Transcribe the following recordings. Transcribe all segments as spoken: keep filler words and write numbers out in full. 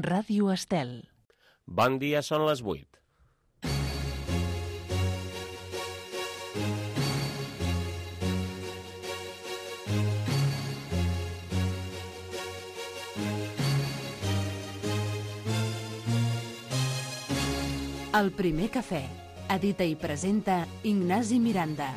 Ràdio Estel. Bon dia, són les vuit. El primer cafè. Edita i presenta Ignasi Miranda.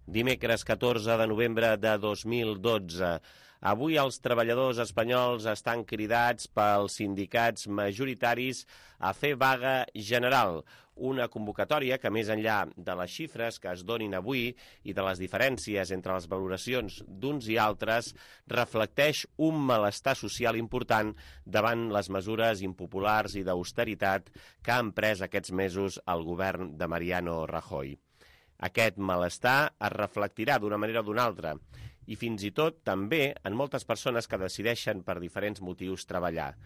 Dimecres catorze de novembre de dos mil dotze. Avui els treballadors espanyols estan cridats pels sindicats majoritaris a fer vaga general, una convocatòria que, més enllà de les xifres que es donin avui i de les diferències entre les valoracions d'uns i altres, reflecteix un malestar social important davant les mesures impopulars i d'austeritat que ha emprès aquests mesos el govern de Mariano Rajoy. Aquest malestar es reflectirà d'una manera o d'una altra i fins i tot també en moltes persones que decideixen per diferents motius treballar.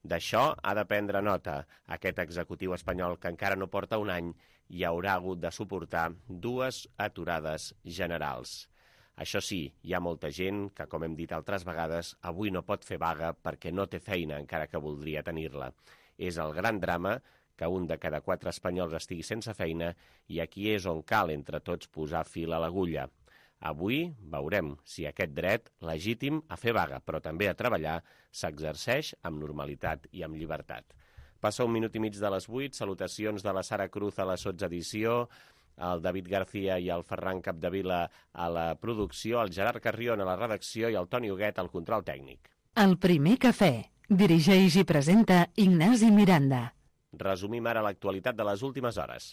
D'això ha de prendre nota aquest executiu espanyol que encara no porta un any i haurà hagut de suportar dues aturades generals. Això sí, hi ha molta gent que, com hem dit altres vegades, avui no pot fer vaga perquè no té feina encara que voldria tenir-la. És el gran drama que un de cada quatre espanyols estigui sense feina i aquí és on cal entre tots posar fil a l'agulla. Avui veurem si aquest dret legítim a fer vaga, però també a treballar, s'exerceix amb normalitat i amb llibertat. Passa un minut i mig de les vuit, salutacions de la Sara Cruz a la sotsedició, el David García i el Ferran Capdevila a la producció, el Gerard Carrion a la redacció i el Toni Huguet al control tècnic. El primer cafè. Dirigeix i presenta Ignasi Miranda. Resumim ara l'actualitat de les últimes hores.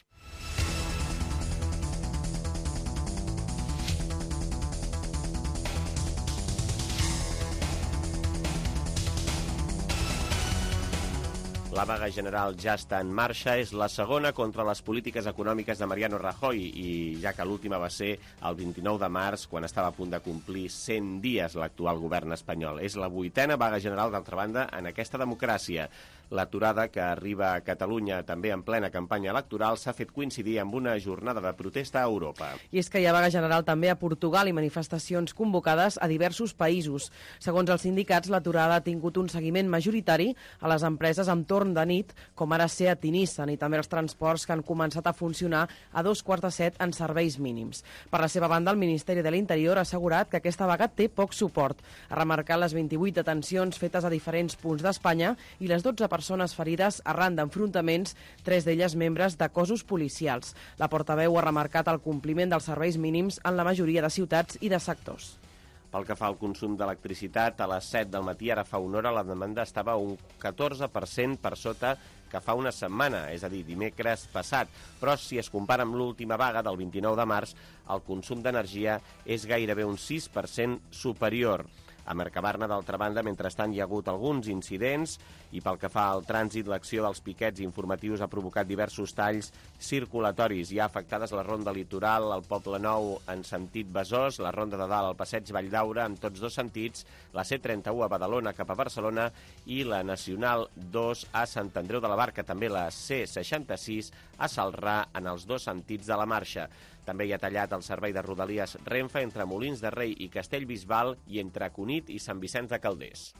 La vaga general ja està en marxa, és la segona contra les polítiques econòmiques de Mariano Rajoy i ja que l'última va ser el vint-i-nou de març, quan estava a punt de complir cent dies l'actual govern espanyol. És la vuitena vaga general, d'altra banda, en aquesta democràcia. L'aturada, que arriba a Catalunya també en plena campanya electoral, s'ha fet coincidir amb una jornada de protesta a Europa. I és que hi ha vaga general també a Portugal i manifestacions convocades a diversos països. Segons els sindicats, l'aturada ha tingut un seguiment majoritari a les empreses amb torn de nit, com ara Seat i Nissan, i també els transports que han començat a funcionar a dos quarts de set en serveis mínims. Per la seva banda, el Ministeri de l'Interior ha assegurat que aquesta vaga té poc suport. Ha remarcat les vint-i-vuit detencions fetes a diferents punts d'Espanya i les dotze persones ferides arran d'enfrontaments, tres d'elles membres de cossos policials. La portaveu ha remarcat el compliment dels serveis mínims en la majoria de ciutats i de sectors. Pel que fa al consum d'electricitat, a les set del matí, ara fa una hora, la demanda estava un catorze per cent per sota que fa una setmana, és a dir, dimecres passat. Però si es compara amb l'última vaga del vint-i-nou de març, el consum d'energia és gairebé un sis per cent superior. A Mercabarna, d'altra banda, mentrestant hi ha hagut alguns incidents i pel que fa al trànsit, l'acció dels piquets informatius ha provocat diversos talls circulatoris. Hi ha afectades la Ronda Litoral, el Poble Nou en sentit Besòs, la Ronda de Dalt al Passeig Valldaura en tots dos sentits, la C trenta-u a Badalona cap a Barcelona i la Nacional dos a Sant Andreu de la Barca, també la C seixanta-sis a Celrà en els dos sentits de la marxa. També hi ha tallat el servei de Rodalies Renfe entre Molins de Rei i Castellbisbal i entre Cunit i Sant Vicenç de Calders.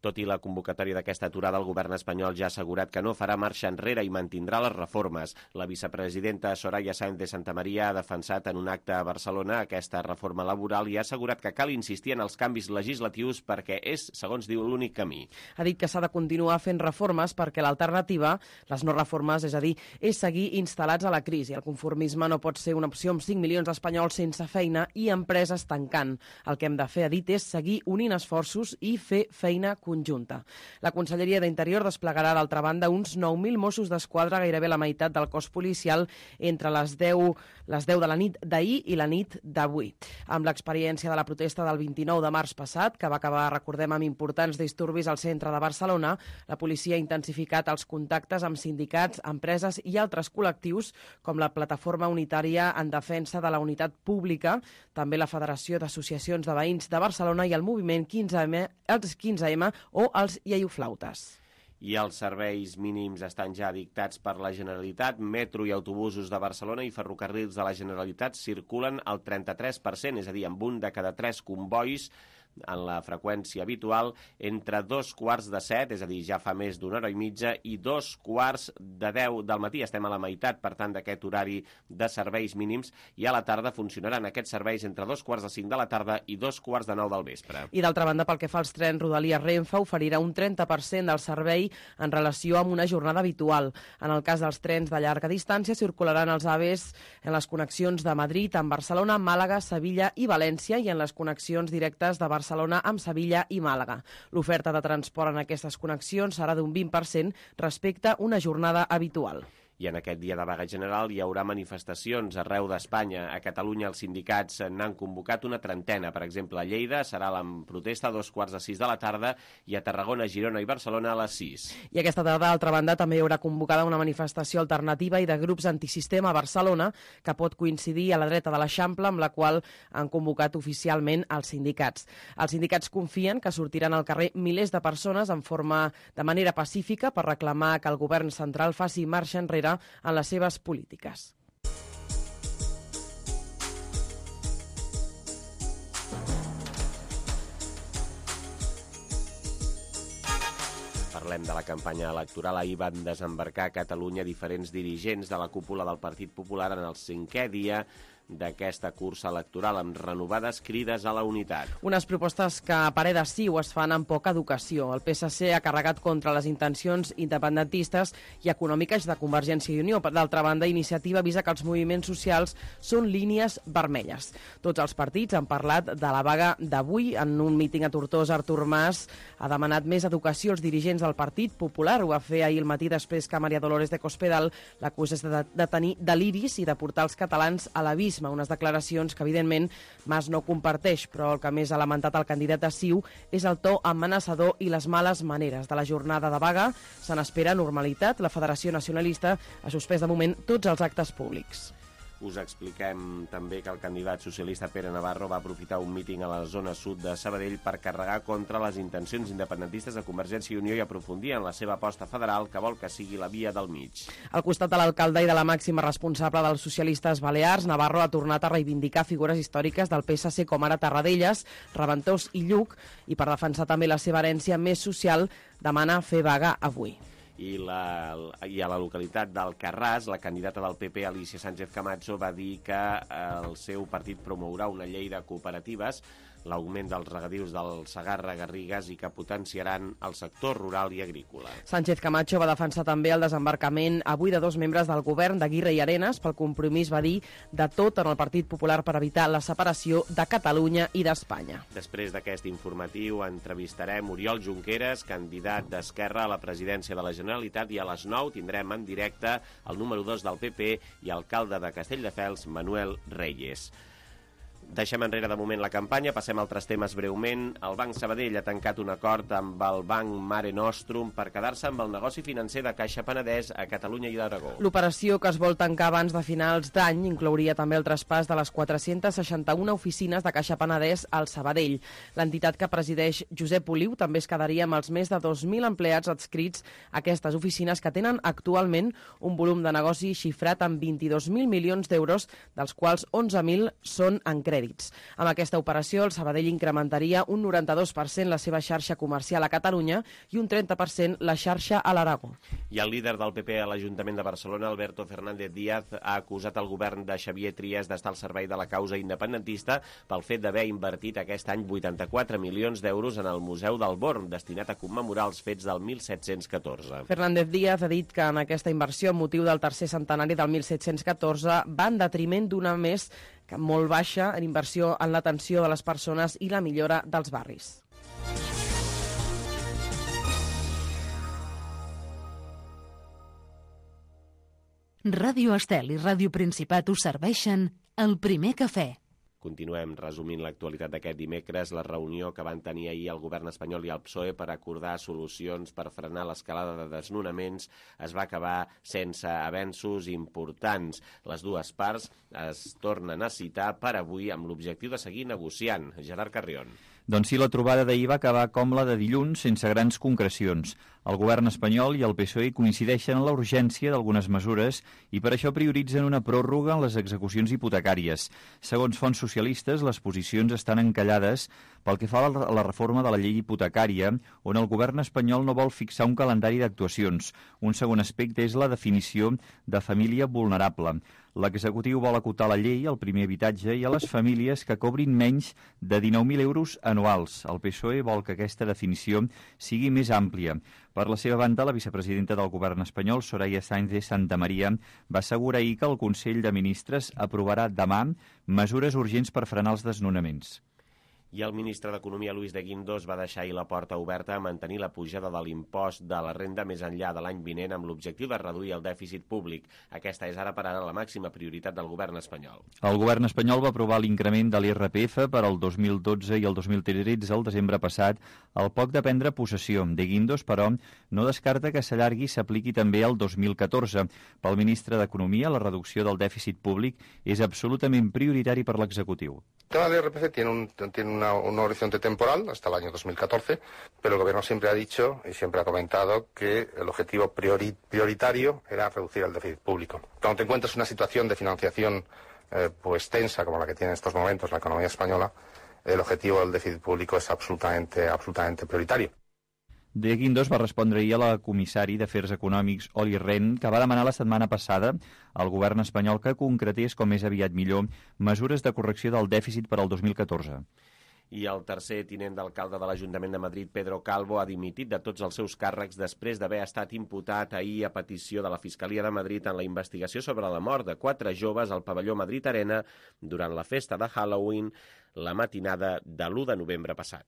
Tot i la convocatòria d'aquesta aturada, el govern espanyol ja ha assegurat que no farà marxa enrere i mantindrà les reformes. La vicepresidenta Soraya Sáenz de Santamaría ha defensat en un acte a Barcelona aquesta reforma laboral i ha assegurat que cal insistir en els canvis legislatius perquè és, segons diu, l'únic camí. Ha dit que s'ha de continuar fent reformes perquè l'alternativa, les no reformes, és a dir, és seguir instal·lats a la crisi. El conformisme no pot ser una opció amb cinc milions d'espanyols sense feina i empreses tancant. El que hem de fer, ha dit, és seguir unint esforços i fer feina conjunta. conjunta. La Conselleria d'Interior desplegarà, d'altra banda, uns nou mil Mossos d'Esquadra, gairebé la meitat del cos policial, entre les deu, les deu de la nit d'ahir i la nit d'avui. Amb l'experiència de la protesta del vint-i-nou de març passat, que va acabar, recordem, amb importants disturbis al centre de Barcelona, la policia ha intensificat els contactes amb sindicats, empreses i altres col·lectius, com la Plataforma Unitària en Defensa de la Unitat Pública, també la Federació d'Associacions de Veïns de Barcelona i el moviment quinze eme, els quinze eme o els iaioflautes. I els serveis mínims estan ja dictats per la Generalitat. Metro i autobusos de Barcelona i ferrocarrils de la Generalitat circulen al trenta-tres per cent, és a dir, amb un de cada tres convois en la freqüència habitual entre dos quarts de set, és a dir, ja fa més d'una hora i mitja, i dos quarts de deu del matí. Estem a la meitat, per tant, d'aquest horari de serveis mínims, i a la tarda funcionaran aquests serveis entre dos quarts de cinc de la tarda i dos quarts de nou del vespre. I d'altra banda, pel que fa als trens, Rodalies Renfe oferirà un trenta per cent del servei en relació amb una jornada habitual. En el cas dels trens de llarga distància, circularan els AVEs en les connexions de Madrid amb Barcelona, Màlaga, Sevilla i València, i en les connexions directes de Barcelona Barcelona amb Sevilla i Màlaga. L'oferta de transport en aquestes connexions serà d'un vint per cent respecte a una jornada habitual. I en aquest dia de vaga general hi haurà manifestacions arreu d'Espanya. A Catalunya els sindicats n'han convocat una trentena. Per exemple, a Lleida serà la protesta a dos quarts de sis de la tarda i a Tarragona, Girona i Barcelona a les sis. I aquesta tarda, d'altra banda, també hi haurà convocada una manifestació alternativa i de grups antisistema a Barcelona que pot coincidir a la dreta de l'Eixample, amb la qual han convocat oficialment els sindicats. Els sindicats confien que sortiran al carrer milers de persones en forma de manera pacífica per reclamar que el govern central faci marxa enrere en les seves polítiques. Parlem de la campanya electoral. Ahir van desembarcar a Catalunya diferents dirigents de la cúpula del Partit Popular en el cinquè dia d'aquesta cursa electoral, amb renovades crides a la unitat. Unes propostes que a parer de Ciu es fan amb poca educació. El P S C ha carregat contra les intencions independentistes i econòmiques de Convergència i Unió. D'altra banda, Iniciativa avisa que els moviments socials són línies vermelles. Tots els partits han parlat de la vaga d'avui. En un míting a Tortosa, Artur Mas ha demanat més educació als dirigents del Partit Popular. Ho va fer ahir al matí després que Maria Dolores de Cospedal l'acusés de, de tenir deliris i de portar els catalans a l'abisme. Unes declaracions que, evidentment, Mas no comparteix, però el que més ha lamentat el candidat de Ciu és el to amenaçador i les males maneres. De la jornada de vaga se n'espera normalitat. La Federació Nacionalista ha suspès de moment tots els actes públics. Us expliquem també que el candidat socialista Pere Navarro va aprofitar un míting a la zona sud de Sabadell per carregar contra les intencions independentistes de Convergència i Unió i aprofundir en la seva aposta federal, que vol que sigui la via del mig. Al costat de l'alcalde i de la màxima responsable dels socialistes balears, Navarro ha tornat a reivindicar figures històriques del P S C com ara Tarradellas, Reventós i Lluc, i per defensar també la seva herència més social demana fer vaga avui. I, la, I a la localitat d'Alcarràs, la candidata del P P, Alicia Sánchez Camacho, va dir que el seu partit promourà una llei de cooperatives, l'augment dels regadius del Segarra Garrigues i que potenciaran el sector rural i agrícola. Sánchez Camacho va defensar també el desembarcament avui de dos membres del govern d'Aguirre i Arenas. Pel compromís, va dir, de tot en el Partit Popular per evitar la separació de Catalunya i d'Espanya. Després d'aquest informatiu entrevistarem Oriol Junqueras, candidat d'Esquerra a la presidència de la Generalitat, i a les nou tindrem en directe el número dos del P P i alcalde de Castelldefels, Manuel Reyes. Deixem enrere de moment la campanya, passem a altres temes breument. El Banc Sabadell ha tancat un acord amb el Banc Mare Nostrum per quedar-se amb el negoci financer de Caixa Penedès a Catalunya i l'Aragó. L'operació, que es vol tancar abans de finals d'any, inclouria també el traspàs de les quatre-cents seixanta-una oficines de Caixa Penedès al Sabadell. L'entitat que presideix Josep Oliu també es quedaria amb els més de dos mil empleats adscrits a aquestes oficines, que tenen actualment un volum de negoci xifrat en vint-i-dos mil milions d'euros, dels quals onze mil són en crèdit. Amb aquesta operació, el Sabadell incrementaria un noranta-dos per cent la seva xarxa comercial a Catalunya i un trenta per cent la xarxa a l'Aragó. I el líder del P P a l'Ajuntament de Barcelona, Alberto Fernández Díaz, ha acusat el govern de Xavier Trias d'estar al servei de la causa independentista pel fet d'haver invertit aquest any vuitanta-quatre milions d'euros en el Museu del Born, destinat a commemorar els fets del mil set-cents catorze. Fernández Díaz ha dit que en aquesta inversió, amb motiu del tercer centenari del mil set-cents catorze, va en detriment d'una més que molt baixa en inversió en l'atenció de les persones i la millora dels barris. Ràdio Estel i Ràdio Principat us serveixen el primer cafè. Continuem resumint l'actualitat d'aquest dimecres. La reunió que van tenir ahir el govern espanyol i el P S O E per acordar solucions per frenar l'escalada de desnonaments es va acabar sense avenços importants. Les dues parts es tornen a citar per avui amb l'objectiu de seguir negociant. Gerard Carrion. Doncs sí, la trobada d'ahir va acabar com la de dilluns, sense grans concrecions. El govern espanyol i el P S O E coincideixen en la urgència d'algunes mesures i per això prioritzen una pròrroga en les execucions hipotecàries. Segons fonts socialistes, les posicions estan encallades pel que fa a la reforma de la llei hipotecària, on el govern espanyol no vol fixar un calendari d'actuacions. Un segon aspecte és la definició de família vulnerable. L'executiu vol acotar la llei al primer habitatge i a les famílies que cobrin menys de dinou mil euros anuals. El P S O E vol que aquesta definició sigui més àmplia. Per la seva banda, la vicepresidenta del govern espanyol, Soraya Sáenz de Santamaría, va assegurar ahir que el Consell de Ministres aprovarà demà mesures urgents per frenar els desnonaments. I el ministre d'Economia, Luis de Guindos, va deixar ahir la porta oberta a mantenir la pujada de l'impost de la renda més enllà de l'any vinent amb l'objectiu de reduir el dèficit públic. Aquesta és ara per ara la màxima prioritat del govern espanyol. El govern espanyol va aprovar l'increment de l'I R P F per al dos mil dotze i el dos mil tretze, el desembre passat, al poc de prendre possessió. De Guindos, però, no descarta que s'allargui i s'apliqui també al dos mil catorze. Pel ministre d'Economia, la reducció del dèficit públic és absolutament prioritari per l'executiu. El tema del I R P F tiene un, tiene una, un horizonte temporal hasta el año dos mil catorce, pero el Gobierno siempre ha dicho y siempre ha comentado que el objetivo priori, prioritario era reducir el déficit público. Cuando te encuentras en una situación de financiación eh, pues tensa como la que tiene en estos momentos la economía española, el objetivo del déficit público es absolutamente, absolutamente prioritario. De Guindos va respondre ahir a la comissari d'Afers Econòmics, Olli Rehn, que va demanar la setmana passada al govern espanyol que concretés, com més aviat millor, mesures de correcció del dèficit per al dos mil catorze. I el tercer tinent d'alcalde de l'Ajuntament de Madrid, Pedro Calvo, ha dimitit de tots els seus càrrecs després d'haver estat imputat ahir a petició de la Fiscalia de Madrid en la investigació sobre la mort de quatre joves al pavelló Madrid Arena durant la festa de Halloween la matinada de l'u de novembre passat.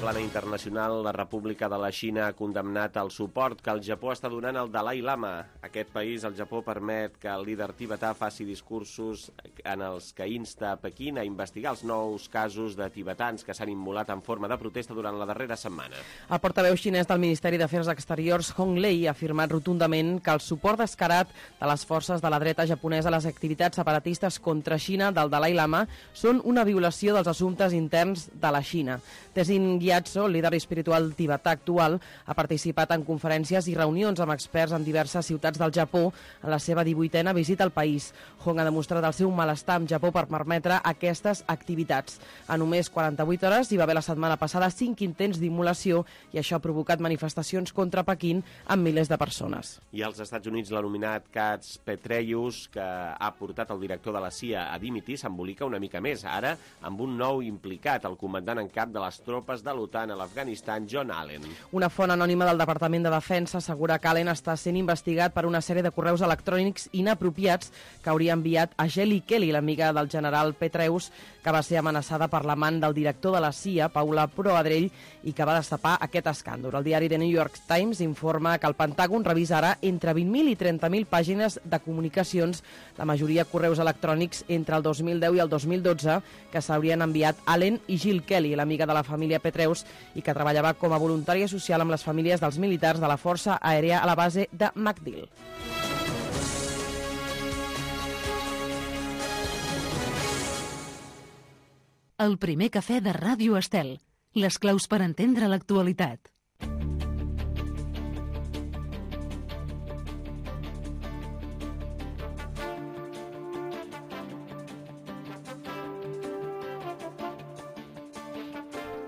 Plana internacional, la República de la Xina ha condemnat el suport que el Japó està donant al Dalai Lama. Aquest país, el Japó, permet que el líder tibetà faci discursos en els que insta a Pequín a investigar els nous casos de tibetans que s'han immolat en forma de protesta durant la darrera setmana. El portaveu xinès del Ministeri d'Afers Exteriors, Hong Lei, ha afirmat rotundament que el suport descarat de les forces de la dreta japonesa a les activitats separatistes contra Xina del Dalai Lama són una violació dels assumptes interns de la Xina. Tenzin Gyatso, el líder espiritual tibetà actual, ha participat en conferències i reunions amb experts en diverses ciutats del Japó en la seva divuitena visita al país. Hong ha demostrat el seu malestar amb Japó per permetre aquestes activitats. A només quaranta-vuit hores hi va haver la setmana passada cinc intents d'immolació i això ha provocat manifestacions contra Pequín amb milers de persones. I als Estats Units l'ha nominat Katz Petreyus, que ha portat el director de la C I A a dimitir, s'embolica una mica més, ara amb un nou implicat, el comandant en cap de les tropes de l'OTAN a l'Afganistan, John Allen. Una font anònima del Departament de Defensa assegura que Allen està sent investigat per una sèrie de correus electrònics inapropiats que hauria enviat a Jelly Kelly, l'amiga del general Petraeus, que va ser amenaçada per l'amant del director de la C I A, Paula Proadrell, i que va destapar aquest escàndol. El diari The New York Times informa que el Pentàgon revisa ara entre vint mil i trenta mil pàgines de comunicacions, la majoria correus electrònics entre el dos mil deu i el dos mil dotze, que s'haurien enviat Allen i Jill Kelly, l'amiga de la família Petraeus, i que treballava com a voluntària social amb les famílies dels militars de la Força Aèria a la base de MacDill. El primer cafè de Ràdio Estel. Les claus per entendre l'actualitat.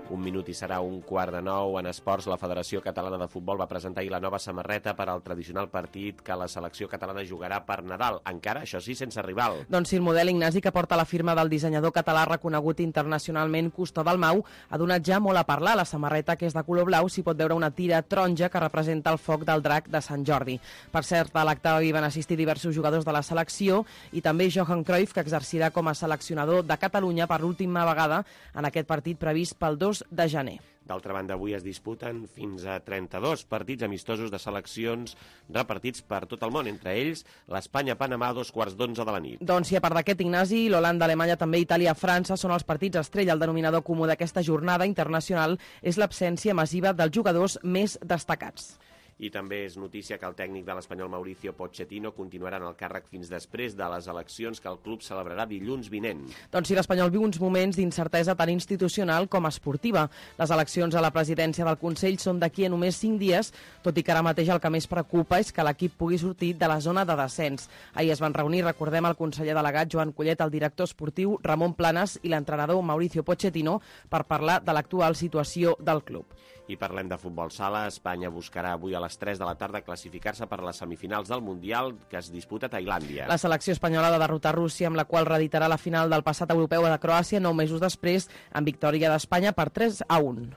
Un minut i serà un quart de nou. En esports, la Federació Catalana de Futbol va presentar ahir la nova samarreta per al tradicional partit que la selecció catalana jugarà per Nadal. Encara, això sí, sense rival. Doncs sí, el model Ignasi, que porta la firma del dissenyador català reconegut internacionalment Custo Dalmau, ha donat ja molt a parlar. La samarreta, que és de color blau, s'hi pot veure una tira taronja que representa el foc del drac de Sant Jordi. Per cert, a l'acte hi van assistir diversos jugadors de la selecció i també Johan Cruyff, que exercirà com a seleccionador de Catalunya per l'última vegada en aquest partit previst pel dos de gener. D'altra banda, avui es disputen fins a trenta-dos partits amistosos de seleccions repartits per tot el món, entre ells l'Espanya-Panamà a dos quarts d'onze de la nit. Doncs sí, a part d'aquest, Ignasi, l'Holanda, Alemanya, també Itàlia, França són els partits estrella. El denominador comú d'aquesta jornada internacional és l'absència massiva dels jugadors més destacats. I també és notícia que el tècnic de l'Espanyol Mauricio Pochettino continuarà en el càrrec fins després de les eleccions que el club celebrarà dilluns vinent. Doncs sí, l'Espanyol viu uns moments d'incertesa tant institucional com esportiva. Les eleccions a la presidència del Consell són d'aquí a només cinc dies, tot i que ara mateix el que més preocupa és que l'equip pugui sortir de la zona de descens. Ahir es van reunir, recordem, el conseller delegat Joan Collet, el director esportiu Ramon Planes i l'entrenador Mauricio Pochettino per parlar de l'actual situació del club. I parlem de futbol sala. Espanya buscarà avui a les tres de la tarda classificar-se per les semifinals del Mundial que es disputa a Tailàndia. La selecció espanyola ha de derrotar Rússia, amb la qual reeditarà la final del passat europeu de Croàcia nou mesos després, amb victòria d'Espanya per tres a un.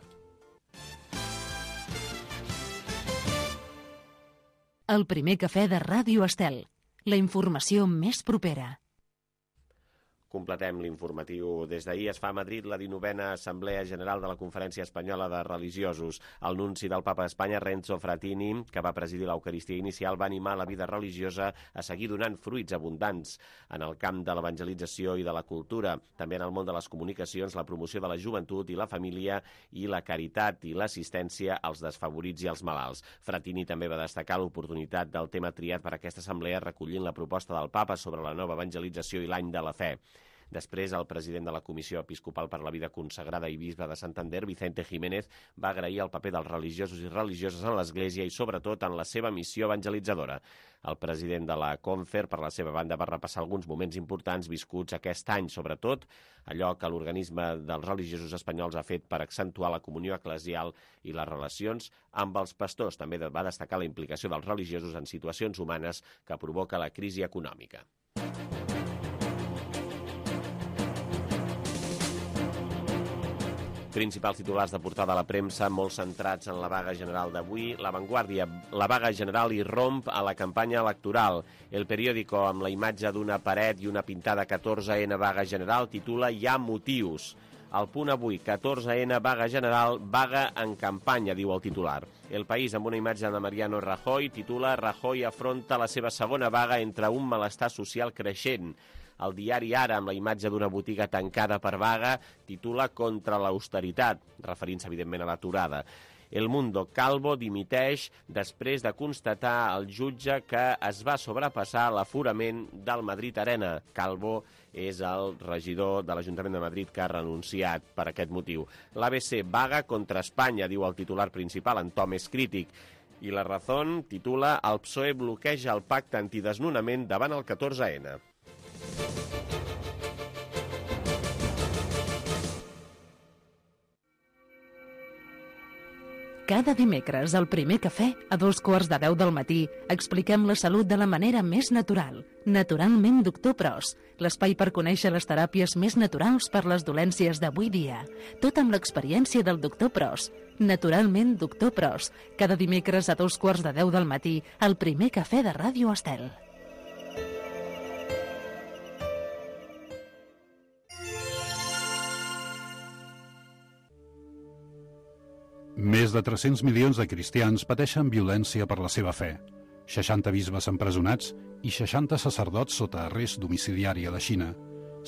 El primer cafè de Ràdio Estel. La informació més propera. Completem l'informatiu. Des d'ahir es fa a Madrid la dinovena Assemblea General de la Conferència Espanyola de Religiosos. El nunci del Papa d'Espanya, Renzo Frattini, que va presidir l'Eucaristia inicial, va animar la vida religiosa a seguir donant fruits abundants en el camp de l'evangelització i de la cultura, també en el món de les comunicacions, la promoció de la joventut i la família i la caritat i l'assistència als desfavorits i als malalts. Frattini també va destacar l'oportunitat del tema triat per aquesta assemblea recollint la proposta del Papa sobre la nova evangelització i l'any de la fe. Després, el president de la Comissió Episcopal per la Vida Consagrada i bisbe de Santander, Vicente Jiménez, va agrair el paper dels religiosos i religioses en l'Església i, sobretot, en la seva missió evangelitzadora. El president de la Confer, per la seva banda, va repassar alguns moments importants viscuts aquest any, sobretot allò que l'organisme dels religiosos espanyols ha fet per accentuar la comunió eclesial i les relacions amb els pastors. També va destacar la implicació dels religiosos en situacions humanes que provoca la crisi econòmica. Principals titulars de portada a la premsa, molt centrats en la vaga general d'avui. La Vanguardia, la vaga general irromp a la campanya electoral. El periòdico, amb la imatge d'una paret i una pintada catorze ena vaga general, titula Hi ha motius. El Punt avui, catorze ena vaga general, vaga en campanya, diu el titular. El País, amb una imatge de Mariano Rajoy, titula Rajoy afronta la seva segona vaga entre un malestar social creixent. El diari Ara, amb la imatge d'una botiga tancada per vaga, titula Contra l'austeritat, referint-se, evidentment, a l'aturada. El Mundo, Calvo dimiteix després de constatar al jutge que es va sobrepassar l'aforament del Madrid Arena. Calvo és el regidor de l'Ajuntament de Madrid que ha renunciat per aquest motiu. L'A B C, vaga contra Espanya, diu el titular principal, en to més crític. I La Razón titula El P S O E bloqueja el pacte antidesnonament davant el catorze ena. Cada dimecres, al primer cafè, a dos quarts de deu del matí, expliquem la salut de la manera més natural. Naturalment Doctor Pros, l'espai per conèixer les teràpies més naturals per les dolències d'avui dia. Tot amb l'experiència del Doctor Pros. Naturalment Doctor Pros, cada dimecres a dos quarts de deu del matí, al primer cafè de Ràdio Estel. Més de tres-cents milions de cristians pateixen violència per la seva fe. seixanta bisbes empresonats i seixanta sacerdots sota arrest domiciliari a la Xina.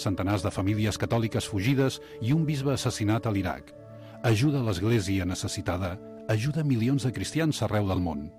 Centenars de famílies catòliques fugides i un bisbe assassinat a l'Iraq. Ajuda a l'Església necessitada, ajuda milions de cristians arreu del món.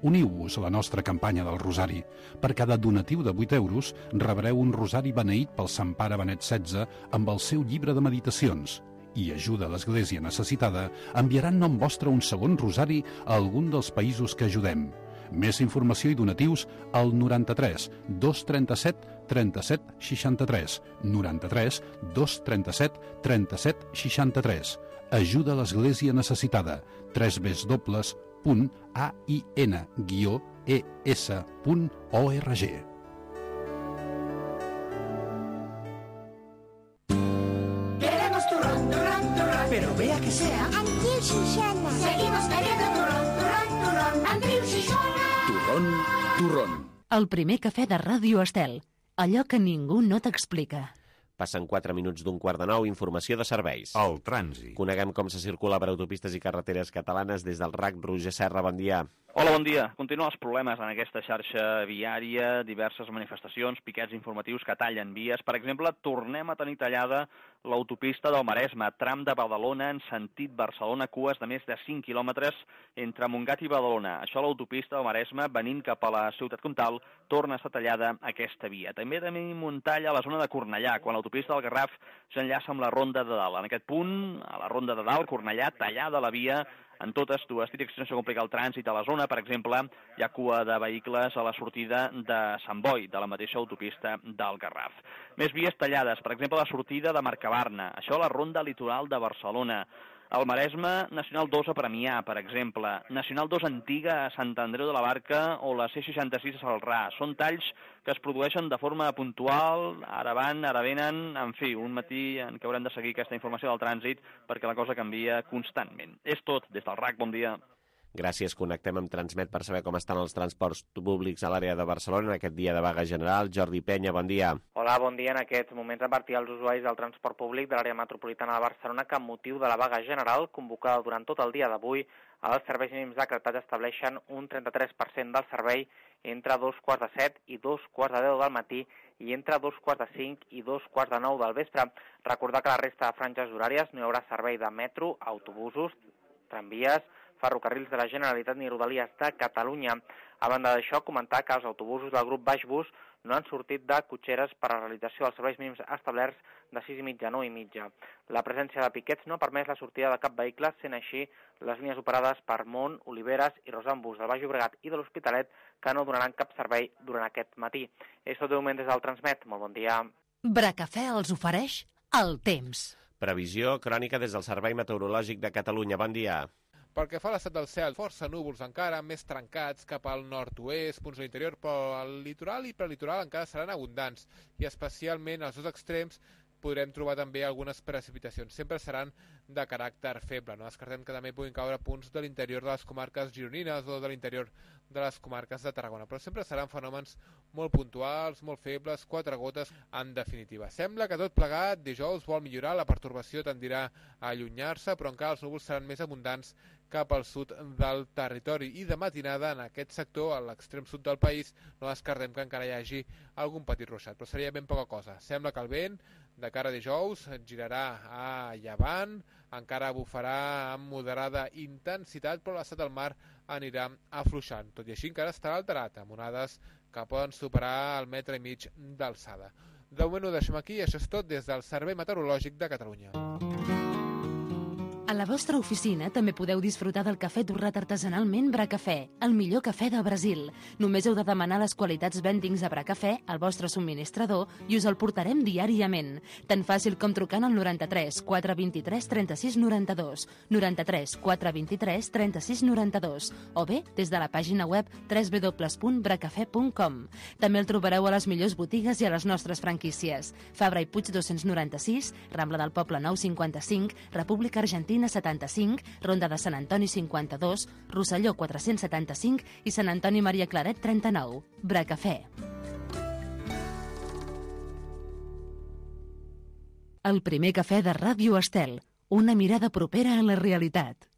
Uniu-vos a la nostra campanya del Rosari. Per cada donatiu de vuit euros rebreu un rosari beneït pel Sant Pare Benet setze amb el seu llibre de meditacions. I ajuda a l'Església necessitada, enviaran nom vostre un segon rosari a algun dels països que ajudem. Més informació i donatius al noranta-tres dos trenta-set trenta-set seixanta-tres, noranta-tres dos trenta-set trenta-set seixanta-tres. Ajuda a l'Església necessitada, tres w punt a i n guió e s punt org. Pero vea que sea Andreu Xixona. Seguimos bebiendo turrón, turrón, turrón. Andreu Xixona. Turrón, turrón. El primer cafè de Ràdio Estel. Allò que ningú no t'explica. Passen quatre minuts d'un quart de nou, informació de serveis. El trànsit. Coneguem com se circula per autopistes i carreteres catalanes des del R A C. Roger Serra, bon dia. Hola, bon dia. Continuen els problemes en aquesta xarxa viària, diverses manifestacions, piquets informatius que tallen vies. Per exemple, tornem a tenir tallada l'autopista del Maresme, tram de Badalona en sentit Barcelona, cues de més de cinc quilòmetres entre Montgat i Badalona. Això l'autopista del Maresme, venint cap a la ciutat comtal, torna a estar tallada aquesta via. També tenim un tall a la zona de Cornellà, quan l'autopista del Garraf s'enllaça amb la Ronda de Dalt. En aquest punt, a la Ronda de Dalt, Cornellà, tallada la via en totes dues direccions, això complica el trànsit a la zona. Per exemple, hi ha cua de vehicles a la sortida de Sant Boi, de la mateixa autopista del Garraf. Més vies tallades, per exemple, la sortida de Mercabarna, això a la Ronda Litoral de Barcelona. El Maresme, Nacional dos a Premià, per exemple, Nacional dos Antiga a Sant Andreu de la Barca o la C seixanta-sis a Salrà. Són talls que es produeixen de forma puntual, ara van, ara venen, en fi, un matí en què haurem de seguir aquesta informació del trànsit perquè la cosa canvia constantment. És tot, des del R A C, bon dia. Gràcies, connectem amb Transmet per saber com estan els transports públics a l'àrea de Barcelona en aquest dia de vaga general. Jordi Penya, bon dia. Hola, bon dia. En aquests moments advertir als usuaris del transport públic de l'àrea metropolitana de Barcelona que amb motiu de la vaga general convocada durant tot el dia d'avui, els serveis mínims decretats estableixen un trenta-tres per cent del servei entre dos quarts de set i dos quarts de deu del matí i entre dos quarts de cinc i dos quarts de nou del vespre. Recordar que la resta de franges horàries no hi haurà servei de metro, autobusos, tramvies, ferrocarrils de la Generalitat ni Rodalies de Catalunya. A banda d'això, comentar que els autobusos del grup Baixbus no han sortit de cotxeres per a la realització dels serveis mínims establerts de sis i mitja a nou i mitja. La presència de piquets no ha permès la sortida de cap vehicle, sent així les línies operades per Mont, Oliveres i Rosambus del Baix Llobregat i de l'Hospitalet que no donaran cap servei durant aquest matí. És tot de moment des del Transmet. Molt bon dia. Bracafè els ofereix el temps. Previsió crònica des del Servei Meteorològic de Catalunya. Bon dia. Pel que fa a l'estat del cel, força núvols encara, més trencats cap al nord-oest, punts a l'interior, però al litoral i prelitoral encara seran abundants, i especialment als dos extrems podrem trobar també algunes precipitacions. Sempre seran de caràcter feble. No descartem que també puguin caure punts de l'interior de les comarques gironines o de l'interior de les comarques de Tarragona, però sempre seran fenòmens molt puntuals, molt febles, quatre gotes en definitiva. Sembla que tot plegat dijous vol millorar, la pertorbació tendirà a allunyar-se, però encara els núvols seran més abundants cap al sud del territori i de matinada en aquest sector, a l'extrem sud del país, no descartem que encara hi hagi algun petit ruixat, però seria ben poca cosa. Sembla que el vent de cara a dijous girarà a llevant, encara bufarà amb moderada intensitat, però l'estat del mar anirà afluixant. Tot i així encara estarà alterat, amb onades que poden superar el metre i mig d'alçada. De moment ho deixem aquí, això és tot des del Servei Meteorològic de Catalunya. A la vostra oficina també podeu disfrutar del cafè torrat artesanalment Bracafè, el millor cafè del Brasil. Només heu de demanar les qualitats Vendings de Bracafè al vostre subministrador i us el portarem diàriament. Tan fàcil com trucant al noranta-tres quatre vint-i-tres trenta-sis noranta-dos, noranta-tres quatre vint-i-tres trenta-sis noranta-dos o bé des de la pàgina web w w w punt bracafè punt com. També el trobareu a les millors botigues i a les nostres franquícies. Fabra i Puig dos-cents noranta-sis, Rambla del Poble nou cinquanta-cinc, República Argentina setanta-cinc, Ronda de Sant Antoni cinquanta-dos, Rosselló quatre-cents setanta-cinc i Sant Antoni Maria Claret trenta-nou. Bracafè. El primer cafè de Ràdio Estel, una mirada propera a la realitat.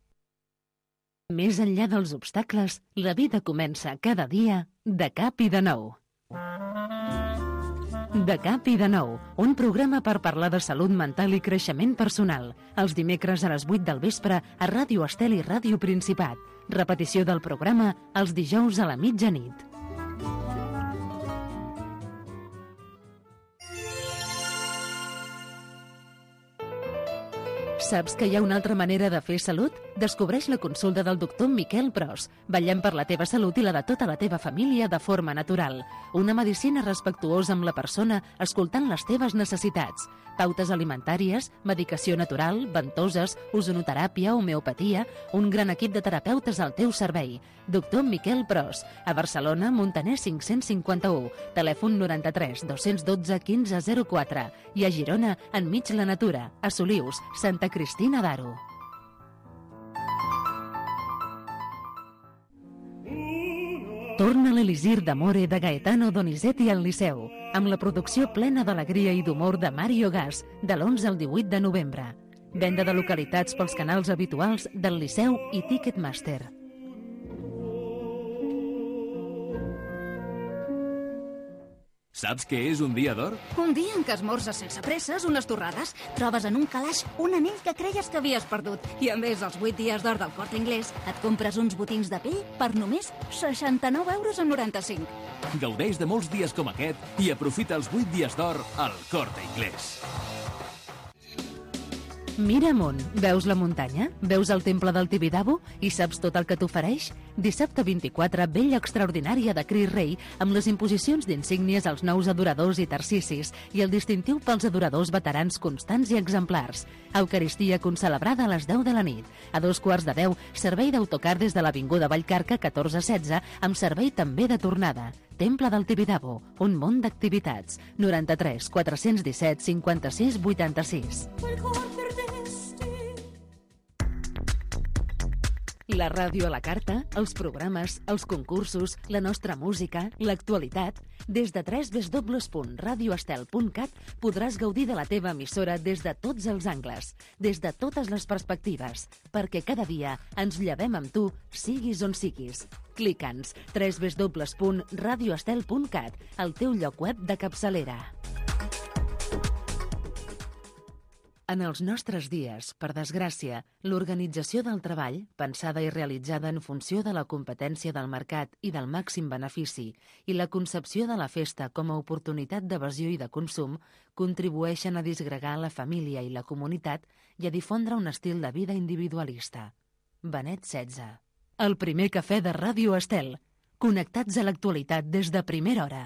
Més enllà dels obstacles, la vida comença cada dia de cap i de nou. De cap i de nou, un programa per parlar de salut mental i creixement personal. Els dimecres a les vuit del vespre a Ràdio Estel i Ràdio Principat. Repetició del programa els dijous a la mitjanit. Saps que hi ha una altra manera de fer salut? Descobreix la consulta del doctor Miquel Pros. Vetllem per la teva salut i la de tota la teva família de forma natural. Una medicina respectuosa amb la persona, escoltant les teves necessitats. Pautes alimentàries, medicació natural, ventoses, ozonoteràpia, homeopatia, un gran equip de terapeutes al teu servei. Doctor Miquel Pros, a Barcelona, Montaner cinc-cents cinquanta-u, telèfon noranta-tres dos-cents dotze quinze zero quatre i a Girona, enmig la natura, a Solius, Santa Cristina d'Aro. Torna l'Elisir d'Amore de Gaetano Donizetti al Liceu, amb la producció plena d'alegria i d'humor de Mario Gas, de l'onze al divuit de novembre. Venda de localitats pels canals habituals del Liceu i Ticketmaster. Saps què és un dia d'or? Un dia en què esmorzes sense presses, unes torrades, trobes en un calaix un anell que creies que havies perdut. I a més, els vuit dies d'or del Corte Inglés, et compres uns botins de pell per només seixanta-nou euros amb noranta-cinc. Gaudeix de molts dies com aquest i aprofita els vuit dies d'or al Corte Inglés. Mira amunt, veus la muntanya? Veus el temple del Tibidabo? I saps tot el que t'ofereix? Dissabte vint-i-quatre, vella extraordinària de Cris Rei, amb les imposicions d'insígnies als nous adoradors i tarsicis i el distintiu pels adoradors veterans constants i exemplars. Eucaristia concelebrada a les deu de la nit. A dos quarts de deu, servei d'autocar des de l'Avinguda Vallcarca catorze setze, amb servei també de tornada. Temple del Tibidabo, un món d'activitats. noranta-tres quatre-cents disset cinquanta-sis vuitanta-sis. La ràdio a la carta, els programes, els concursos, la nostra música, l'actualitat... Des de w w w punt radio estel punt cat podràs gaudir de la teva emissora des de tots els angles, des de totes les perspectives, perquè cada dia ens llevem amb tu, siguis on siguis. Clica'ns w w w punt radio estel punt cat, el teu lloc web de capçalera. En els nostres dies, per desgràcia, l'organització del treball, pensada i realitzada en funció de la competència del mercat i del màxim benefici, i la concepció de la festa com a oportunitat d'evasió i de consum, contribueixen a disgregar la família i la comunitat i a difondre un estil de vida individualista. Benet setze. El primer cafè de Ràdio Estel. Connectats a l'actualitat des de primera hora.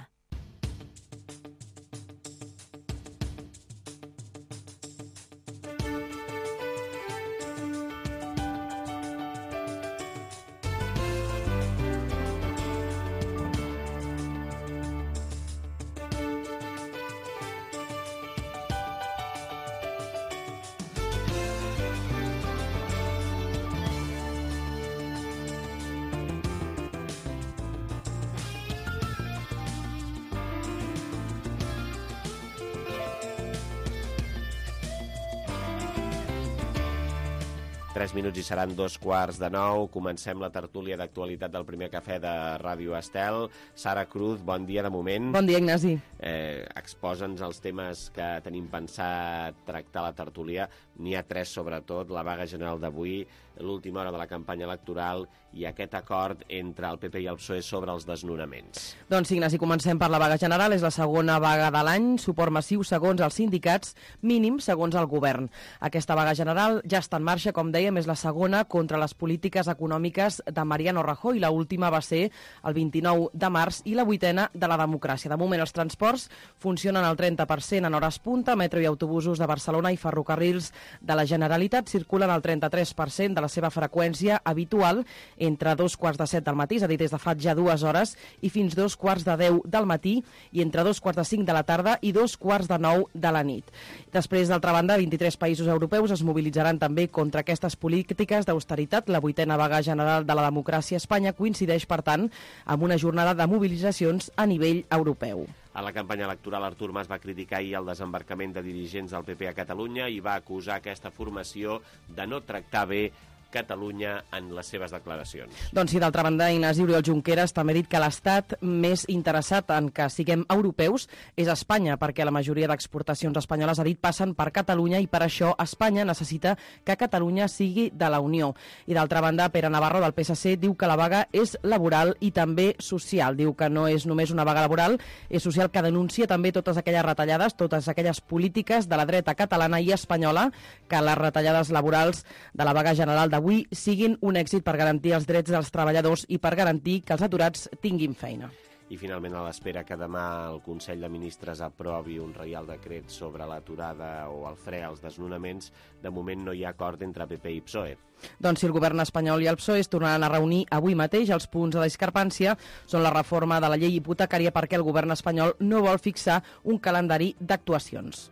Tres minuts i seran dos quarts de nou. Comencem la tertúlia d'actualitat del primer cafè de Ràdio Estel. Sara Cruz, bon dia de moment. Bon dia, Ignasi. Eh, Exposa'ns els temes que tenim pensat tractar a la tertúlia. N'hi ha tres, sobretot, la vaga general d'avui, l'última hora de la campanya electoral i aquest acord entre el P P i el P S O E sobre els desnonaments. Doncs, Ignasi, comencem per la vaga general. És la segona vaga de l'any, suport massiu segons els sindicats, mínim segons el govern. Aquesta vaga general ja està en marxa, com dèiem, és la segona contra les polítiques econòmiques de Mariano Rajoy. L'última va ser el vint-i-nou de març i la vuitena de la democràcia. De moment, els transports funcionen al trenta per cent en hores punta, metro i autobusos de Barcelona i ferrocarrils de la Generalitat circulen al trenta-tres per cent de la seva freqüència habitual entre dos quarts de set del matí, és a dir, des de fa ja dues hores, i fins dos quarts de deu del matí, i entre dos quarts de cinc de la tarda i dos quarts de nou de la nit. Després, d'altra banda, vint-i-tres països europeus es mobilitzaran també contra aquestes polítiques d'austeritat. La vuitena vaga general de la democràcia a Espanya coincideix, per tant, amb una jornada de mobilitzacions a nivell europeu. A la campanya electoral, Artur Mas va criticar ahir el desembarcament de dirigents del P P a Catalunya i va acusar aquesta formació de no tractar bé Catalunya en les seves declaracions. Doncs sí, d'altra banda, Ignasi, Oriol Junqueras també ha dit que l'estat més interessat en que siguem europeus és Espanya, perquè la majoria d'exportacions espanyoles, ha dit, passen per Catalunya i per això Espanya necessita que Catalunya sigui de la Unió. I d'altra banda, Pere Navarro, del P S C, diu que la vaga és laboral i també social. Diu que no és només una vaga laboral, és social, que denuncia també totes aquelles retallades, totes aquelles polítiques de la dreta catalana i espanyola, que les retallades laborals de la vaga general de avui siguin un èxit per garantir els drets dels treballadors i per garantir que els aturats tinguin feina. I finalment, a l'espera que demà el Consell de Ministres aprovi un reial decret sobre l'aturada o el fre als desnonaments, de moment no hi ha acord entre P P i P S O E. Doncs si el govern espanyol i el P S O E es tornaran a reunir avui mateix, els punts de discrepància són la reforma de la llei hipotecària, perquè el govern espanyol no vol fixar un calendari d'actuacions.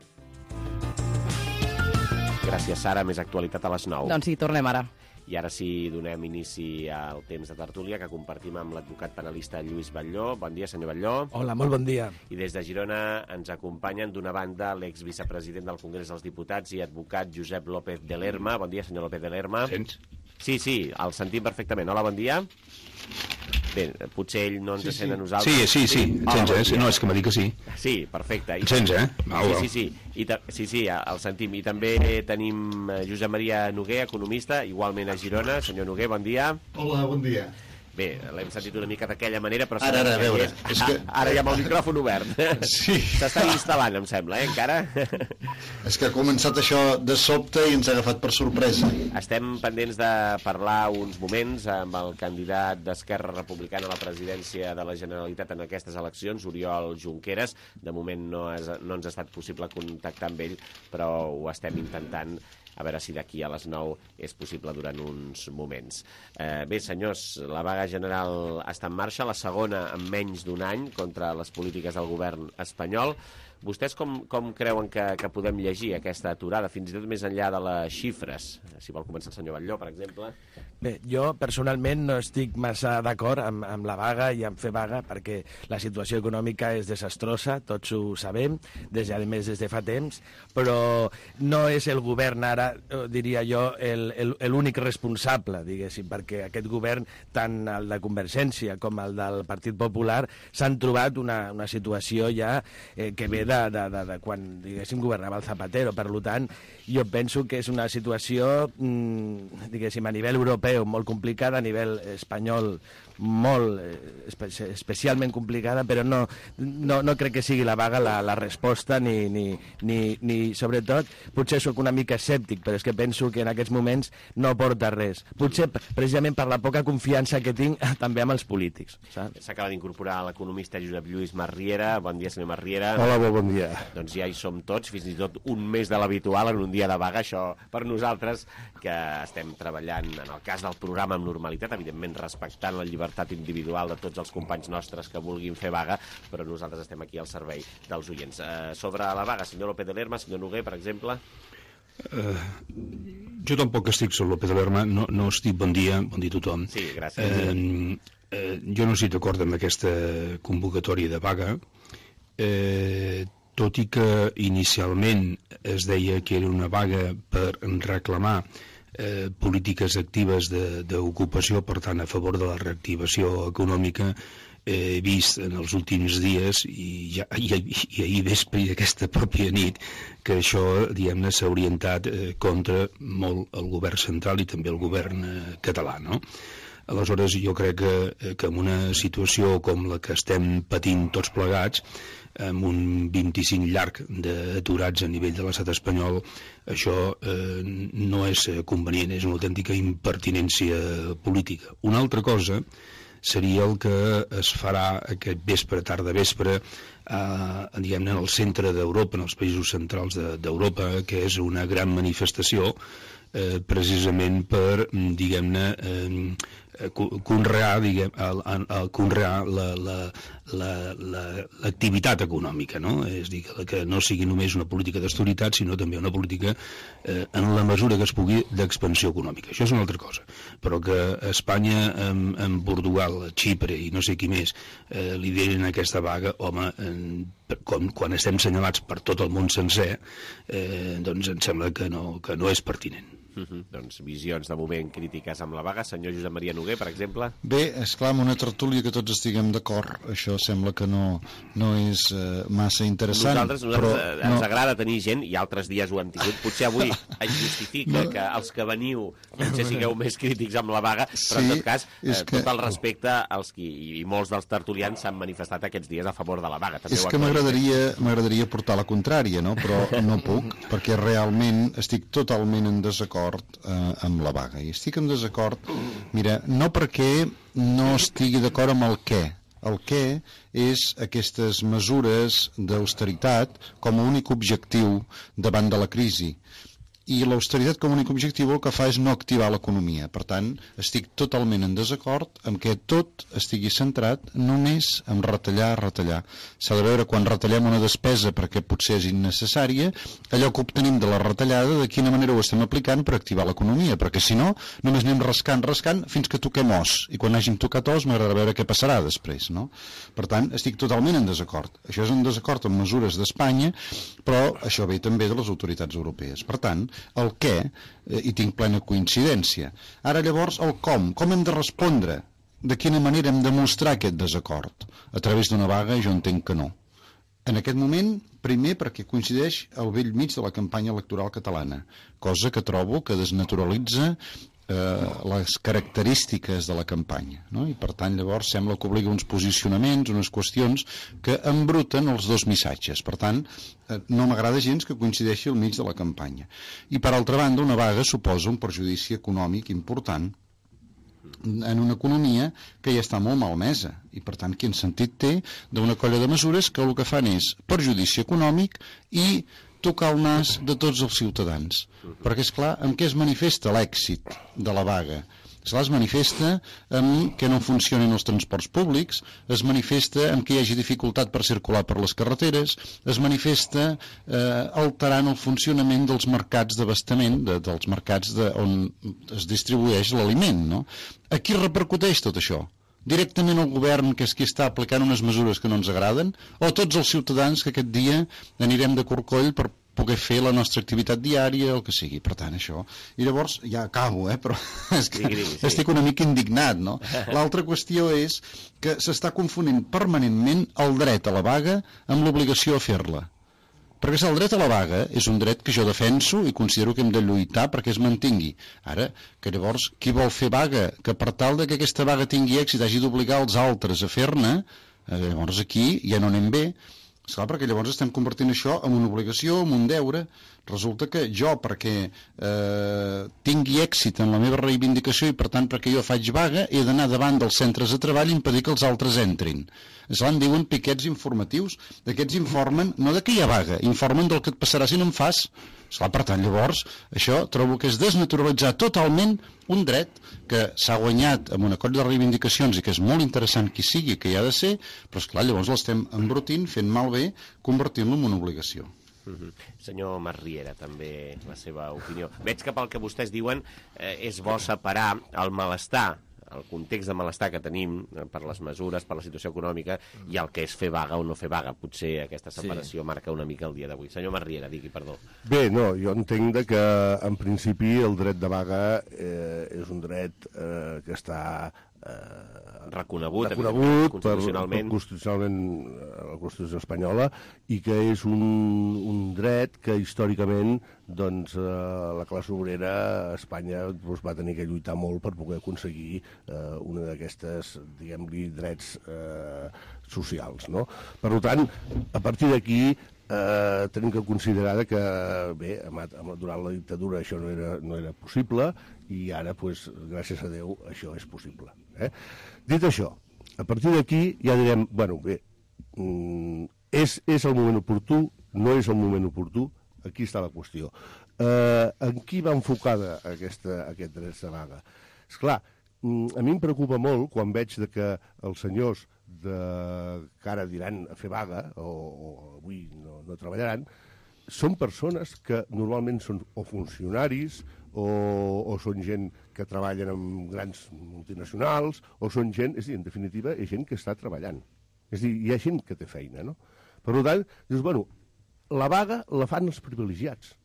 Gràcies, Sara. Més actualitat a les nou. Doncs sí, tornem ara. I ara sí, donem inici al temps de tertúlia que compartim amb l'advocat penalista Lluís Batlló. Bon dia, senyor Batlló. Hola, molt bon dia. I des de Girona ens acompanyen, d'una banda, l'exvicepresident del Congrés dels Diputats i advocat Josep López de Lerma. Bon dia, senyor López de Lerma. Sents? Sí, sí, el sentim perfectament. Hola, bon dia. Bé, potser ell no ens sí, sent a sí. nosaltres. Sí, sí, sí, em sents, eh? No, és que m'ha dit que sí. Sí, perfecte. I em sents, eh? Au, sí, sí, sí. I sí, sí, el sentim. I també tenim Josep Maria Noguer, economista, igualment a Girona. Senyor Noguer, bon dia. Hola, bon dia. Bé, l'hem sentit una mica d'aquella manera, però... Ara, ara, a veure... És que... Ara ja amb el micròfon obert. Sí. S'està instal·lant, em sembla, eh, encara? És que ha començat això de sobte i ens ha agafat per sorpresa. Estem pendents de parlar uns moments amb el candidat d'Esquerra Republicana a la presidència de la Generalitat en aquestes eleccions, Oriol Junqueras. De moment no, és, no ens ha estat possible contactar amb ell, però ho estem intentant, a veure si d'aquí a les nou és possible durant uns moments. Eh, bé, senyors, la vaga general està en marxa, la segona en menys d'un any contra les polítiques del govern espanyol. Vostès com, com creuen que, que podem llegir aquesta aturada, fins i tot més enllà de les xifres? Si vol començar el senyor Batlló, per exemple. Bé, jo personalment no estic massa d'acord amb, amb la vaga i amb fer vaga perquè la situació econòmica és desastrosa, tots ho sabem, des, a més des de fa temps, però no és el govern ara, diria jo, l'únic responsable, diguéssim, perquè aquest govern, tant el de Convergència com el del Partit Popular, s'han trobat una, una situació ja eh, que ve de, de, de, de quan, diguéssim, governava el Zapatero. Per tant, jo penso que és una situació, mmm, diguéssim, a nivell europeu molt complicada, a nivell espanyol molt, espe especialment complicada, però no, no, no crec que sigui la vaga la, la resposta, ni, ni, ni, ni, sobretot, potser sóc una mica escèptic, però és que penso que en aquests moments no porta res. Potser, precisament per la poca confiança que tinc també amb els polítics. S'acaba d'incorporar l'economista Josep Lluís Marriera. Bon dia, senyor Marriera. Hola, bon dia. Doncs ja hi som tots, fins i tot un mes de l'habitual en un dia de vaga. Això per nosaltres, que estem treballant, en el cas del programa, amb normalitat, evidentment respectant la llibertat individual de tots els companys nostres que vulguin fer vaga, però nosaltres estem aquí al servei dels oients. Eh, sobre la vaga, senyor López de Lerma, senyor Noguer, per exemple... Uh, jo tampoc estic sobre López de Lerma, no, no estic, bon dia, bon dia a tothom. Sí, gràcies. Uh, uh, jo no estic d'acord amb aquesta convocatòria de vaga, uh, tot i que inicialment es deia que era una vaga per reclamar eh, polítiques actives d'ocupació, per tant a favor de la reactivació econòmica. He vist en els últims dies i, ja, i, i ahir vespre i aquesta pròpia nit que això, diguem-ne, s'ha orientat eh, contra molt el govern central i també el govern eh, català, no? Aleshores, jo crec que, que en una situació com la que estem patint tots plegats, amb un vint-i-cinc llarg d'aturats a nivell de l'estat espanyol, això eh, no és convenient, és una autèntica impertinència política. Una altra cosa seria el que es farà aquest vespre, tarda vespre, eh, diguem-ne, en el centre d'Europa, en els països centrals d'Europa, que és una gran manifestació eh, precisament per, diguem-ne, eh, conrear, diguem, el, el, el conrear l'activitat econòmica, no? És a dir, que no sigui només una política d'austeritat, sinó també una política, eh, en la mesura que es pugui, d'expansió econòmica. Això és una altra cosa. Però que Espanya, amb, amb Portugal, Xipre i no sé qui més, eh, liderin aquesta vaga, home, eh, com, quan estem senyalats per tot el món sencer, eh, doncs em sembla que no, que no és pertinent. Uh -huh. Doncs visions de moment crítiques amb la vaga. Senyor Josep Maria Noguer, per exemple. Bé, esclar, amb una tertúlia que tots estiguem d'acord, això sembla que no, no és eh, massa interessant. Nosaltres, nosaltres però, ens no... agrada tenir gent, i altres dies ho hem tingut. Potser avui es justifica no. que els que veniu potser sigueu més crítics amb la vaga, però sí, en tot cas, eh, que... tot el respecte als qui, i molts dels tertulians s'han manifestat aquests dies a favor de la vaga. També és que m'agradaria m'agradaria portar la contrària, no? Però no puc, perquè realment estic totalment en desacord eh, amb la vaga, i estic en desacord, mira, no perquè no estigui d'acord amb el què. El què és aquestes mesures d'austeritat com a únic objectiu davant de la crisi. I l'austeritat com a únic objectiu el que fa és no activar l'economia. Per tant, estic totalment en desacord amb que tot estigui centrat només en retallar, retallar. S'ha de veure quan retallem una despesa perquè potser és innecessària, allò que obtenim de la retallada, de quina manera ho estem aplicant per activar l'economia, perquè si no, només anem rascant, rascant, fins que toquem os. I quan hàgim tocat os m'agrada veure què passarà després, no? Per tant, estic totalment en desacord. Això és en desacord amb mesures d'Espanya, però això ve també de les autoritats europees. Per tant, el què, eh, hi tinc plena coincidència. Ara llavors el com, com hem de respondre de quina manera hem de mostrar aquest desacord? A través d'una vaga? Jo entenc que no. En aquest moment, primer perquè coincideix al vell mig de la campanya electoral catalana, cosa que trobo que desnaturalitza eh, les característiques de la campanya, no? I per tant llavors sembla que obliga uns posicionaments, unes qüestions que embruten els dos missatges. Per tant, eh, no m'agrada gens que coincideixi al mig de la campanya. I per altra banda, una vaga suposa un perjudici econòmic important en una economia que ja està molt malmesa i per tant quin sentit té d'una colla de mesures que el que fan és perjudici econòmic i tocar el nas de tots els ciutadans, perquè és clar, en què es manifesta l'èxit de la vaga? Esclar, es manifesta en que no funcionin els transports públics, es manifesta en que hi hagi dificultat per circular per les carreteres, es manifesta eh, alterant el funcionament dels mercats d'abastament, de, dels mercats de, on es distribueix l'aliment, no? A qui repercuteix tot això? Directament el govern, que és qui està aplicant unes mesures que no ens agraden, o tots els ciutadans que aquest dia anirem de corcoll per poder fer la nostra activitat diària, el que sigui. Per tant, això... I llavors, ja acabo, eh? Però és que sí, sí. estic una mica indignat, no? L'altra qüestió és que s'està confonent permanentment el dret a la vaga amb l'obligació a fer-la. Perquè el dret a la vaga és un dret que jo defenso i considero que hem de lluitar perquè es mantingui. Ara, que llavors, qui vol fer vaga, que per tal de que aquesta vaga tingui èxit hagi d'obligar els altres a fer-ne, eh, llavors aquí ja no anem bé. Esclar, perquè llavors estem convertint això en una obligació, en un deure. Resulta que jo, perquè eh, tingui èxit en la meva reivindicació i per tant perquè jo faig vaga, he d'anar davant dels centres de treball i impedir que els altres entrin. Esclar, en diuen piquets informatius. D'aquests informen, no de que hi ha vaga, informen del que et passarà si no en fas. Esclar, per tant, llavors, això trobo que és desnaturalitzar totalment un dret que s'ha guanyat amb una colla de reivindicacions i que és molt interessant qui sigui, que hi ha de ser, però esclar, llavors l'estem embrutint, fent malbé, convertint-lo en una obligació. Uh-huh. Senyor Masriera, també la seva opinió. Veig que pel que vostès diuen eh, és bo separar el malestar, el context de malestar que tenim per les mesures, per la situació econòmica i el que és fer vaga o no fer vaga. Potser aquesta separació sí. marca una mica el dia d'avui. Senyor Masriera, digui, perdó. Bé, no, jo entenc de que en principi el dret de vaga eh, és un dret eh, que està eh, reconegut, reconegut constitucionalment. Per, per constitucionalment la Constitució espanyola i que és un, un dret que històricament doncs, eh, la classe obrera a Espanya doncs, va tenir que lluitar molt per poder aconseguir eh, una d'aquestes, diguem-li, drets eh, socials, no? Per tant, a partir d'aquí eh, tenim que considerar que bé, durant la dictadura això no era, no era possible i ara, pues, gràcies a Déu, això és possible. Eh? Dit això, a partir d'aquí ja direm, bueno, bé, mm, és, és el moment oportú, no és el moment oportú, aquí està la qüestió. Eh, en qui va enfocada aquesta, aquest dret de vaga? Esclar, a mi em preocupa molt quan veig de que els senyors de, que ara diran a fer vaga o, o avui no, no treballaran, són persones que normalment són o funcionaris o, o són gent que treballen amb grans multinacionals o són gent, és a dir, en definitiva, és gent que està treballant. És a dir, hi ha gent que té feina, no? Per tant, dius, bueno, la vaga la fan els privilegiats.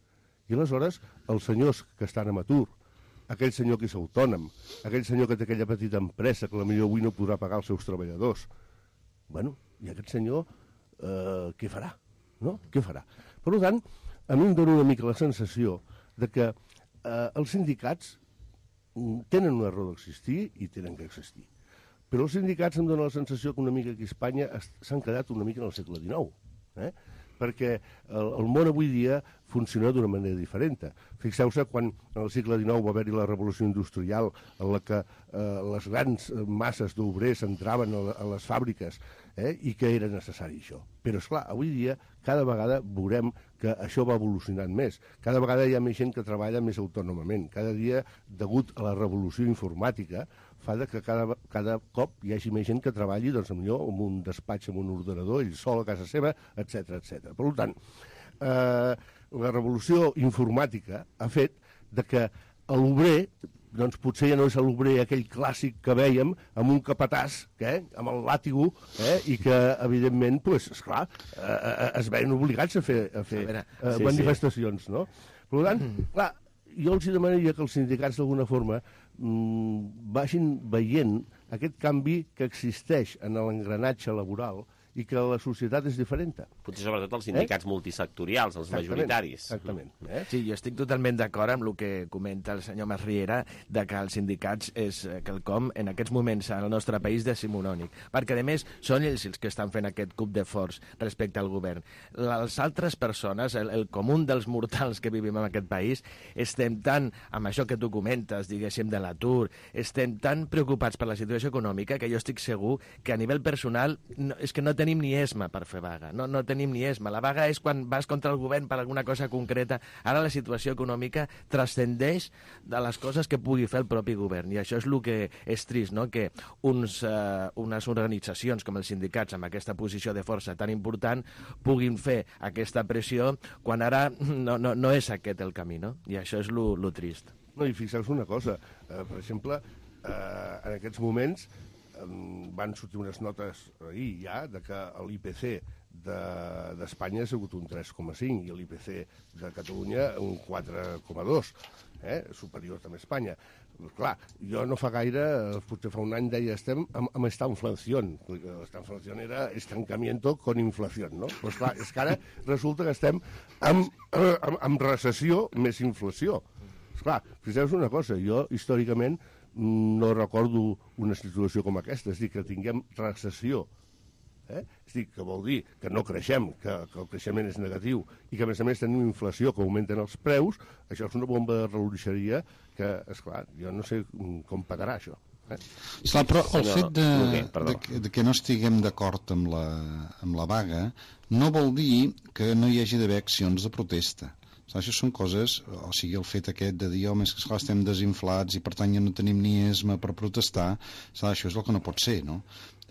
I aleshores, els senyors que estan en atur, aquell senyor que és autònom, aquell senyor que té aquella petita empresa que potser avui no podrà pagar els seus treballadors, bueno, i aquest senyor eh, què farà? No? Què farà? Per tant, a mi em dóna una mica la sensació de que eh, els sindicats tenen una raó d'existir i tenen que existir. Però els sindicats em dóna la sensació que una mica aquí a Espanya s'han quedat una mica en el segle dinou. Eh? Perquè el, el món avui dia funciona d'una manera diferent. Fixeu-se quan en el segle dinou va haver-hi la revolució industrial en la que eh, les grans masses d'obrers entraven a, a les fàbriques eh, i que era necessari això. Però, esclar, avui dia cada vegada veurem que això va evolucionant més. Cada vegada hi ha més gent que treballa més autònomament. Cada dia, degut a la revolució informàtica, fa que cada, cada cop hi hagi més gent que treballi doncs, millor en un despatx, amb un ordenador, ell sol a casa seva, etcètera etcètera. Per tant, eh, la revolució informàtica ha fet de que l'obrer doncs potser ja no és l'obrer aquell clàssic que vèiem amb un capatàs, eh, amb el làtigo, eh, i que, evidentment, pues, esclar, eh, es veien obligats a fer, a fer a veure, eh, sí, manifestacions, sí. No? Per tant, clar, jo els demanaria que els sindicats d'alguna forma mmm, vagin veient aquest canvi que existeix en l'engranatge laboral i que la societat és diferent. Potser sobretot els sindicats eh? multisectorials, els exactament, majoritaris. Exactament. Eh? Sí, jo estic totalment d'acord amb el que comenta el senyor Masriera, de que els sindicats és quelcom en aquests moments al nostre país decimonònic, perquè a més són ells els que estan fent aquest cop de forç respecte al govern. Les altres persones, el, el comú dels mortals que vivim en aquest país, estem tan, amb això que tu comentes, diguéssim, de l'atur, estem tan preocupats per la situació econòmica que jo estic segur que a nivell personal no, és que no tenim ni esma per fer vaga, no, no tenim ni esma. La vaga és quan vas contra el govern per alguna cosa concreta. Ara la situació econòmica transcendeix de les coses que pugui fer el propi govern, i això és el que és trist, no? Que uns, uh, unes organitzacions com els sindicats, amb aquesta posició de força tan important, puguin fer aquesta pressió quan ara no, no, no és aquest el camí, no? I això és el trist. No, i fixeu-vos una cosa, uh, per exemple, uh, en aquests moments van sortir unes notes ahir ja de que l'I P C d'Espanya ha sigut un tres coma cinc i l'I P C de Catalunya un quatre coma dos, eh? Superior també a Espanya. Clar, jo no fa gaire, potser fa un any deia estem amb, amb esta inflació. Esta inflació era estancamiento con inflació, no? Pues clar, és que ara resulta que estem amb, amb, amb recessió més inflació. Esclar, fixeu-vos una cosa, jo històricament no recordo una situació com aquesta, és a dir, que tinguem recessió. Eh? És a dir, que vol dir que no creixem, que, que el creixement és negatiu, i que a més a més tenim inflació, que augmenten els preus, això és una bomba de relojeria que, esclar, jo no sé com pagarà això. Eh? Esclar, però el fet de, de, que, de que no estiguem d'acord amb, la, amb la vaga no vol dir que no hi hagi d'haver accions de protesta. Això són coses, o sigui, el fet aquest de dir, home, és que esclar, estem desinflats i per tant ja no tenim ni esma per protestar, esclar, això és el que no pot ser, no?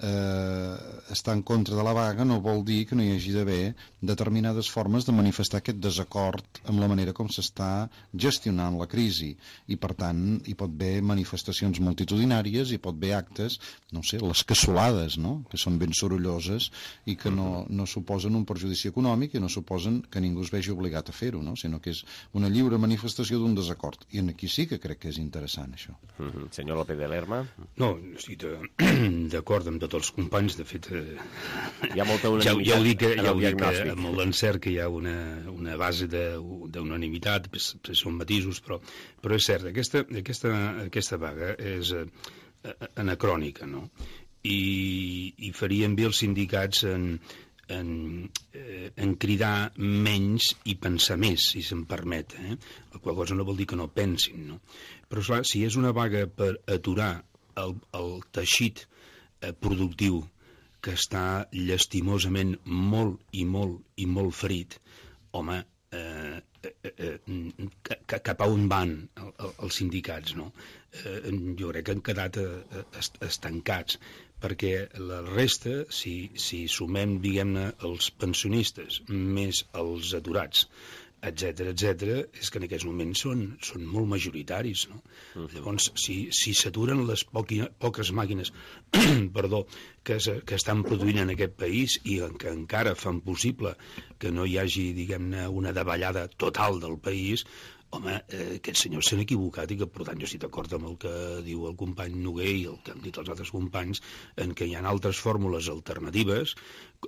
Eh, estar en contra de la vaga no vol dir que no hi hagi d'haver determinades formes de manifestar aquest desacord amb la manera com s'està gestionant la crisi, i per tant hi pot haver manifestacions multitudinàries, hi pot haver actes, no sé, les cassolades, no? Que són ben sorolloses i que no, no suposen un perjudici econòmic i no suposen que ningú es vegi obligat a fer-ho, no? Sinó que és una lliure manifestació d'un desacord, i aquí sí que crec que és interessant això. Mm-hmm. Senyor López de Lerma? No, estic d'acord amb tots els companys, de fet, eh, hi ha molta ja, ja ho dic, que, ja ho dic que amb l'encert que hi ha una, una base d'unanimitat, són matisos, però, però és cert, aquesta, aquesta, aquesta vaga és eh, anacrònica, no? I, i farien bé els sindicats en, en, eh, en cridar menys i pensar més, si se'm permet, eh? La qual cosa no vol dir que no pensin, no? Però, clar, si és una vaga per aturar el, el teixit productiu que està llastimosament molt i molt i molt ferit, home, eh, eh, eh, cap a on van els sindicats, no? Eh, jo crec que han quedat eh, estancats, perquè la resta, si, si sumem, diguem-ne, els pensionistes més els aturats, etcètera, etcètera, és que en aquests moments són, són molt majoritaris, no? Uh-huh. Llavors, si, si s'aturen les poqui, poques màquines perdó, que, es, que estan produint en aquest país i que encara fan possible que no hi hagi, diguem-ne, una davallada total del país, home, eh, aquests senyors s'han equivocat, i que, per tant, jo estic d'acord amb el que diu el company Noguer i el que han dit els altres companys, en què hi ha altres fórmules alternatives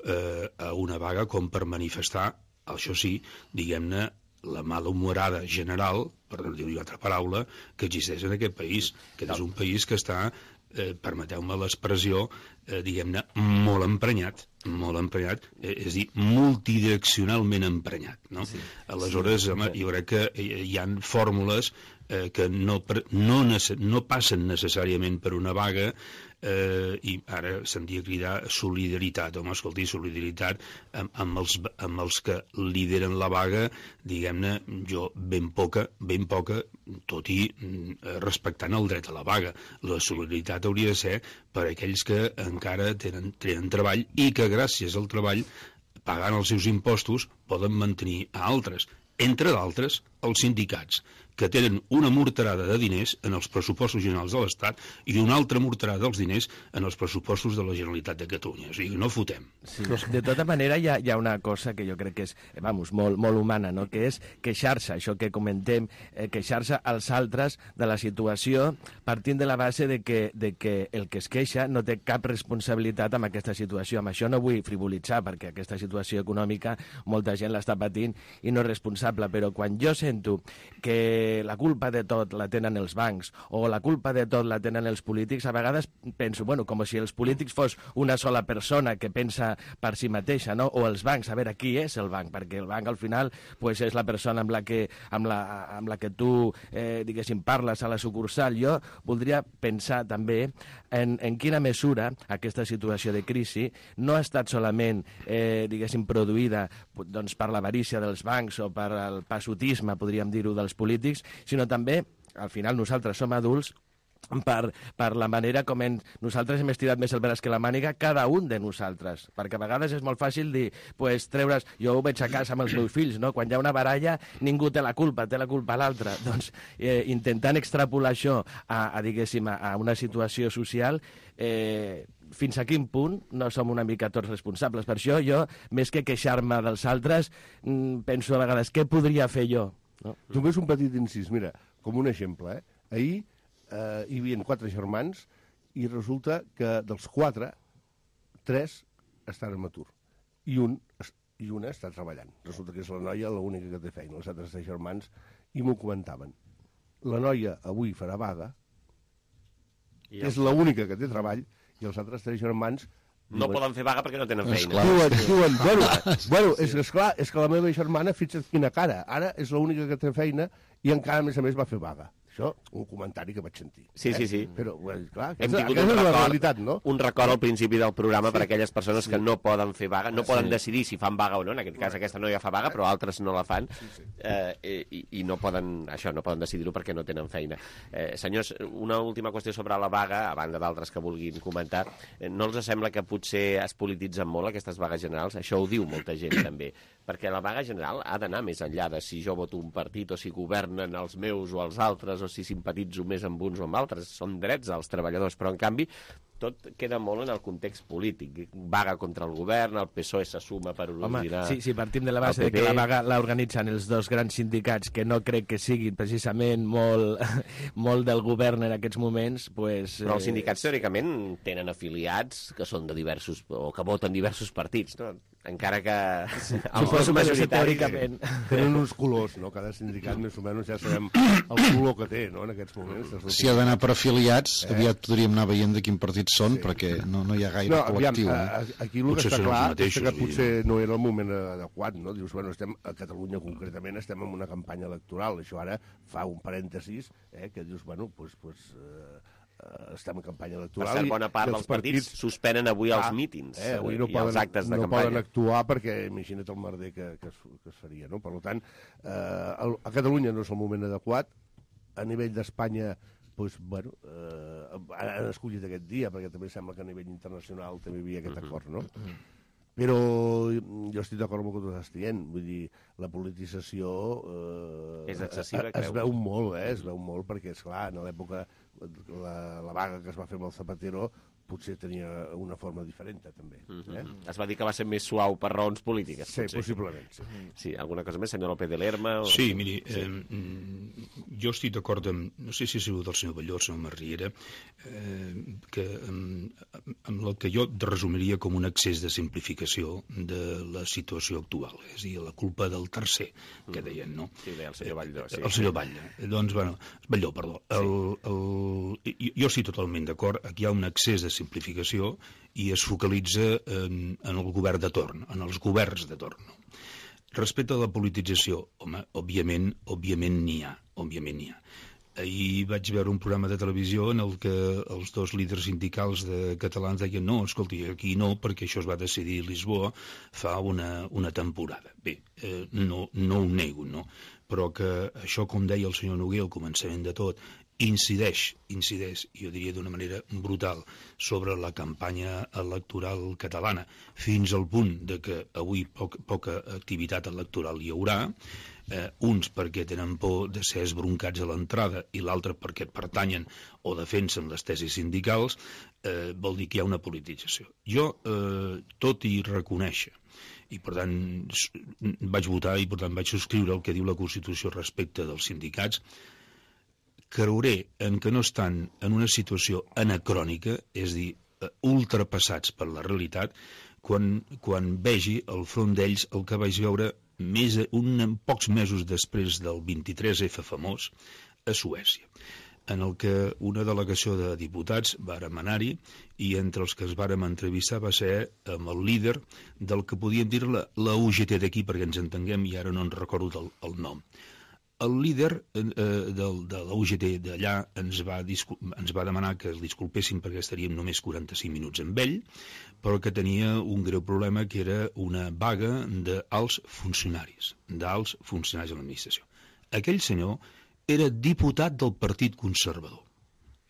eh, a una vaga com per manifestar, això sí, diguem-ne, la malhumorada general, per no dir-hi altra paraula, que existeix en aquest país, que és un país que està, eh, permeteu-me l'expressió, eh, diguem-ne, molt emprenyat, molt emprenyat, eh, és a dir, multidireccionalment emprenyat, no? Sí. Aleshores, home, jo crec que hi ha fórmules eh, que no, no, no passen necessàriament per una vaga, eh, i ara se'n dia cridar solidaritat. Home, escolti, solidaritat amb, amb, els, amb els que lideren la vaga, diguem-ne, jo ben poca, ben poca, tot i eh, respectant el dret a la vaga. La solidaritat hauria de ser per aquells que encara tenen, tenen treball i que gràcies al treball, pagant els seus impostos, poden mantenir a altres, entre d'altres els sindicats, que tenen una morterada de diners en els pressupostos generals de l'Estat i una altra morterada dels diners en els pressupostos de la Generalitat de Catalunya. O sigui, no fotem. Sí. De tota manera, hi ha, hi ha una cosa que jo crec que és, vamos, molt, molt humana, no? Que és queixar-se, això que comentem, eh, queixar-se als altres de la situació partint de la base de que, de que el que es queixa no té cap responsabilitat amb aquesta situació. Amb això no vull frivolitzar, perquè aquesta situació econòmica molta gent l'està patint i no és responsable, però quan jo sento que la culpa de tot la tenen els bancs o la culpa de tot la tenen els polítics, a vegades penso, bueno, com si els polítics fos una sola persona que pensa per si mateixa, no? O els bancs, a veure, qui és el banc? Perquè el banc al final pues, és la persona amb la que, amb la, amb la que tu, eh, diguéssim, parles a la sucursal. Jo voldria pensar també en, en quina mesura aquesta situació de crisi no ha estat solament, eh, diguéssim, produïda doncs, per l'avarícia dels bancs o per el passotisme, podríem dir-ho, dels polítics, sinó també, al final nosaltres som adults, per, per la manera com en, nosaltres hem estirat més el braç que la màniga, cada un de nosaltres, perquè a vegades és molt fàcil dir, pues, treure's, jo ho veig a casa amb els meus fills, no? Quan hi ha una baralla ningú té la culpa, té la culpa l'altre, doncs eh, intentant extrapolar això a, a diguéssim, a, a una situació social, eh, fins a quin punt no som una mica tots responsables. Per això jo, més que queixar-me dels altres, penso a vegades, què podria fer jo? No? Només un petit incís, mira, com un exemple, eh? Ahir eh, hi havia quatre germans i resulta que dels quatre, tres estan en atur i un i una està treballant. Resulta que és la noia l'única que té feina, els altres tres germans, i m'ho comentaven. La noia avui farà vaga, I és l'única que té treball, i els altres tres germans no poden fer vaga perquè no tenen feina. Diuen, diuen, bueno, bueno és, és clar, és que la meva germana, fixa't quina cara, ara és l'única que té feina i encara, a més a més, va fer vaga. Això, un comentari que vaig sentir. Sí, sí, sí. Eh? Però, bueno, clar, Hem aquesta, tingut aquesta un és la record, realitat, no? Un record al principi del programa sí. per a aquelles persones sí. que no poden fer vaga, no sí. poden decidir si fan vaga o no, en aquest cas aquesta noia fa vaga, però altres no la fan, sí, sí. Eh, i, i no poden, això, no poden decidir-ho perquè no tenen feina. Eh, senyors, una última qüestió sobre la vaga, a banda d'altres que vulguin comentar, eh, no els sembla que potser es polititzen molt aquestes vagues generals? Això ho diu molta gent, també, perquè la vaga general ha d'anar més enllà de si jo voto un partit o si governen els meus o els altres o si simpatitzo més amb uns o amb altres, són drets als treballadors, però en canvi tot queda molt en el context polític. Vaga contra el govern, el P S O E se suma per originar... Home, si, si partim de la base de que la vaga l'organitzen els dos grans sindicats, que no crec que siguin precisament molt, molt del govern en aquests moments, pues, però els sindicats teòricament tenen afiliats que són de diversos, o que voten diversos partits, no? Encara que sí, els dos majoritaris teòricament tenen uns colors, no? Cada sindicat més o menys ja sabem el color que té, no? En aquests moments. Si ha d'anar per afiliats, eh? aviat podríem anar veient de quin partit són, sí. perquè no, no hi ha gaire no, col·lectiu. Aviam, eh? Aquí el potser que està clar mateixos, és que potser no era el moment adequat, no? Dius, bueno, estem a Catalunya concretament, estem en una campanya electoral, això ara fa un parèntesis, eh? Que dius, bueno, doncs... Pues, pues, eh, Uh, estem en campanya electoral. Per cert, bona part dels partits, partits suspenen avui els mítings eh, avui no i poden, els actes de no campanya. No poden actuar perquè imagina't el merder que, que, es, que es faria, no? Per tant, eh, a Catalunya no és el moment adequat. A nivell d'Espanya, doncs, bueno, eh, han escollit aquest dia, perquè també sembla que a nivell internacional també hi havia aquest acord, no? Però jo estic d'acord amb el que tu estàs dient, vull dir, la politització eh, és excessiva, es, es veu molt, eh? Es veu molt, perquè, esclar, en l'època la, la vaga que es va fer amb el Zapatero potser tenia una forma diferent, també. Eh? Es va dir que va ser més suau per raons polítiques. Sí, potser. Possiblement. Sí. sí, alguna cosa més, senyor López de Lerma? O... Sí, miri, sí. Eh, jo estic d'acord amb, no sé si ha sigut el senyor Balló, el senyor Marriera, eh, que, amb, amb el que jo resumiria com un excés de simplificació de la situació actual, és a dir, la culpa del tercer, que deien, no? Sí, deia el senyor Balló. Sí. El senyor Balló. Doncs, bueno, Balló, perdó. El, el, el, jo estic totalment d'acord, aquí hi ha un excés de simplificació i es focalitza en, en el govern de torn, en els governs de torn. No? Respecte a la politització, home, òbviament, òbviament n'hi ha, òbviament n'hi ha. Ahir vaig veure un programa de televisió en el que els dos líders sindicals de catalans deien no, escolti, aquí no, perquè això es va decidir a Lisboa fa una, una temporada. Bé, eh, no, no ho nego, no? Però que això, com deia el senyor Noguer al començament de tot, incideix, incideix, jo diria d'una manera brutal, sobre la campanya electoral catalana, fins al punt de que avui poc, poca activitat electoral hi haurà, eh, uns perquè tenen por de ser esbroncats a l'entrada i l'altre perquè pertanyen o defensen les tesis sindicals, eh, vol dir que hi ha una politització. Jo, eh, tot i reconèixer, i per tant vaig votar i per tant vaig subscriure el que diu la Constitució respecte dels sindicats, creuré en que no estan en una situació anacrònica, és a dir, ultrapassats per la realitat, quan, quan vegi al front d'ells el que vaig veure més, un, pocs mesos després del vint-i-tres efa famós a Suècia, en el que una delegació de diputats vàrem anar-hi i entre els que es vàrem entrevistar va ser amb el líder del que podíem dir la, la U G T d'aquí, perquè ens entenguem, i ara no en recordo el, el nom. El líder eh, del, de la U G T d'allà ens, va ens va demanar que el disculpéssim perquè estaríem només quaranta-cinc minuts amb ell, però que tenia un greu problema, que era una vaga d'alts funcionaris, d'alts funcionaris de l'administració. Aquell senyor era diputat del Partit Conservador.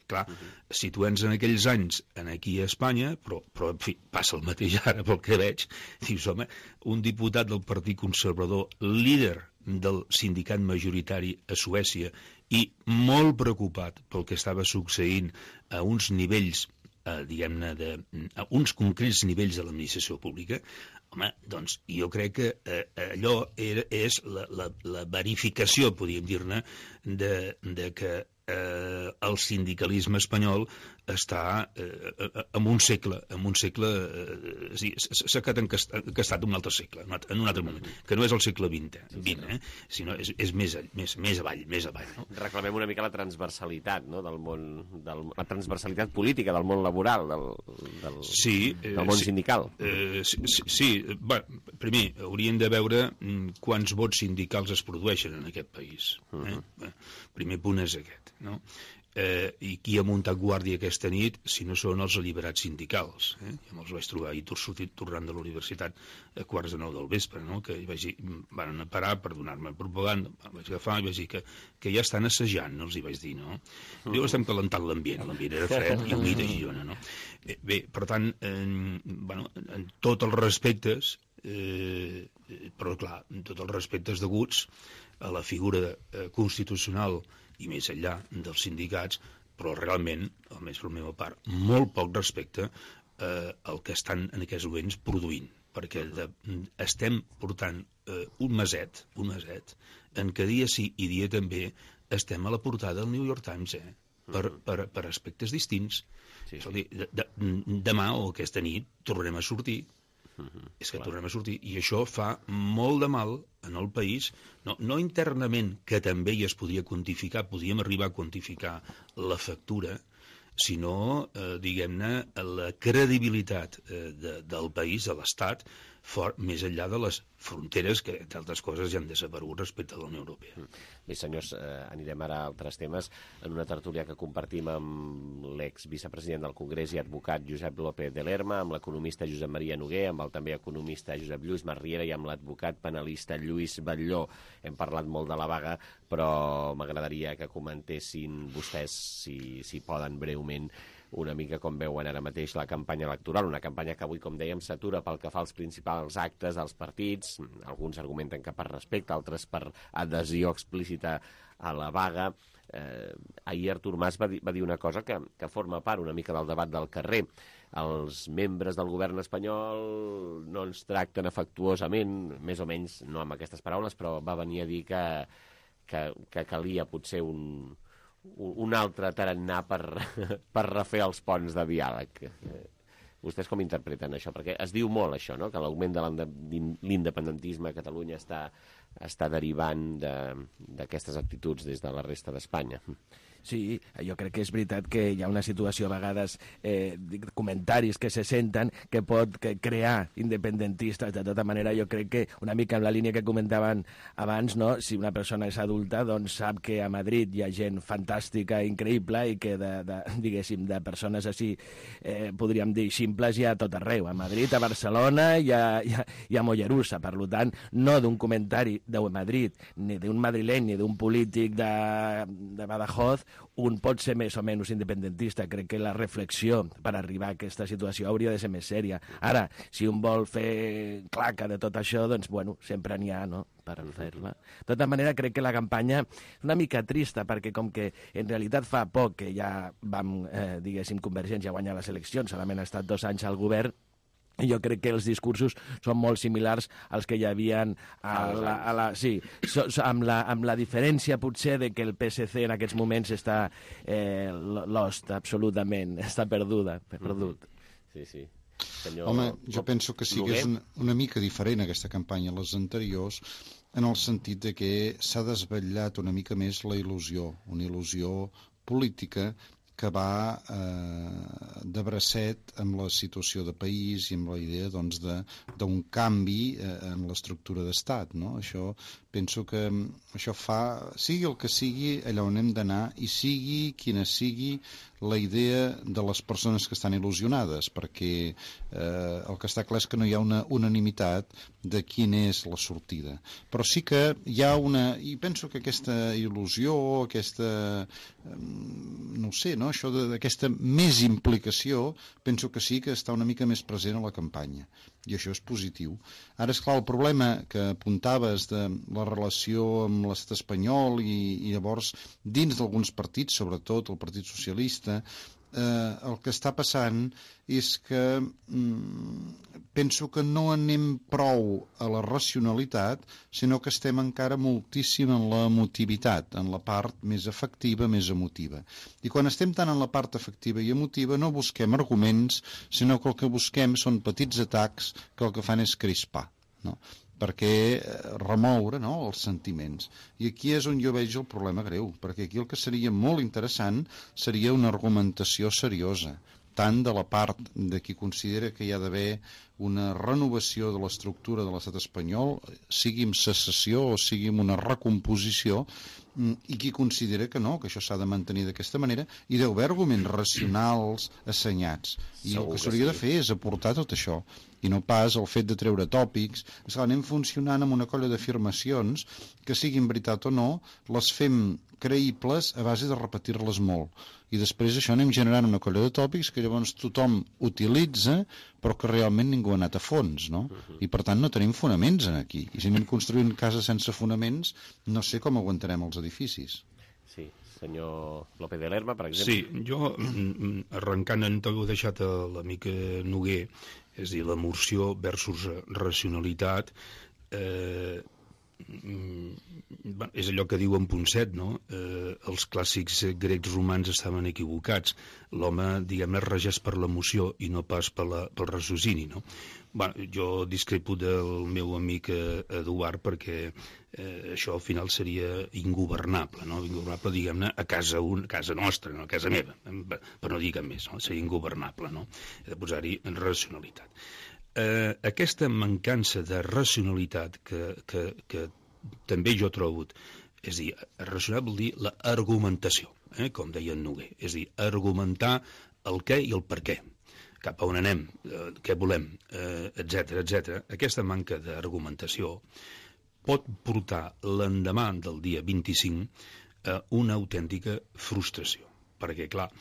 Clar, uh-huh. situem-nos en aquells anys en aquí a Espanya, però, però en fi, passa el mateix ara pel que veig, dius, home, un diputat del Partit Conservador, líder del sindicat majoritari a Suècia i molt preocupat pel que estava succeint a uns nivells, eh, diguem-ne, de, a uns concrets nivells de l'administració pública, home, doncs jo crec que eh, allò era, és la, la, la verificació, podríem dir-ne, de, de que eh, el sindicalisme espanyol està eh, en un segle, en un segle, eh, sí, s'ha quedat encastat en un altre segle, en un altre moment, que no és el segle vint, eh, sinó és, és més, més, més avall, més avall. No? Reclamem una mica la transversalitat, no? del món, del, la transversalitat política del món laboral, del, del, sí, eh, del món sí, sindical. Eh, sí, sí bueno, primer, hauríem de veure quants vots sindicals es produeixen en aquest país. Eh? Uh-huh. Primer punt és aquest, no? Eh, i qui ha muntat guàrdia aquesta nit si no són els alliberats sindicals, eh? Ja me'ls vaig trobar ahir sortit tornant de la universitat a quarts de nou del vespre, no? Que vaig dir, van a parar per donar-me propaganda, vaig agafar i vaig dir que, que ja estan assajant, no els hi vaig dir, no? Mm. Diu, estem calentant l'ambient, l'ambient era fred i humit a Girona, no? Bé, bé per tant, eh, bueno, en tots els respectes, eh, però clar, en tots els respectes deguts a la figura eh, constitucional i més enllà dels sindicats, però realment, almenys per la meva part, molt poc respecte eh, al que estan en aquests moments produint, perquè de, estem portant eh, un meset, un meset, en què dia sí i dia també estem a la portada del New York Times, eh, per, per, per aspectes distints. Sí, sí. Dir, de, de, demà o aquesta nit tornarem a sortir. Uh-huh, és que clar. tornem a sortir, i això fa molt de mal en el país, no, no internament, que també hi es podria quantificar, podríem arribar a quantificar la factura, sinó, eh, diguem-ne, la credibilitat eh, de, del país, de l'Estat, fort, més enllà de les fronteres que, d'altres coses, ja han desaparegut respecte a la Unió Europea. Bé, senyors, eh, anirem ara a altres temes. En una tertúlia que compartim amb l'exvicepresident del Congrés i advocat Josep López de Lerma, amb l'economista Josep Maria Noguer, amb el també economista Josep Lluís Marriera i amb l'advocat penalista Lluís Batlló. Hem parlat molt de la vaga, però m'agradaria que comentessin vostès, si, si poden breument, una mica com veuen ara mateix la campanya electoral, una campanya que avui, com dèiem, s'atura pel que fa als principals actes dels partits. Alguns argumenten que per respecte, altres per adhesió explícita a la vaga. Eh, ahir Artur Mas va dir, va dir una cosa que, que forma part una mica del debat del carrer. Els membres del govern espanyol no ens tracten afectuosament, més o menys, no amb aquestes paraules, però va venir a dir que, que, que calia potser un... un altre tarannà per, per refer els ponts de diàleg. Vostès com interpreten això? Perquè es diu molt això, no? Que l'augment de l'independentisme a Catalunya està, està derivant d'aquestes actituds des de la resta d'Espanya. Sí, jo crec que és veritat que hi ha una situació a vegades, eh, comentaris que se senten que pot que crear independentistes. De tota manera, jo crec que una mica en la línia que comentaven abans, no? Si una persona és adulta, doncs sap que a Madrid hi ha gent fantàstica, increïble, i que de, de, diguéssim, de persones així, eh, podríem dir, simples, hi ha tot arreu. A Madrid, a Barcelona, hi ha, hi ha, hi ha Mollerussa. Per tant, no d'un comentari de Madrid, ni d'un madrileny, ni d'un polític de, de Badajoz, un pot ser més o menys independentista. Crec que la reflexió per arribar a aquesta situació hauria de ser més sèria. Ara, si un vol fer claca de tot això, doncs, bueno, sempre n'hi ha, no? per fer-la. De tota manera, crec que la campanya és una mica trista, perquè com que en realitat fa poc que ja vam, eh, diguéssim, Convergència a guanyar les eleccions, solament ha estat dos anys al govern, i jo crec que els discursos són molt similars als que hi havia a la, a la, sí, so, so, amb, la, amb la diferència potser de que el P S C en aquests moments està eh, lost absolutament, està perduda, perdut. Sí, sí. Senyor... Home, jo penso que sí que és una, una mica diferent aquesta campanya a les anteriors, en el sentit de que s'ha desvetllat una mica més la il·lusió, una il·lusió política que va eh, de bracet amb la situació de país i amb la idea doncs, d'un canvi eh, en l'estructura d'estat. No? Això, penso que això fa, sigui el que sigui, allà on hem d'anar, i sigui quina sigui la idea de les persones que estan il·lusionades, perquè eh, el que està clar és que no hi ha una unanimitat de quina és la sortida. Però sí que hi ha una... I penso que aquesta il·lusió, aquesta... no ho sé, no? Això d'aquesta més implicació, penso que sí que està una mica més present a la campanya. I això és positiu. Ara, és clar, el problema que apuntaves de la relació amb l'estat espanyol i, i llavors dins d'alguns partits, sobretot el Partit Socialista, eh, el que està passant és que mm, penso que no anem prou a la racionalitat, sinó que estem encara moltíssim en la emotivitat, en la part més efectiva, més emotiva. I quan estem tant en la part efectiva i emotiva no busquem arguments, sinó que el que busquem són petits atacs que el que fan és crispar, no? Perquè remoure, no?, els sentiments. I aquí és on jo veig el problema greu, perquè aquí el que seria molt interessant seria una argumentació seriosa, tant de la part de qui considera que hi ha d'haver una renovació de l'estructura de l'estat espanyol, sigui amb secessió o sigui amb una recomposició, i qui considera que no, que això s'ha de mantenir d'aquesta manera, i deu haver arguments racionals assenyats. I el que s'hauria de fer és aportar tot això, i no pas el fet de treure tòpics. Esclar, anem funcionant amb una colla d'afirmacions que, siguin veritat o no, les fem creïbles a base de repetir-les molt. I després això anem generant una colla de tòpics que llavors tothom utilitza, però que realment ningú ha anat a fons, no? I per tant no tenim fonaments aquí. I si anem construint cases sense fonaments, no sé com aguantarem els edificis. Sí, senyor López de Lerma, per exemple. Sí, jo, arrencant en tot ho he deixat a l'amic Noguer, és a dir, l'emulsió versus racionalitat, eh, és allò que diu en Ponset, no? Eh, els clàssics grecs romans estaven equivocats. L'home, diguem-ne, regeix per l'emoció i no pas per la, pel raciocini, no? Bueno, jo discrepo del meu amic Eduard perquè eh, això al final seria ingovernable, no? Ingovernable, diguem-ne, a casa, un, a casa nostra, no? A casa meva, per no dir cap més, no? Seria ingovernable, no? He de posar-hi en racionalitat. Eh, aquesta mancança de racionalitat que, que, que també jo trobo, és a dir, racional vol dir l'argumentació, eh, com deia en Noguer, és a dir, argumentar el què i el per què, cap a on anem, eh, què volem, eh, etcètera, etcètera. Aquesta manca d'argumentació pot portar l'endemà del dia vint-i-cinc a una autèntica frustració, perquè, clar,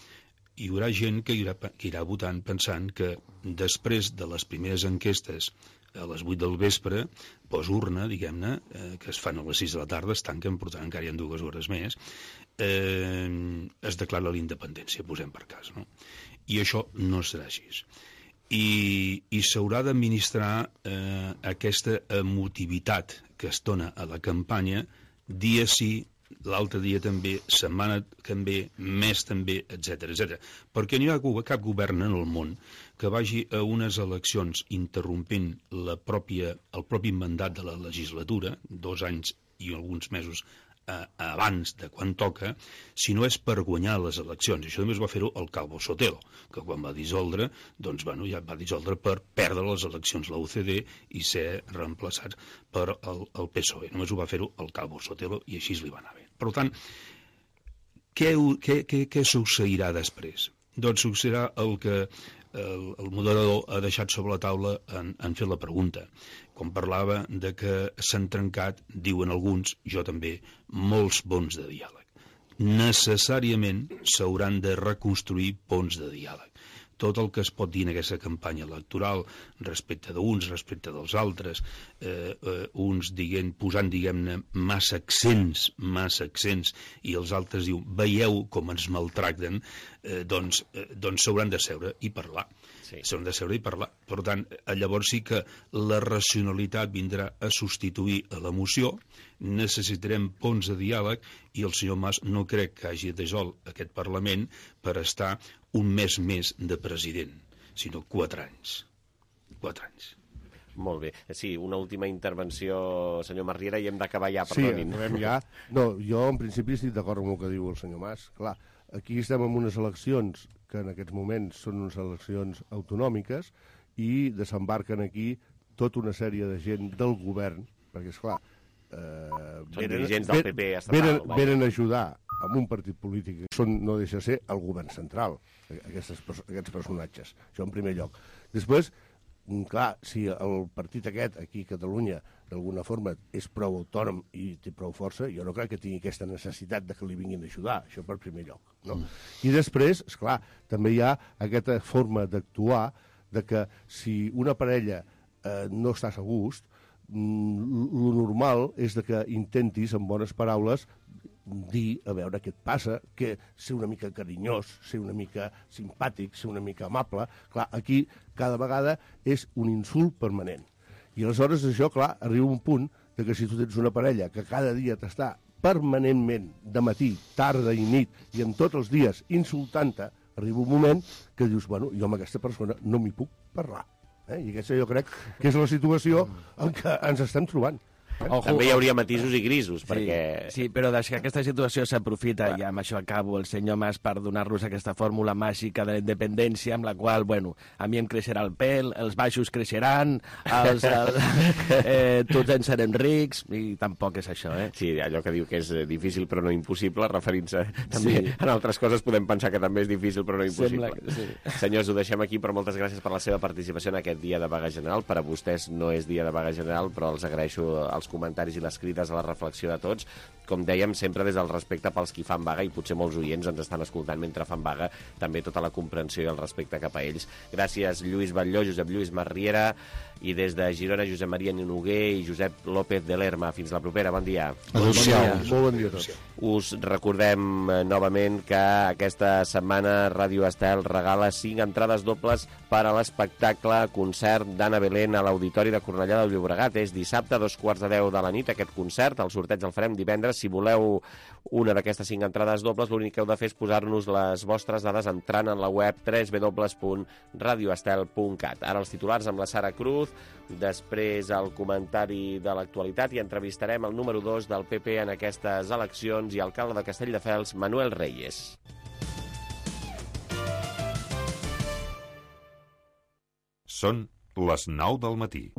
hi haurà gent que irà, que irà votant pensant que després de les primeres enquestes a les vuit del vespre, posurna, diguem-ne, eh, que es fan a les sis de la tarda, es tanquen, per tant encara hi ha dues hores més, eh, es declara la independència, posem per cas, no? I això no serà així. I, i s'haurà d'administrar eh, aquesta emotivitat que es dona a la campanya dia sí, l'altre dia també, setmana també, mes també, etcètera, etcètera. Perquè no hi ha cap govern en el món que vagi a unes eleccions interrompent la pròpia, el propi mandat de la legislatura, dos anys i alguns mesos eh, abans de quan toca, si no és per guanyar les eleccions. Això només va fer-ho el Calvo Sotelo, que quan va dissoldre, doncs, bueno, ja va dissoldre per perdre les eleccions la U C D i ser reemplaçats per el, el P S O E. Només ho va fer-ho el Calvo Sotelo i així li va anar bé. Per tant, què, què, què, què succeirà després? Doncs succeirà el que el, el moderador ha deixat sobre la taula en, en fer la pregunta. Quan parlava de que s'han trencat, diuen alguns, jo també, molts ponts de diàleg. Necessàriament s'hauran de reconstruir ponts de diàleg. tot el que es pot dir en aquesta campanya electoral respecte d'uns, respecte dels altres, eh, eh, uns diguent, posant, diguem-ne, massa accents, massa accents, i els altres diuen, veieu com ens maltracten, eh, doncs eh, doncs s'hauran de seure i parlar. Sí. S'hauran de seure i parlar. Per tant, llavors sí que la racionalitat vindrà a substituir a l'emoció, necessitarem ponts de diàleg, i el senyor Mas no crec que hagi de jol aquest Parlament per estar un mes més de president, sinó quatre anys. Quatre anys. Molt bé. Sí, una última intervenció, senyor Marriera, i hem d'acabar ja, perdonin. Sí, acabem ja. No, jo en principi estic d'acord amb el que diu el senyor Mas. Clar, aquí estem en unes eleccions que en aquests moments són unes eleccions autonòmiques i desembarquen aquí tota una sèrie de gent del govern, perquè, esclar, eh, són dirigents del P P estatal. Venen, venen a ajudar amb un partit polític que són, no deixa de ser el govern central, aquestes, aquests personatges. Això en primer lloc. Després, clar, si el partit aquest aquí a Catalunya d'alguna forma és prou autònom i té prou força, jo no crec que tingui aquesta necessitat de que li vinguin a ajudar, això per primer lloc. No? Mm. I després, esclar, també hi ha aquesta forma d'actuar de que si una parella eh, no estàs a gust, mm, lo normal és de que intentis, amb bones paraules, dir, a veure què et passa, que ser una mica carinyós, ser una mica simpàtic, ser una mica amable. Clar, aquí cada vegada és un insult permanent. I aleshores això, clar, arriba un punt de que si tu tens una parella que cada dia t'està permanentment, de matí, tarda i nit, i en tots els dies insultant-te, arriba un moment que dius, bueno, jo amb aquesta persona no m'hi puc parlar. Eh? I aquesta jo crec que és la situació en què ens estem trobant. Ojo, també hi hauria matisos i grisos, sí, perquè... Sí, però des que aquesta situació s'aprofita, i amb això acabo, el senyor Mas, per donar-nos aquesta fórmula màgica de la independència, amb la qual, bueno, a mi em creixerà el pèl, els baixos creixeran, els, el, eh, tots ens serem rics, i tampoc és això, eh? Sí, allò que diu que és difícil però no impossible, referint-se també sí. En altres coses podem pensar que també és difícil però no impossible. Que, sí. Senyors, ho deixem aquí, però moltes gràcies per la seva participació en aquest dia de vaga general. Per a vostès no és dia de vaga general, però els agraeixo els comentaris i les crides a la reflexió de tots, com dèiem, sempre des del respecte pels qui fan vaga, i potser molts oients ens estan escoltant mentre fan vaga, també tota la comprensió i el respecte cap a ells. Gràcies, Lluís Batlló, Josep Lluís Marriera, i des de Girona, Josep Maria Noguer i Josep López de Lerma. Fins la propera, bon dia. Adéu-siau. Molt bon dia a tots. Us recordem eh, novament que aquesta setmana Ràdio Estel regala cinc entrades dobles per a l'espectacle concert d'Anna Belén a l'Auditori de Cornellà del Llobregat. És dissabte, a dos quarts de deu de la nit, aquest concert. El sorteig el farem divendres. Si voleu una d'aquestes cinc entrades dobles, l'únic que heu de fer és posar-nos les vostres dades entrant en la web w w w punt radio estel punt cat. Ara els titulars amb la Sara Cruz, després el comentari de l'actualitat, i entrevistarem el número dos del P P en aquestes eleccions i alcalde de Castelldefels, Manuel Reyes. Són les nou del matí.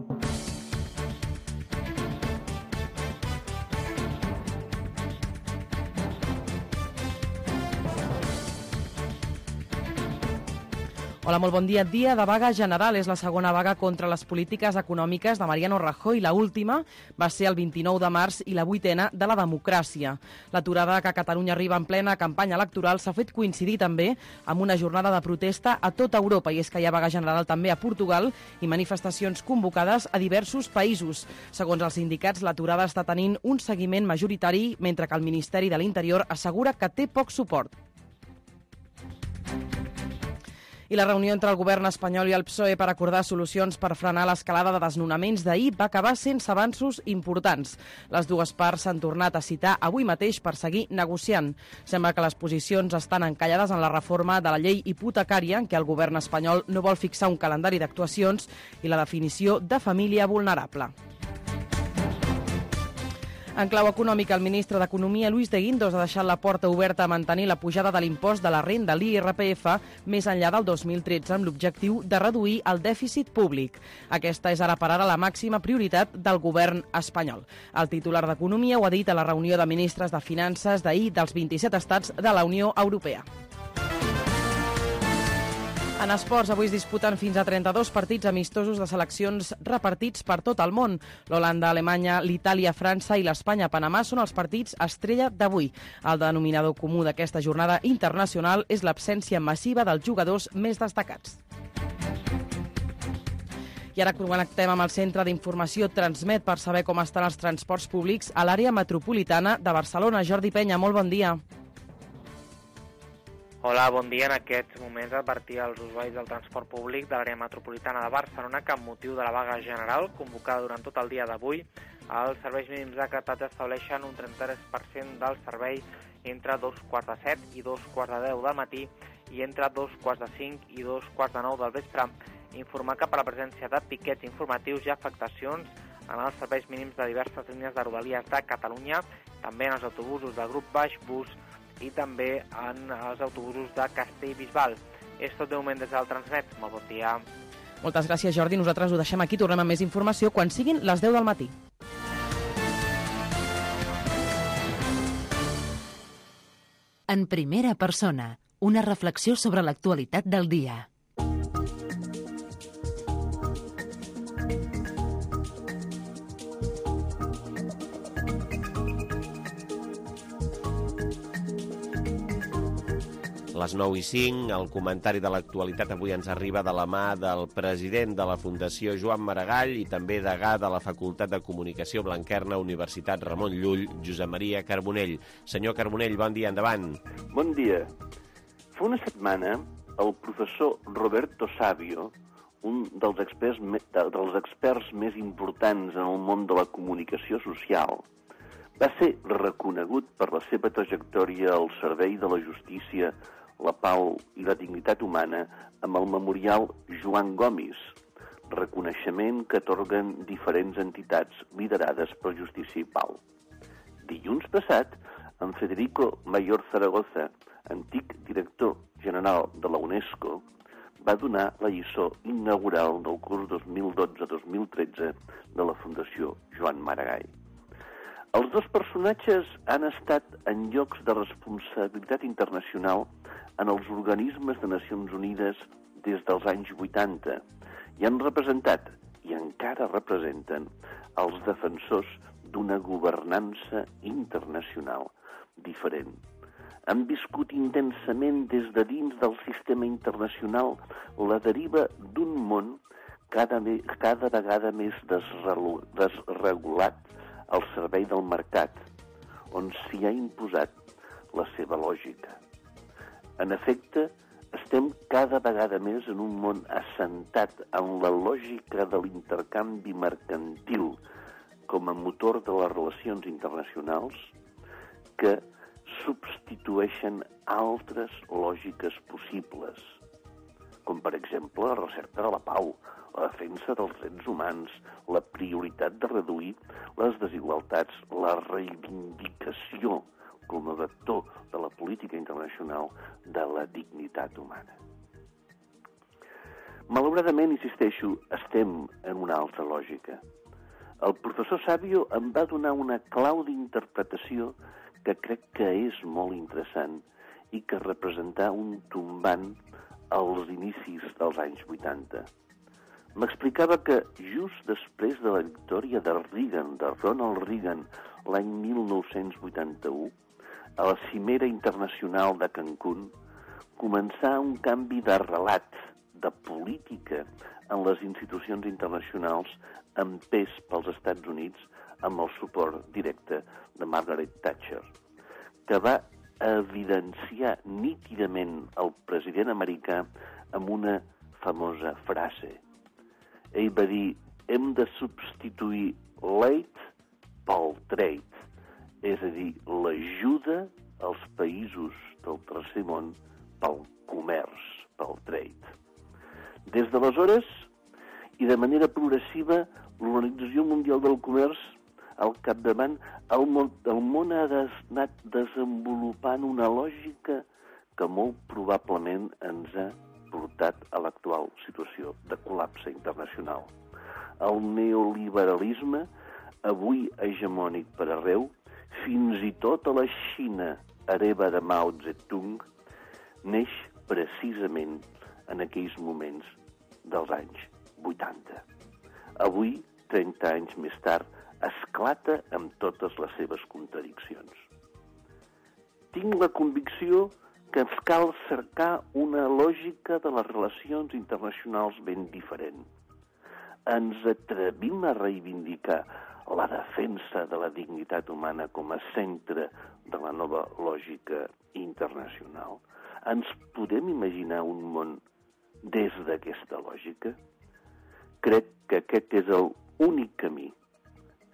Hola, molt bon dia. Dia de vaga general. És la segona vaga contra les polítiques econòmiques de Mariano Rajoy. La última va ser el vint-i-nou de març i la vuitena de la democràcia. L'aturada que a Catalunya arriba en plena campanya electoral s'ha fet coincidir també amb una jornada de protesta a tota Europa, i és que hi ha vaga general també a Portugal i manifestacions convocades a diversos països. Segons els sindicats, l'aturada està tenint un seguiment majoritari, mentre que el Ministeri de l'Interior assegura que té poc suport. I la reunió entre el govern espanyol i el P S O E per acordar solucions per frenar l'escalada de desnonaments d'ahir va acabar sense avanços importants. Les dues parts s'han tornat a citar avui mateix per seguir negociant. Sembla que les posicions estan encallades en la reforma de la llei hipotecària, en què el govern espanyol no vol fixar un calendari d'actuacions, i la definició de família vulnerable. En clau econòmica, el ministre d'Economia, Luis de Guindos, ha deixat la porta oberta a mantenir la pujada de l'impost de la renda, l'I R P F, més enllà del dos mil tretze, amb l'objectiu de reduir el dèficit públic. Aquesta és ara per ara la màxima prioritat del govern espanyol. El titular d'Economia ho ha dit a la reunió de ministres de Finances d'ahir dels vint-i-set estats de la Unió Europea. En esports, avui es disputen fins a trenta-dos partits amistosos de seleccions repartits per tot el món. L'Holanda, Alemanya, l'Itàlia, França i l'Espanya-Panamà són els partits estrella d'avui. El denominador comú d'aquesta jornada internacional és l'absència massiva dels jugadors més destacats. I ara connectem amb el Centre d'Informació Transmet per saber com estan els transports públics a l'àrea metropolitana de Barcelona. Jordi Penya, molt bon dia. Hola, bon dia. En aquests moments advertir als usuaris del transport públic de l'àrea metropolitana de Barcelona que amb motiu de la vaga general convocada durant tot el dia d'avui, els serveis mínims decretats estableixen un trenta-tres per cent del servei entre dos quarts de set i dos quarts de deu del matí i entre dos quarts de cinc i dos quarts de nou del vespre. Informar que per la presència de piquets informatius i afectacions en els serveis mínims de diverses línies de Rodalies de Catalunya, també en els autobusos de grup Baix Bus i també en els autobusos de Castellbisbal. És tot de moment des del Transmet. Molt bon dia. Moltes gràcies, Jordi. Nosaltres ho deixem aquí. Tornem amb més informació quan siguin les deu del matí. En primera persona, una reflexió sobre l'actualitat del dia. A les nou i cinc, el comentari de l'actualitat avui ens arriba de la mà del president de la Fundació Joan Maragall i també degà de la Facultat de Comunicació Blanquerna, Universitat Ramon Llull, Josep Maria Carbonell. Senyor Carbonell, bon dia, endavant. Bon dia. Fa una setmana, el professor Roberto Savio, un dels experts, dels experts més importants en el món de la comunicació social, va ser reconegut per la seva trajectòria al servei de la justícia, la pau i la dignitat humana amb el memorial Joan Gomis, reconeixement que atorguen diferents entitats liderades per Justícia i Pau. Dilluns passat, en Federico Mayor Zaragoza, antic director general de la UNESCO, va donar la lliçó inaugural del curs dos mil dotze dos mil tretze de la Fundació Joan Maragall. Els dos personatges han estat en llocs de responsabilitat internacional en els organismes de Nacions Unides des dels anys vuitanta i han representat, i encara representen, els defensors d'una governança internacional diferent. Han viscut intensament des de dins del sistema internacional la deriva d'un món cada, cada vegada més desregulat al servei del mercat, on s'hi ha imposat la seva lògica. En efecte, estem cada vegada més en un món assentat en la lògica de l'intercanvi mercantil com a motor de les relacions internacionals que substitueixen altres lògiques possibles, com per exemple la recerca de la pau, la defensa dels drets humans, la prioritat de reduir les desigualtats, la reivindicació com a vector de la política internacional de la dignitat humana. Malauradament, insisteixo, estem en una altra lògica. El professor Savio em va donar una clau d'interpretació que crec que és molt interessant i que representa un tombant als inicis dels anys vuitanta. M'explicava que just després de la victòria de Reagan, de Ronald Reagan, l'any mil nou-cents vuitanta-u, a la cimera internacional de Cancún, començà un canvi de relat, de política en les institucions internacionals amb pes pels Estats Units amb el suport directe de Margaret Thatcher, que va evidenciar nítidament el president americà amb una famosa frase. Ell va dir, hem de substituir l'aid pel trade, és a dir, l'ajuda als països del tercer món pel comerç, pel trade. Des d'aleshores, i de manera progressiva, l'Organització Mundial del Comerç, al capdavant, el món, el món ha anat desenvolupant una lògica que molt probablement ens ha portat a l'actual situació de col·lapse internacional. El neoliberalisme, avui hegemònic per arreu, fins i tot a la Xina, hereva de Mao Zedong, neix precisament en aquells moments dels anys vuitanta. Avui, trenta anys més tard, esclata amb totes les seves contradiccions. Tinc la convicció que ens cal cercar una lògica de les relacions internacionals ben diferent. Ens atrevim a reivindicar la defensa de la dignitat humana com a centre de la nova lògica internacional. Ens podem imaginar un món des d'aquesta lògica? Crec que aquest és l'únic camí.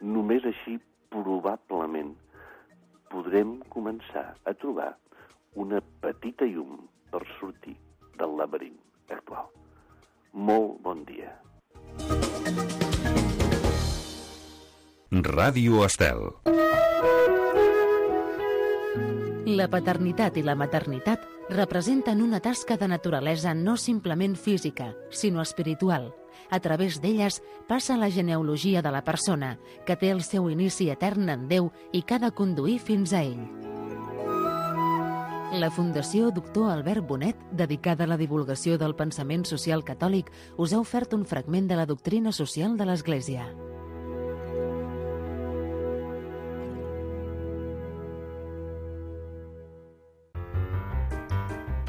Només així, probablement, podrem començar a trobar una petita llum per sortir del laberint actual. Molt bon dia. Ràdio Estel. La paternitat i la maternitat representen una tasca de naturalesa no simplement física, sinó espiritual. A través d'elles passa la genealogia de la persona, que té el seu inici etern en Déu i que ha de conduir fins a ell. La Fundació Doctor Albert Bonet, dedicada a la divulgació del pensament social catòlic, us ha ofert un fragment de la doctrina social de l'Església.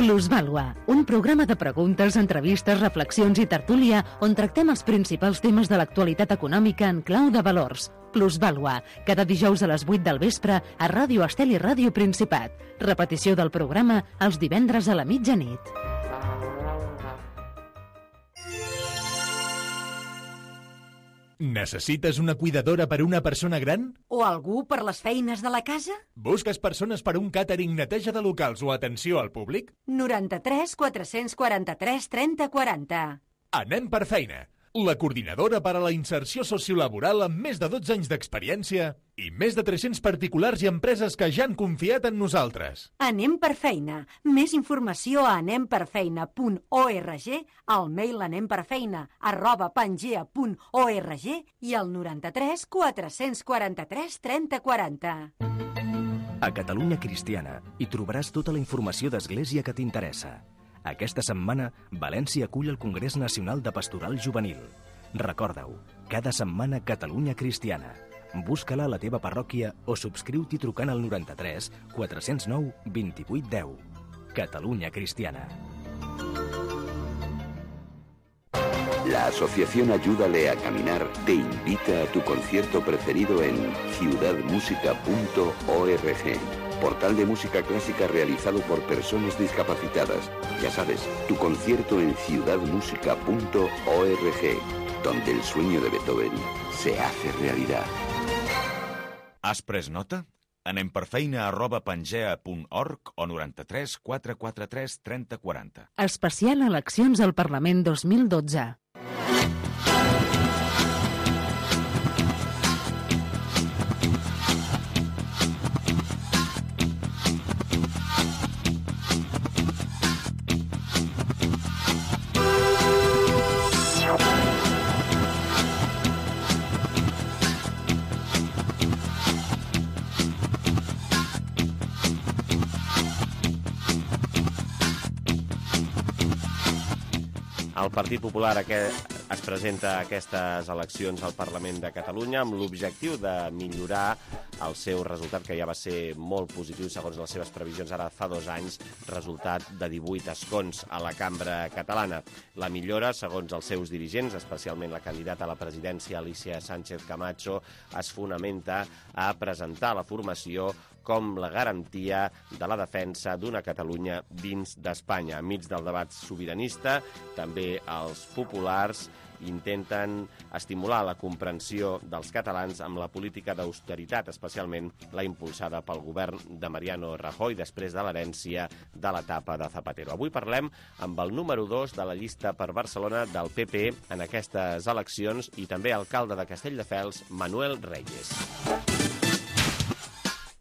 Plusvàlua, un programa de preguntes, entrevistes, reflexions i tertúlia on tractem els principals temes de l'actualitat econòmica en clau de valors. Plusvàlua, cada dijous a les vuit del vespre a Ràdio Estel i Ràdio Principat. Repetició del programa els divendres a la mitjanit. Necessites una cuidadora per a una persona gran? O algú per les feines de la casa? Busques persones per a un càtering, neteja de locals o atenció al públic? noranta-tres quatre-cents quaranta-tres trenta quaranta. Anem per feina. La coordinadora per a la inserció sociolaboral amb més de dotze anys d'experiència i més de tres-cents particulars i empreses que ja han confiat en nosaltres. Anem per feina. Més informació a anem per feina punt org, al mail anemperfeina arroba pangea punt org i al noranta-tres quatre-cents quaranta-tres trenta quaranta. A Catalunya Cristiana hi trobaràs tota la informació d'Església que t'interessa. Aquesta setmana, València acull el Congrés Nacional de Pastoral Juvenil. Recorda-ho, cada setmana Catalunya Cristiana. Busca-la a la teva parròquia o subscriu-t'hi trucant al noranta-tres quatre-cents nou vint-i-vuit deu. Catalunya Cristiana. La Asociación Ayúdale a Caminar te invita a tu concierto preferido en ciudad música punto org. Portal de música clásica realizado por personas discapacitadas. Ya sabes, tu concierto en ciudad música punto org, donde el sueño de Beethoven se hace realidad. Has pres nota? Anem per feina arroba pangea punt org o noranta-tres quatre quaranta-tres trenta quaranta. Especial eleccions al Parlament dos mil dotze. El Partit Popular es presenta a aquestes eleccions al Parlament de Catalunya amb l'objectiu de millorar el seu resultat, que ja va ser molt positiu segons les seves previsions ara fa dos anys, resultat de divuit escons a la cambra catalana. La millora, segons els seus dirigents, especialment la candidata a la presidència Alicia Sánchez Camacho, es fonamenta a presentar la formació com la garantia de la defensa d'una Catalunya dins d'Espanya. Enmig del debat sobiranista, també els populars intenten estimular la comprensió dels catalans amb la política d'austeritat, especialment la impulsada pel govern de Mariano Rajoy després de l'herència de l'etapa de Zapatero. Avui parlem amb el número dos de la llista per Barcelona del P P en aquestes eleccions i també alcalde de Castelldefels, Manuel Reyes.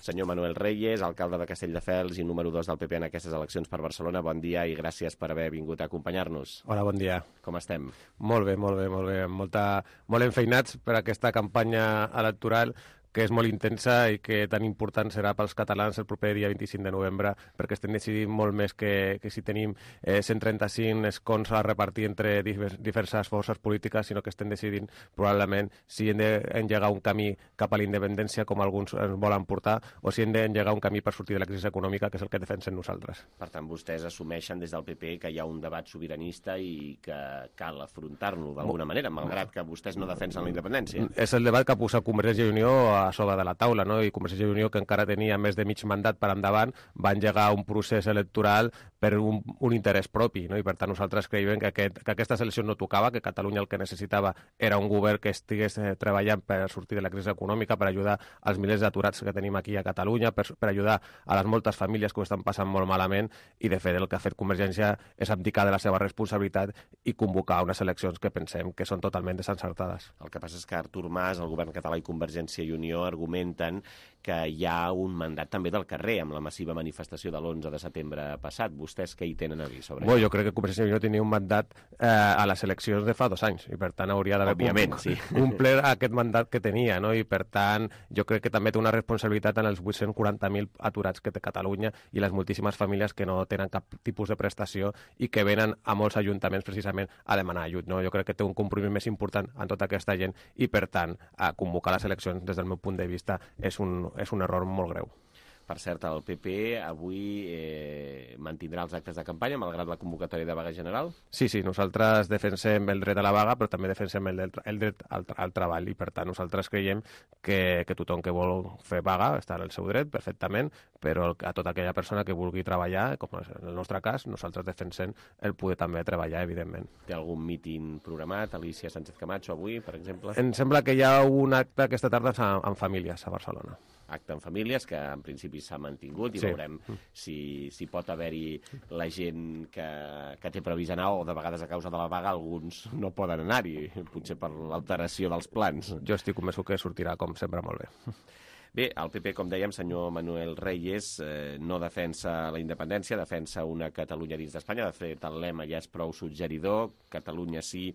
Senyor Manuel Reyes, alcalde de Castelldefels i número dos del P P en aquestes eleccions per Barcelona, bon dia i gràcies per haver vingut a acompanyar-nos. Hola, bon dia. Com estem? Molt bé, molt bé, molt bé. Molta, molt enfeinats per aquesta campanya electoral que és molt intensa i que tan important serà pels catalans el proper dia vint-i-cinc de novembre, perquè estem decidint molt més que, que si tenim eh, cent trenta-cinc escons a repartir entre divers, diverses forces polítiques, sinó que estem decidint probablement si hem d'engegar un camí cap a la independència, com alguns ens volen portar, o si hem d'engegar un camí per sortir de la crisi econòmica, que és el que defensem nosaltres. Per tant, vostès assumeixen des del P P que hi ha un debat sobiranista i que cal afrontar-lo d'alguna manera, malgrat que vostès no defensen la independència. És el debat que ha posat Convergència i Unió a sobre de la taula, no? I Convergència i Unió, que encara tenia més de mig mandat per endavant, va engegar un procés electoral per un, un interès propi, no? I per tant nosaltres creiem que, aquest, que aquestes eleccions no tocava, que Catalunya el que necessitava era un govern que estigués eh, treballant per sortir de la crisi econòmica, per ajudar als milers d'aturats que tenim aquí a Catalunya, per, per ajudar a les moltes famílies que ho estan passant molt malament, i de fet el que ha fet Convergència és abdicar de la seva responsabilitat i convocar unes eleccions que pensem que són totalment desencertades. El que passa és que Artur Mas, el govern català i Convergència i Unió argumenten que hi ha un mandat també del carrer amb la massiva manifestació de l'onze de setembre passat. Vostès què hi tenen a dir sobre Bo, això? Jo crec que Convergència i Unió tenia un mandat eh, a les eleccions de fa dos anys i per tant hauria d'haver Òbviament, sí. complert aquest mandat que tenia, no? I per tant jo crec que també té una responsabilitat en els vuit-cents quaranta mil aturats que té Catalunya i les moltíssimes famílies que no tenen cap tipus de prestació i que venen a molts ajuntaments precisament a demanar ajut, no? Jo crec que té un compromís més important en tota aquesta gent i per tant a convocar les eleccions des del meu punt de vista és un és un error molt greu. Per cert, el P P avui eh, mantindrà els actes de campanya malgrat la convocatòria de vaga general? Sí, sí, nosaltres defensem el dret a la vaga, però també defensem el, el dret al, al treball i per tant nosaltres creiem que, que tothom que vol fer vaga està en el seu dret perfectament, però a tota aquella persona que vulgui treballar, com en el nostre cas, nosaltres defensem el poder també treballar, evidentment. Té algun míting programat, Alicia Sánchez Camacho, avui, per exemple? Em sembla que hi ha un acte aquesta tarda en famílies a Barcelona. Acte en famílies, que en principi s'ha mantingut i sí. veurem si, si pot haver-hi la gent que, que té previst anar o de vegades a causa de la vaga alguns no poden anar-hi, potser per l'alteració dels plans. Jo estic convençut que sortirà com sempre molt bé. Bé, el P P, com dèiem, senyor Manuel Reyes, eh, no defensa la independència, defensa una Catalunya dins d'Espanya. De fet, el lema ja és prou suggeridor, Catalunya sí,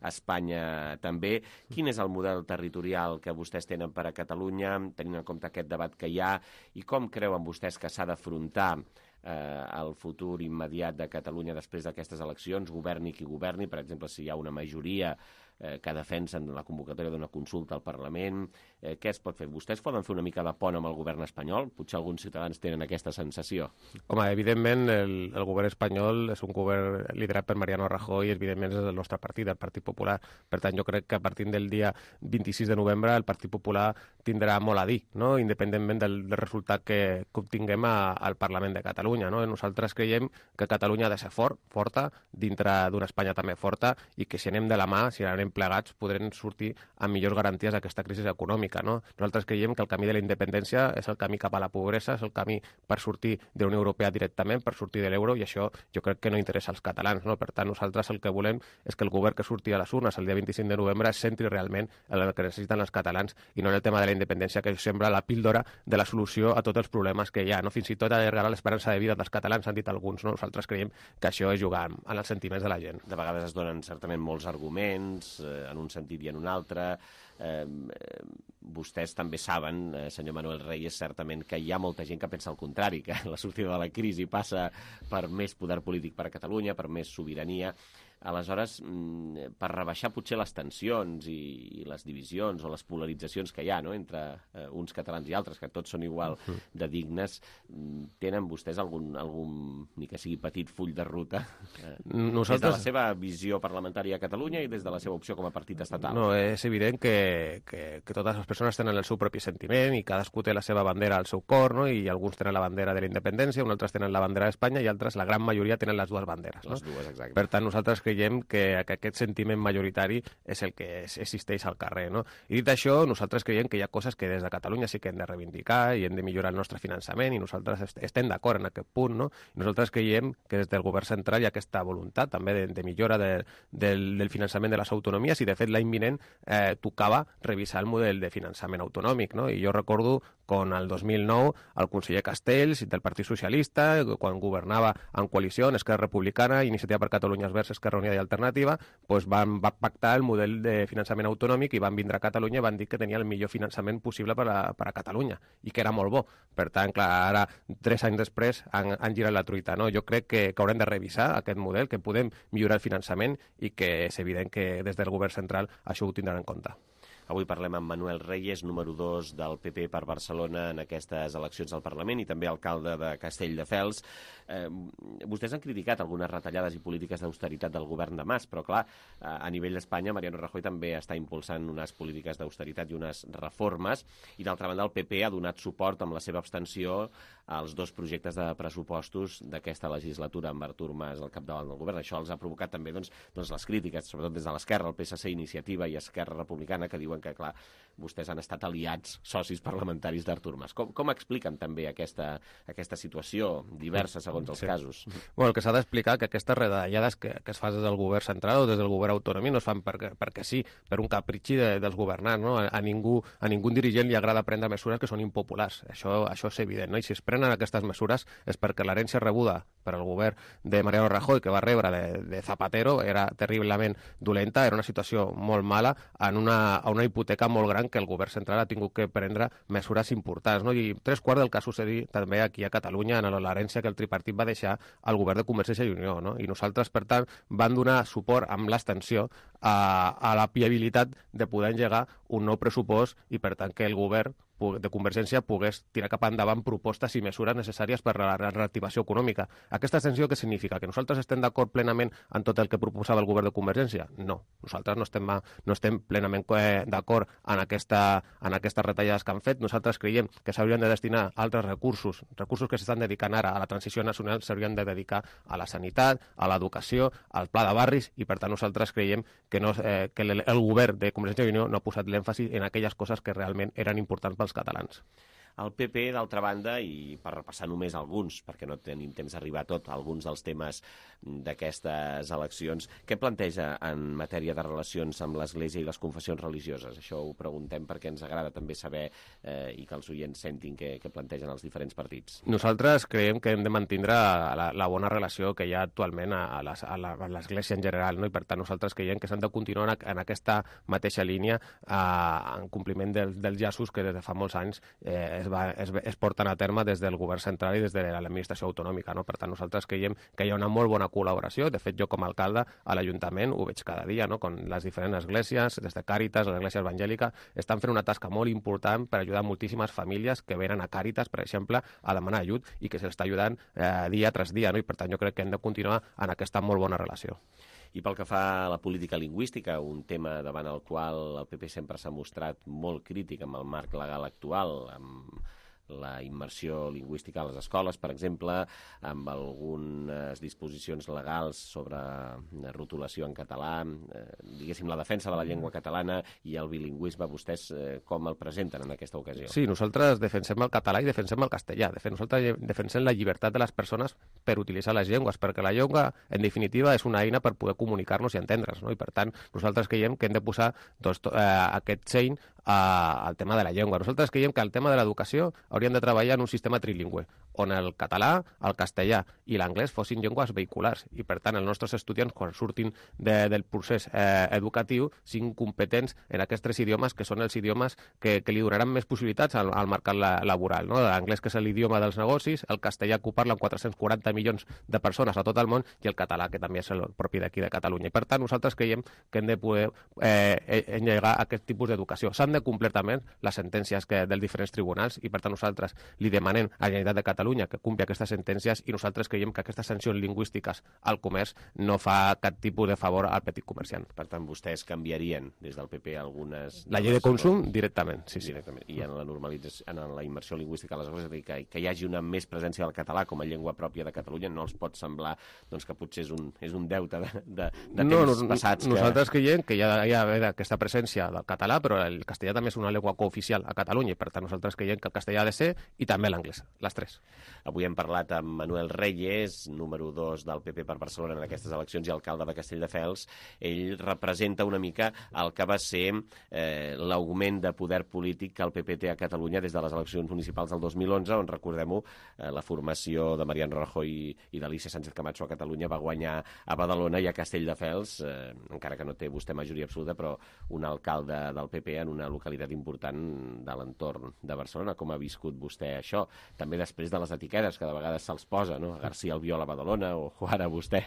Espanya també. Quin és el model territorial que vostès tenen per a Catalunya, tenint en compte aquest debat que hi ha, i com creuen vostès que s'ha d'afrontar eh, el futur immediat de Catalunya després d'aquestes eleccions, governi qui governi, per exemple, si hi ha una majoria eh, que defensen la convocatòria d'una consulta al Parlament, eh, què es pot fer? Vostès poden fer una mica de pont amb el govern espanyol? Potser alguns ciutadans tenen aquesta sensació. Home, evidentment, el, el govern espanyol és un govern liderat per Mariano Rajoy i evidentment és el nostre partit, el Partit Popular. Per tant, jo crec que a partir del dia vint-i-sis de novembre el Partit Popular tindrà molt a dir, no? Independentment del, del resultat que, que obtinguem a, al Parlament de Catalunya. No? Nosaltres creiem que Catalunya ha de ser fort, forta, dintre d'una Espanya també forta, i que si anem de la mà, si anem plegats, podrem sortir amb millors garanties d'aquesta crisi econòmica. No? Nosaltres creiem que el camí de la independència és el camí cap a la pobresa, és el camí per sortir de la Unió Europea directament, per sortir de l'euro, i això jo crec que no interessa als catalans. No? Per tant, nosaltres el que volem és que el govern que surti a les urnes el dia vint-i-cinc de novembre es centri realment en el que necessiten els catalans i no en el tema de la independència, que sembla la píldora de la solució a tots els problemes que hi ha. No? Fins i tot allargarà l'esperança de vida dels catalans, han dit alguns. No? Nosaltres creiem que això és jugar en els sentiments de la gent. De vegades es donen certament molts arguments, eh, en un sentit i en un altre. Eh, eh, vostès també saben, eh, senyor Manuel Reyes, certament que hi ha molta gent que pensa el contrari, que la sortida de la crisi passa per més poder polític per a Catalunya, per més sobirania. Aleshores, per rebaixar potser les tensions i les divisions o les polaritzacions que hi ha, no?, entre eh, uns catalans i altres, que tots són igual de dignes, tenen vostès algun, algun ni que sigui petit full de ruta eh, Nosaltres... des de la seva visió parlamentària a Catalunya i des de la seva opció com a partit estatal? No, és evident que, que, que totes les persones tenen el seu propi sentiment i cadascú té la seva bandera al seu cor, no?, i alguns tenen la bandera de la independència, uns altres tenen la bandera d'Espanya i altres, la gran majoria, tenen les dues banderes. No? Les dues, exacte. Per tant, nosaltres creiem que aquest sentiment majoritari és el que existeix al carrer. No? I dit això, nosaltres creiem que hi ha coses que des de Catalunya sí que hem de reivindicar i hem de millorar el nostre finançament i nosaltres estem d'acord en aquest punt. No? I nosaltres creiem que des del govern central hi ha aquesta voluntat també de, de millora de, del, del finançament de les autonomies i de fet l'any vinent eh, tocava revisar el model de finançament autonòmic. No? I jo recordo con el dos mil nou el conseller Castells del Partit Socialista, quan governava en coalició en Esquerra Republicana, Iniciativa per Catalunya Verds, Esquerra Unida i Alternativa, doncs van, van pactar el model de finançament autonòmic i van vindre a Catalunya i van dir que tenia el millor finançament possible per a, per a Catalunya i que era molt bo. Per tant, clar, ara, tres anys després, han, han girat la truita. No? Jo crec que, que haurem de revisar aquest model, que podem millorar el finançament i que és evident que des del govern central això ho tindran en compte. Avui parlem amb Manuel Reyes, número dos del P P per Barcelona en aquestes eleccions al Parlament i també alcalde de Castelldefels. Eh, vostès han criticat algunes retallades i polítiques d'austeritat del govern de Mas, però clar, a nivell d'Espanya Mariano Rajoy també està impulsant unes polítiques d'austeritat i unes reformes i d'altra banda el P P ha donat suport amb la seva abstenció als dos projectes de pressupostos d'aquesta legislatura amb Artur Mas al capdavant del govern. Això els ha provocat també doncs, doncs les crítiques, sobretot des de l'esquerra, el P S C, Iniciativa i Esquerra Republicana, que diuen que, clar, vostès han estat aliats, socis parlamentaris d'Artur Mas. Com, com expliquen també aquesta, aquesta situació diversa segons els sí. casos? Bueno, el que s'ha d'explicar que aquestes retallades que, que es fa des del govern central o des del govern autònom no es fan perquè, perquè sí, per un capritxi de, dels governants. No? A, a, ningú, a ningú dirigent li agrada prendre mesures que són impopulars. Això, això és evident. No? I si es prenen aquestes mesures és perquè l'herència rebuda per al govern de Mariano Rajoy, que va rebre de, de Zapatero, era terriblement dolenta, era una situació molt mala en una, a una hipoteca molt gran que el govern central ha tingut que prendre mesures importants. No? I tres quarts del que ha sucedit també aquí a Catalunya en l'herència que el tripartit va deixar al govern de Convergència i Unió. No? I nosaltres, per tant, vam donar suport amb l'abstenció a, a la viabilitat de poder engegar un nou pressupost i, per tant, que el govern de Convergència pogués tirar cap endavant propostes i mesures necessàries per a la reactivació econòmica. Aquesta abstenció què significa? Que nosaltres estem d'acord plenament en tot el que proposava el govern de Convergència? No. Nosaltres no estem, no estem plenament d'acord en, aquesta, en aquestes retallades que han fet. Nosaltres creiem que s'haurien de destinar altres recursos, recursos que s'estan dedicant ara a la transició nacional, s'haurien de dedicar a la sanitat, a l'educació, al pla de barris, i per tant nosaltres creiem que, no, eh, que el, el govern de Convergència i Unió no ha posat l'èmfasi en aquelles coses que realment eren importants pels catalans. El P P, d'altra banda, i per repassar només alguns, perquè no tenim temps d'arribar a tot, alguns dels temes d'aquestes eleccions, què planteja en matèria de relacions amb l'Església i les confessions religioses? Això ho preguntem perquè ens agrada també saber eh, i que els oients sentin què, què plantegen els diferents partits. Nosaltres creiem que hem de mantenir la, la bona relació que hi ha actualment a, a l'Església en general, no? I per tant nosaltres creiem que s'han de continuar en, en aquesta mateixa línia eh, en compliment del, dels llaços que des de fa molts anys eh, es, va, es, es porten a terme des del govern central i des de l'administració autonòmica. No? Per tant, nosaltres creiem que hi ha una molt bona col·laboració. De fet, jo com a alcalde a l'Ajuntament ho veig cada dia, no? Con les diferents esglésies, des de Càritas, l'Església Evangèlica, estan fent una tasca molt important per ajudar moltíssimes famílies que venen a Càritas, per exemple, a demanar ajut i que s'està ajudant eh, dia tras dia. No? I per tant, jo crec que hem de continuar en aquesta molt bona relació. I pel que fa a la política lingüística, un tema davant el qual el P P sempre s'ha mostrat molt crític amb el marc legal actual, amb la immersió lingüística a les escoles, per exemple, amb algunes disposicions legals sobre rotulació en català, eh, diguéssim, la defensa de la llengua catalana i el bilingüisme, vostès eh, com el presenten en aquesta ocasió? Sí, nosaltres defensem el català i defensem el castellà. De fet, nosaltres defensem la llibertat de les persones per utilitzar les llengües, perquè la llengua, en definitiva, és una eina per poder comunicar-nos i entendre's, no? I per tant, nosaltres creiem que hem de posar doncs, eh, aquest seny al tema de la llengua. Nosaltres creiem que el tema de l'educació hauríem de treballar en un sistema trilingüe, on el català, el castellà i l'anglès fossin llengües vehiculars i, per tant, els nostres estudiants, quan surtin de, del procés eh, educatiu, siguin competents en aquests tres idiomes, que són els idiomes que, que li donaran més possibilitats al, al mercat la, laboral. No? L'anglès, que és l'idioma dels negocis, el castellà, que ho parlen quatre-cents quaranta milions de persones a tot el món, i el català, que també és el propi d'aquí de Catalunya. I, per tant, nosaltres creiem que hem de poder eh, engegar aquest tipus d'educació. S'han de complir també les sentències que, dels diferents tribunals i, per tant, nosaltres li demanem a la Generalitat de Catalunya que compli aquestes sentències i nosaltres creiem que aquestes sancions lingüístiques al comerç no fa cap tipus de favor al petit comerciant. Per tant, vostès canviarien des del P P algunes... La llei de consum, directament, sí, sí. Directament. I en la normalització, en la immersió lingüística a les escoles, que, que hi hagi una més presència del català com a llengua pròpia de Catalunya, no els pot semblar doncs, que potser és un, és un deute de, de, de no, temps no, passats. Nosaltres que... creiem que hi ha, hi ha aquesta presència del català, però el castellà castellà també és una llengua cooficial a Catalunya i per tant nosaltres creiem que el castellà ha de ser i també l'anglès, les tres. Avui hem parlat amb Manuel Reyes, número dos del P P per Barcelona en aquestes eleccions i alcalde de Castelldefels. Ell representa una mica el que va ser eh, l'augment de poder polític que el P P té a Catalunya des de les eleccions municipals del dos mil onze, on, recordem-ho, eh, la formació de Mariano Rajoy i, i d'Alicia Sánchez Camacho a Catalunya va guanyar a Badalona i a Castelldefels, eh, encara que no té vostè majoria absoluta, però un alcalde del P P en una localitat important de l'entorn de Barcelona. Com ha viscut vostè això? També després de les etiquetes que de vegades se'ls posa, no? García Albiol a Badalona o ara vostè.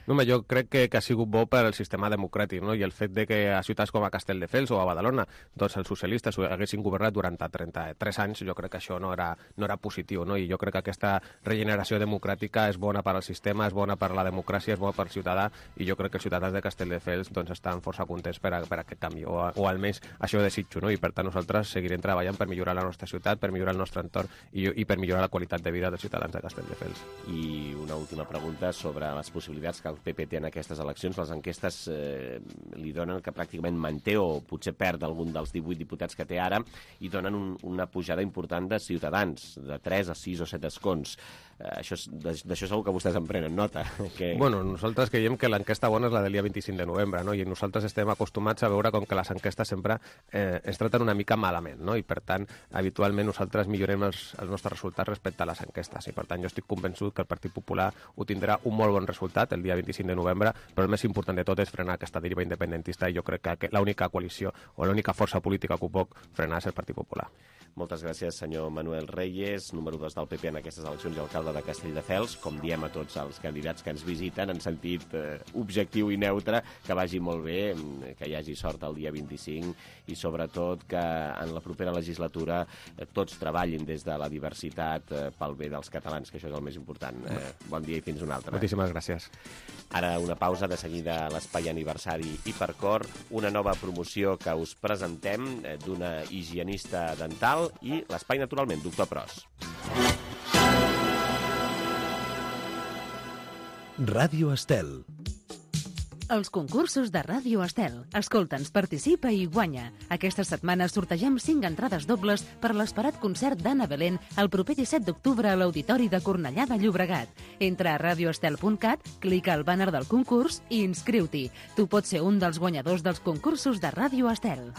No, home, jo crec que, que ha sigut bo per al sistema democràtic, no? I el fet de que a ciutats com a Castelldefels o a Badalona doncs els socialistes haguessin governat durant trenta-tres anys, jo crec que això no era, no era positiu, no? I jo crec que aquesta regeneració democràtica és bona per al sistema, és bona per la democràcia, és bona per al ciutadà, i jo crec que els ciutadans de Castelldefels doncs, estan força contents per, a, per a aquest canvi, o, o almenys això desitjo, no? I per tant nosaltres seguirem treballant per millorar la nostra ciutat, per millorar el nostre entorn i, i per millorar la qualitat de vida dels ciutadans de Castelldefels. I una última pregunta sobre les possibilitats que el P P té en aquestes eleccions. Les enquestes eh, li donen que pràcticament manté o potser perd algun dels divuit diputats que té ara i donen un, una pujada important de Ciutadans, de tres a sis o set escons. Eh, això, d'això segur que vostès en prenen nota. Que... Bueno, nosaltres creiem que l'enquesta bona és la del dia vint-i-cinc de novembre, no? I nosaltres estem acostumats a veure com que les enquestes sempre eh, es traten una mica malament, no? I per tant, habitualment nosaltres millorem els, els nostres resultats respecte a les enquestes, i per tant jo estic convençut que el Partit Popular ho tindrà un molt bon resultat el dia vint-i-cinc de novembre, però el més important de tot és frenar aquesta deriva independentista, i jo crec que l'única coalició o l'única força política que ho pot frenar és el Partit Popular. Moltes gràcies, senyor Manuel Reyes, número dos del P P en aquestes eleccions i alcalde de Castelldefels. Com diem a tots els candidats que ens visiten, en sentit eh, objectiu i neutre, que vagi molt bé, que hi hagi sort el dia vint-i-cinc i sobretot que en la propera legislatura eh, tots treballin des de la diversitat eh, pel bé dels catalans, que això és el més important. Eh, bon dia i fins una altra. Moltíssimes gràcies. Ara una pausa, de seguida l'espai aniversari Hipercor, una nova promoció que us presentem eh, d'una higienista dental i l'espai, naturalment, doctor Pros. Ràdio Estel. Els concursos de Ràdio Estel. Escolta'ns, participa i guanya. Aquesta setmana sortegem cinc entrades dobles per l'esperat concert d'Anna Belén el proper disset d'octubre a l'Auditori de Cornellà de Llobregat. Entra a radioestel punt cat, clica al bàner del concurs i inscriu-t'hi. Tu pots ser un dels guanyadors dels concursos de Ràdio Estel.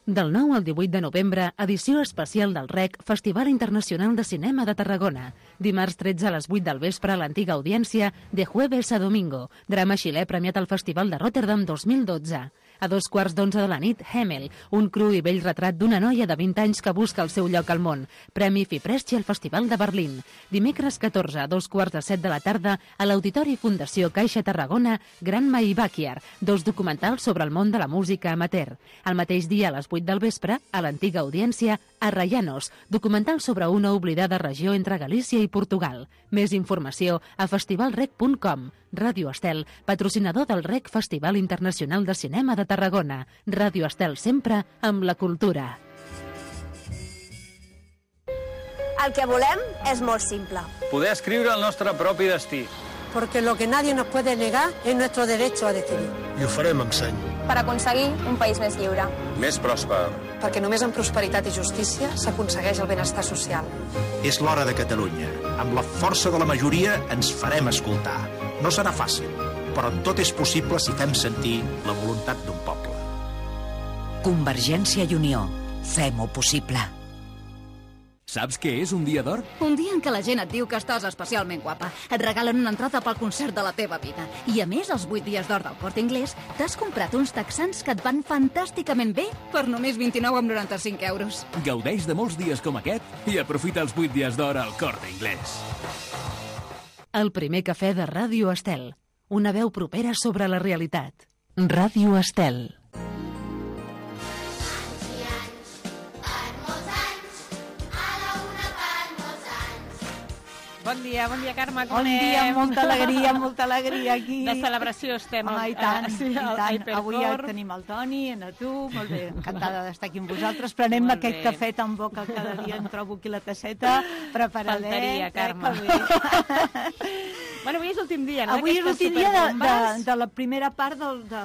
Del nou al divuit de novembre, edició especial del R E C, Festival Internacional de Cinema de Tarragona. Dimarts tretze a les vuit del vespre a l'antiga audiència, de jueves a domingo. Drama xilè premiat al Festival de Rotterdam dos mil dotze. A dos quarts d'onze de la nit, Hemel, un cru i vell retrat d'una noia de vint anys que busca el seu lloc al món. Premi Fipresci al Festival de Berlín. Dimecres catorze a dos quarts de set de la tarda a l'Auditori Fundació Caixa Tarragona, Granma i Backyard, dos documentals sobre el món de la música amateur. El mateix dia a les vuit del vespre, a l'antiga audiència, Arrayanos, documental sobre una oblidada regió entre Galícia i Portugal. Més informació a festivalrec punt com. Ràdio Estel, patrocinador del R E C Festival Internacional de Cinema de Tarragona. Ràdio Estel sempre amb la cultura. El que volem és molt simple. Poder escriure el nostre propi destí. Porque lo que nadie nos puede negar es nuestro derecho a decidir. I ho farem amb seny. Per aconseguir un país més lliure. Més pròsper. Perquè només amb prosperitat i justícia s'aconsegueix el benestar social. És l'hora de Catalunya. Amb la força de la majoria ens farem escoltar. No serà fàcil, però tot és possible si fem sentir la voluntat d'un poble. Convergència i Unió. Fem-ho possible. Saps què és un dia d'or? Un dia en què la gent et diu que estàs especialment guapa. Et regalen una entrada pel concert de la teva vida. I a més, els vuit dies d'or del Corte Inglés, t'has comprat uns texans que et van fantàsticament bé per només vint-i-nou coma noranta-cinc euros. Gaudeix de molts dies com aquest i aprofita els vuit dies d'or al Corte Inglés. El primer cafè de Ràdio Estel. Una veu propera sobre la realitat. Ràdio Estel. Bon dia, bon dia, Carme, com Bon anem? dia, molta alegria, molta alegria aquí. De celebració estem. Ah, i tant, eh, sí, i al tant. Hypercore. Avui ja tenim el Toni, a tu, molt bé, encantada d'estar aquí amb vosaltres. Prenem Molt aquest bé. cafè tan bo que cada dia em trobo aquí la tasseta, preparadet. Faltaria, eh, Carme. que bé. Bueno, avui és l'últim dia, no? Avui és D'aquestes l'últim dia de, de, superbombes. de la primera part del, de,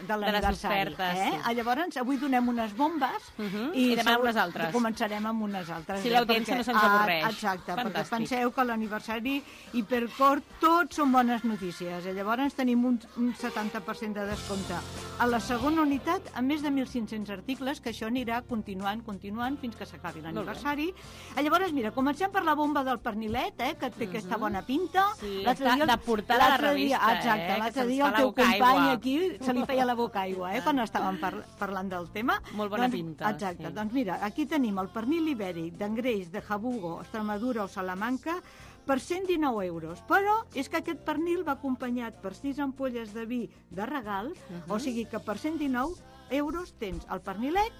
de l'aniversari. ofertes, Eh? sí. Ah, Llavors, avui donem unes bombes Mhm. I demà segur- unes altres. Començarem amb unes altres. Si eh, l'audiència perquè- no se'ns avorreix. Ah, exacte, Fantàstic. perquè penseu que l'aniversari Hipercor tot són bones notícies. Eh? Llavors tenim un, un setanta per cent de descompte. A la segona unitat, a més de mil cinc-cents articles, que això anirà continuant, continuant, fins que s'acabi l'aniversari. Eh, Llavors, mira, comencem per la bomba del pernilet, eh, que té aquesta bona pinta. Sí, L'altre està dia- de portada a la l'altre dia- revista, Exacte, eh, que l'altre se'ns dia fa el la teu boca company aigua. aquí se li feia la boca aigua, eh, quan estàvem par parlant del tema. Molt bona doncs, pinta, Exacte, sí. doncs mira, aquí tenim el pernil ibèric d'Engreix, de Jabugo, Extremadura o Salamanca, per cent dinou euros. Però és que aquest pernil va acompanyat per sis ampolles de vi de regal, Mhm. o sigui que per cent dinou euros tens el pernilet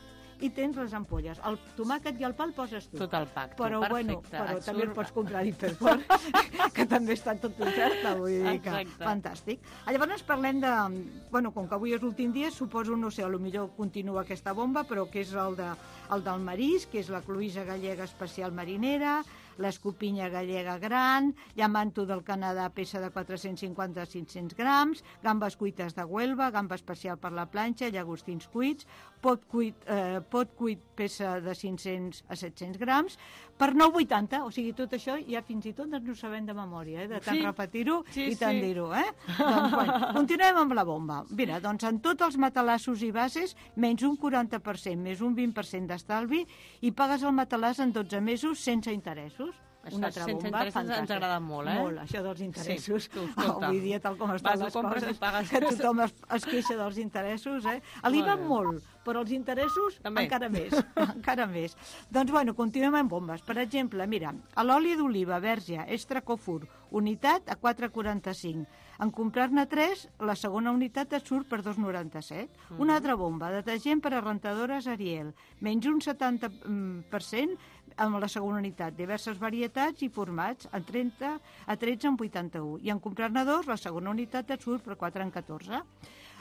i tens les ampolles. El tomàquet i el pa el poses tu. Tot el pack, tu. Però, Perfecte, bueno, però et també el surt- pots comprar a Hipercor, que també està tot oferta, vull dir que Exacte. fantàstic. Ah, Llavors parlem de... Bueno, com que avui és l'últim dia, suposo, no sé, potser continua aquesta bomba, però que és el, de, el del marisc, que és la cloïssa gallega especial marinera, l'escopinya gallega gran, llamanto del Canadà, peça de quatre-cents cinquanta a cinc-cents grams, gambes cuites de Huelva, gamba especial per la planxa, llagostins cuits, pot cuit, eh, pot cuit peça de cinc-cents a set-cents grams, per nou coma vuitanta, o sigui, tot això ja fins i tot ens ho sabem de memòria, eh? De tant Sí. repetir-ho Sí, i tant sí. dir-ho, eh? Doncs, bueno, continuem amb la bomba. Mira, doncs en tots els matalassos i bases, menys un quaranta per cent, més un vint per cent d'estalvi, i pagues el matalàs en dotze mesos sense interessos. Això, Una altra sense bomba interessos ens fantàstica. agrada molt, eh? Molt, això dels interessos. Sí, tu, escolta. Avui dia, tal com estan Vas, ho les compres coses, i pagues. que tothom es, es queixa dels interessos, eh? L'IVA Molt bé. molt, però els interessos També. encara més, encara més. Doncs, bueno, continuem amb bombes. Per exemple, mira, a l'oli d'oliva verge extra Cofur, unitat a quatre coma quaranta-cinc. En comprar-ne tres, la segona unitat et surt per dos coma noranta-set. Mhm. Una altra bomba, detergent per a rentadores Ariel, menys un setanta per cent amb la segona unitat, diverses varietats i formats, en trenta a tretze en vuitanta-u. I en comprar-ne dos, la segona unitat et surt per quatre en catorze.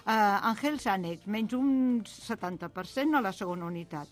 Uh, Angel Sanex, menys un setanta per cent a la segona unitat.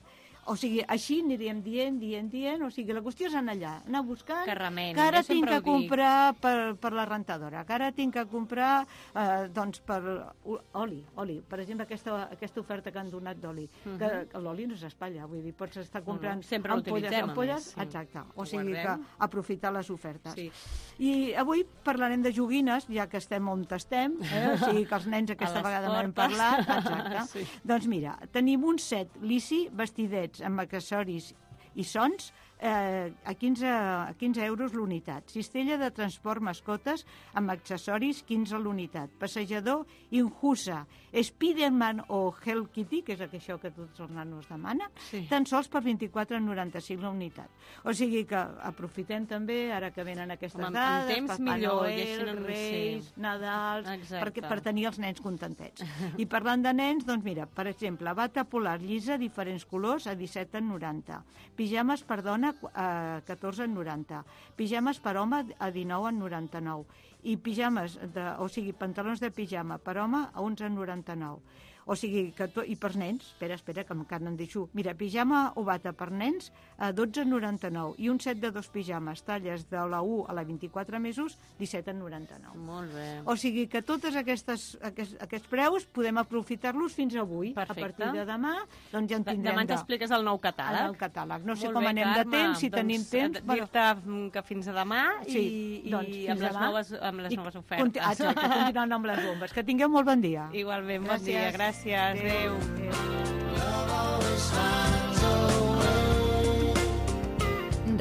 O sigui, així aniríem dient, dient, dient, o sigui, la qüestió és anar allà, anar buscant, Que remeni, que ara jo sempre tinc que ho dic. comprar per, per la rentadora, que ara tinc que comprar, eh, doncs, per uh, oli, oli. Per exemple, aquesta, aquesta oferta que han donat d'oli, Mhm. que, que l'oli no s'espatlla, vull dir, pots estar comprant no, sempre ampolles, l'utilitzem, a ampolles, més, sí. exacte. O Ho sigui que guardem. aprofitar les ofertes. Sí. I avui parlarem de joguines, ja que estem on estem, eh? O sigui que els nens aquesta A les vegada no hem portes. parlat, exacte. Sí. Doncs mira, tenim un set lissi, vestidets amb accessoris i sons, eh, a, quinze, a quinze euros l'unitat. Cistella de transport mascotes amb accessoris, quinze l'unitat. Passejador Inhusa, Spiderman o Hello Kitty, que és això que tots els nanos demanen, Sí. tan sols per vint-i-quatre coma noranta-cinc la unitat. O sigui que aprofitem també, ara que venen aquestes Home, amb- dades, amb temps Papà millor, Noel, i així no- Reis, sí. Nadals, Exacte. perquè, per tenir els nens contentets. I parlant de nens, doncs mira, per exemple, bata polar llisa, diferents colors, a disset en noranta. Pijames per dona, a catorze en noranta. Pijames per home, a dinou en noranta-nou. I pijames, de, o sigui, pantalons de pijama per home, a onze en noranta-nou. O sigui, que to... i per nens, espera, espera, que encara en deixo. Mira, pijama o bata per nens a dotze en noranta-nou i un set de dos pijames, talles de la u a la vint-i-quatre mesos, disset en noranta-nou. Molt bé. O sigui que totes aquestes, aquests, aquests preus podem aprofitar-los fins avui. Perfecte. A partir de demà, doncs ja en tindrem Demà ens de... expliques el nou catàleg. El nou catàleg. No sé Molt com bé, anem Carme. de temps, si doncs, tenim temps. eh, Dir-te que fins a demà Sí, i, doncs, i fins amb, les demà. noves, amb les I noves conti- ofertes. Exacte, continuant amb les bombes. Que tingueu molt bon dia. Igualment, bon dia. Gràcies. Adéu.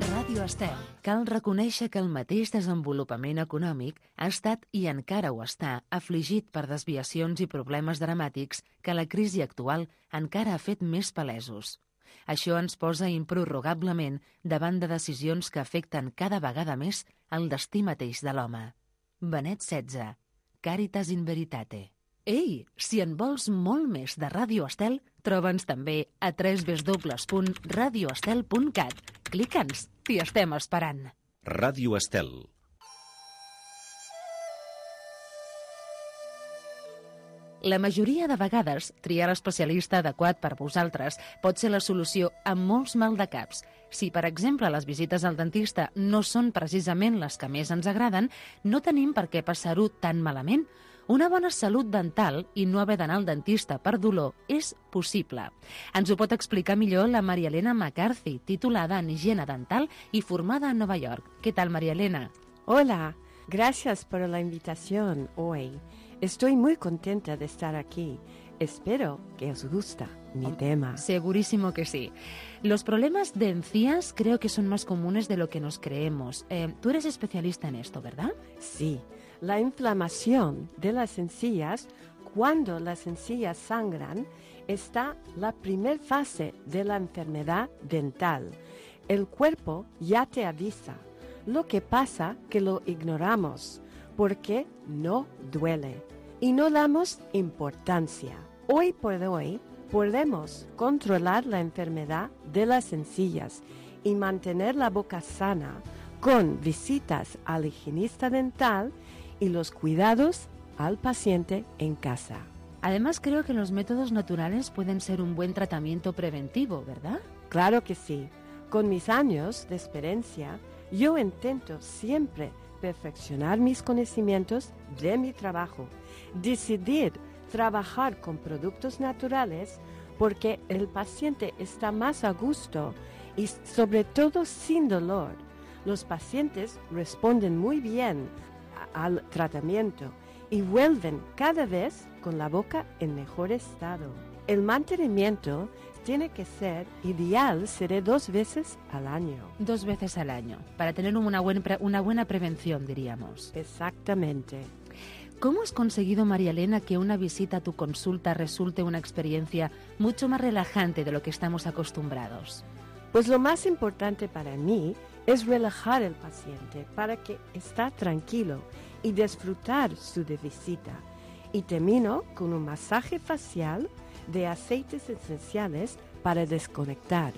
Ràdio Estel. Cal reconèixer que el mateix desenvolupament econòmic ha estat i encara ho està afligit per desviacions i problemes dramàtics que la crisi actual encara ha fet més palesos. Això ens posa improrrogablement davant de decisions que afecten cada vegada més el destí mateix de l'home. Benet setze, Caritas in Veritate. Ei, si en vols molt més de Ràdio Estel, troba'ns també a w w w punt radio estel punt cat. Clica'ns, t'hi estem esperant. Ràdio Estel. La majoria de vegades, triar l'especialista adequat per vosaltres pot ser la solució a molts maldecaps. Si, per exemple, les visites al dentista no són precisament les que més ens agraden, no tenim per què passar-ho tan malament. Una bona salut dental i no haver d'anar al dentista per dolor és possible. Ens ho pot explicar millor la Maria Elena McCarthy, titulada en higiene dental i formada a Nova York. ¿Qué tal, María Elena? Hola, gracias por la invitación hoy. Estoy muy contenta de estar aquí. Espero que os gusta mi tema. Segurísimo que sí. Los problemas de encías creo que son más comunes de lo que nos creemos. Eh, tú eres especialista en esto, ¿verdad? Sí. La inflamación de las encías, cuando las encías sangran, está la primera fase de la enfermedad dental. El cuerpo ya te avisa. Lo que pasa que lo ignoramos porque no duele y no damos importancia. Hoy por hoy podemos controlar la enfermedad de las encías y mantener la boca sana con visitas al higienista dental y los cuidados al paciente en casa. Además, creo que los métodos naturales pueden ser un buen tratamiento preventivo, ¿verdad? Claro que sí. Con mis años de experiencia, yo intento siempre perfeccionar mis conocimientos de mi trabajo, decidir trabajar con productos naturales porque el paciente está más a gusto y sobre todo sin dolor. Los pacientes responden muy bien al tratamiento y vuelven cada vez con la boca en mejor estado. El mantenimiento tiene que ser ideal, seré dos veces al año. Dos veces al año, para tener una buena, una buena prevención, diríamos. Exactamente. ¿Cómo has conseguido, María Elena, que una visita a tu consulta resulte una experiencia mucho más relajante de lo que estamos acostumbrados? Pues lo más importante para mí es relajar al paciente para que esté tranquilo y disfrutar su visita. Y termino con un masaje facial de aceites esenciales para desconectar.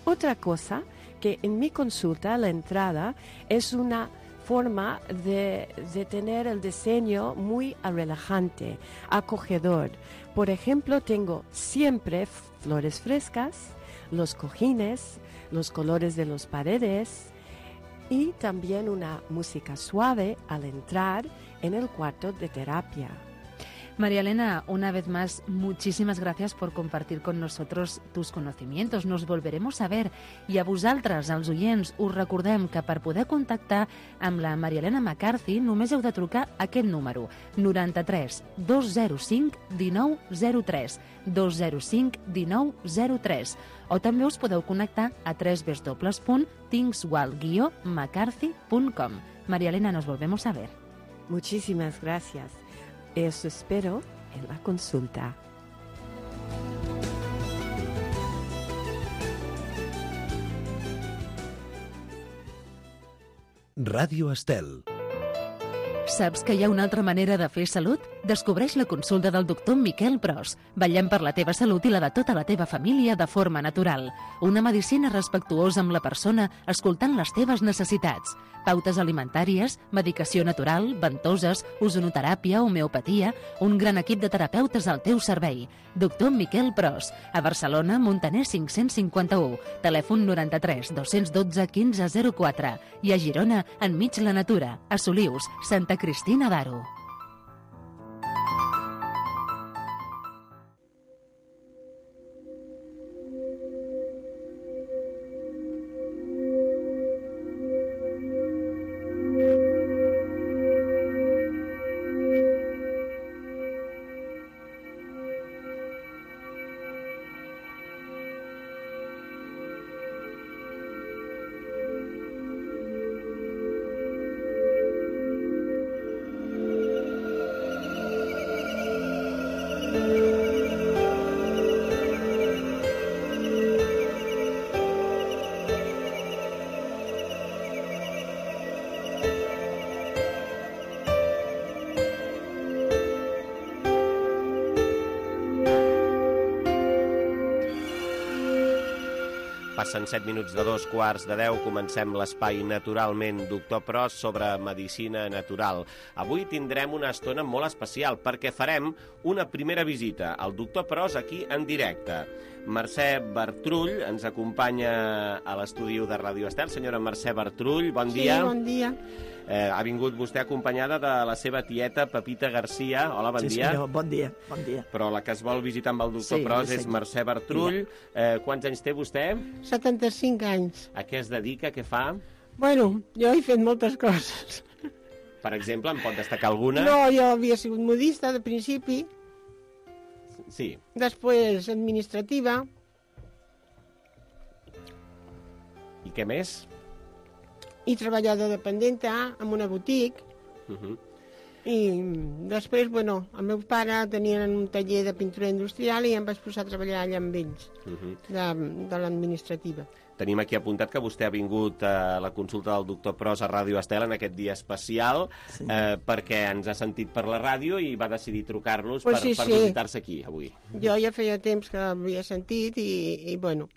Otra cosa que en mi consulta, la entrada, es una forma de, de tener el diseño muy relajante, acogedor. Por ejemplo, tengo siempre flores frescas, los cojines, los colores de las paredes y también una música suave al entrar en el cuarto de terapia. María Elena, una vez más, muchísimas gracias por compartir con nosotros tus conocimientos. Nos volveremos a ver. I a vosaltres, als oients, us recordem que per poder contactar amb la Maria Elena McCarthy només heu de trucar a aquest número, noranta-tres dos zero cinc dinou zero tres, dos zero cinc dinou zero tres, o també us podeu connectar a w w w punt thingswell guió mccarthy punt com. María Elena, nos volvemos a ver. Muchísimas gracias. Eso espero en la consulta. Ràdio Estel. Saps que hi ha una altra manera de fer salut? Descobreix la consulta del doctor Miquel Pros. Vetllem per la teva salut i la de tota la teva família de forma natural. Una medicina respectuosa amb la persona, escoltant les teves necessitats. Pautes alimentàries, medicació natural, ventoses, ozonoteràpia, homeopatia, un gran equip de terapeutes al teu servei. Doctor Miquel Pros, a Barcelona, Montaner cinc-cents cinquanta-u, telèfon noranta-tres dos dotze quinze zero quatre i a Girona, enmig la natura, a Solius, Santa Cristina d'Aro. Passen set minuts de dos quarts de deu, comencem l'espai Naturalment Doctor Pros sobre medicina natural. Avui tindrem una estona molt especial perquè farem una primera visita al Doctor Pros aquí en directe. Mercè Bertrull ens acompanya a l'estudi de Ràdio Estel. Senyora Mercè Bertrull, bon dia. Sí, bon dia. Eh, ha vingut vostè acompanyada de la seva tieta Pepita Garcia. Hola, bon sí, dia. Senyor, bon dia, bon dia. Però la que es vol visitar amb el doctor Sí, Pros sí, és senyor. Mercè Bertrull. Eh, quants anys té vostè? setanta-cinc anys. A què es dedica? Què fa? Bueno, jo he fet moltes coses. Per exemple, en pot destacar alguna? No, jo havia sigut modista de principi, Sí. després administrativa, I què més? i treballador dependenta en una botiga, Uh -huh. i després, bueno, el meu pare tenien un taller de pintura industrial i em vaig posar a treballar allà amb ells, Uh -huh. de, de l'administrativa. Tenim aquí apuntat que vostè ha vingut a la consulta del doctor Pros a Ràdio Estel en aquest dia especial, sí. eh, perquè ens ha sentit per la ràdio i va decidir trucar-nos Pues per, sí, per sí. visitar-se aquí avui. Jo ja feia temps que l'havia sentit i, i bueno,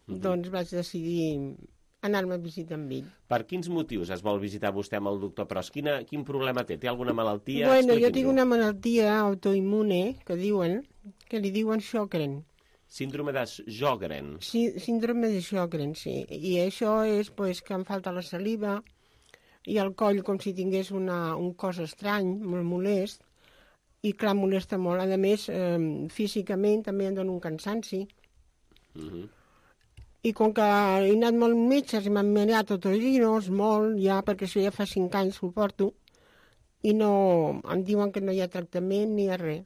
Uh -huh. doncs vaig decidir anar-me a visitar amb ell. Per quins motius es vol visitar vostè amb el doctor Pros? Quina, quin problema té? Té alguna malaltia? Bueno, jo Expliqui'ns-ho. tinc una malaltia autoimmune, que diuen, que li diuen Sjögren. Síndrome de Sjögren. Sí, síndrome de Sjögren, sí. I això és pues, que em falta la saliva i el coll com si tingués una, un cos estrany, molt molest, i clar, molesta molt. A més, eh, físicament també em dona un cansanci. Uh -huh. I com que he anat molt metges i m'han mirat otorrinos, molt ja, perquè això ja fa cinc anys que ho porto, i no, em diuen que no hi ha tractament ni hi ha res.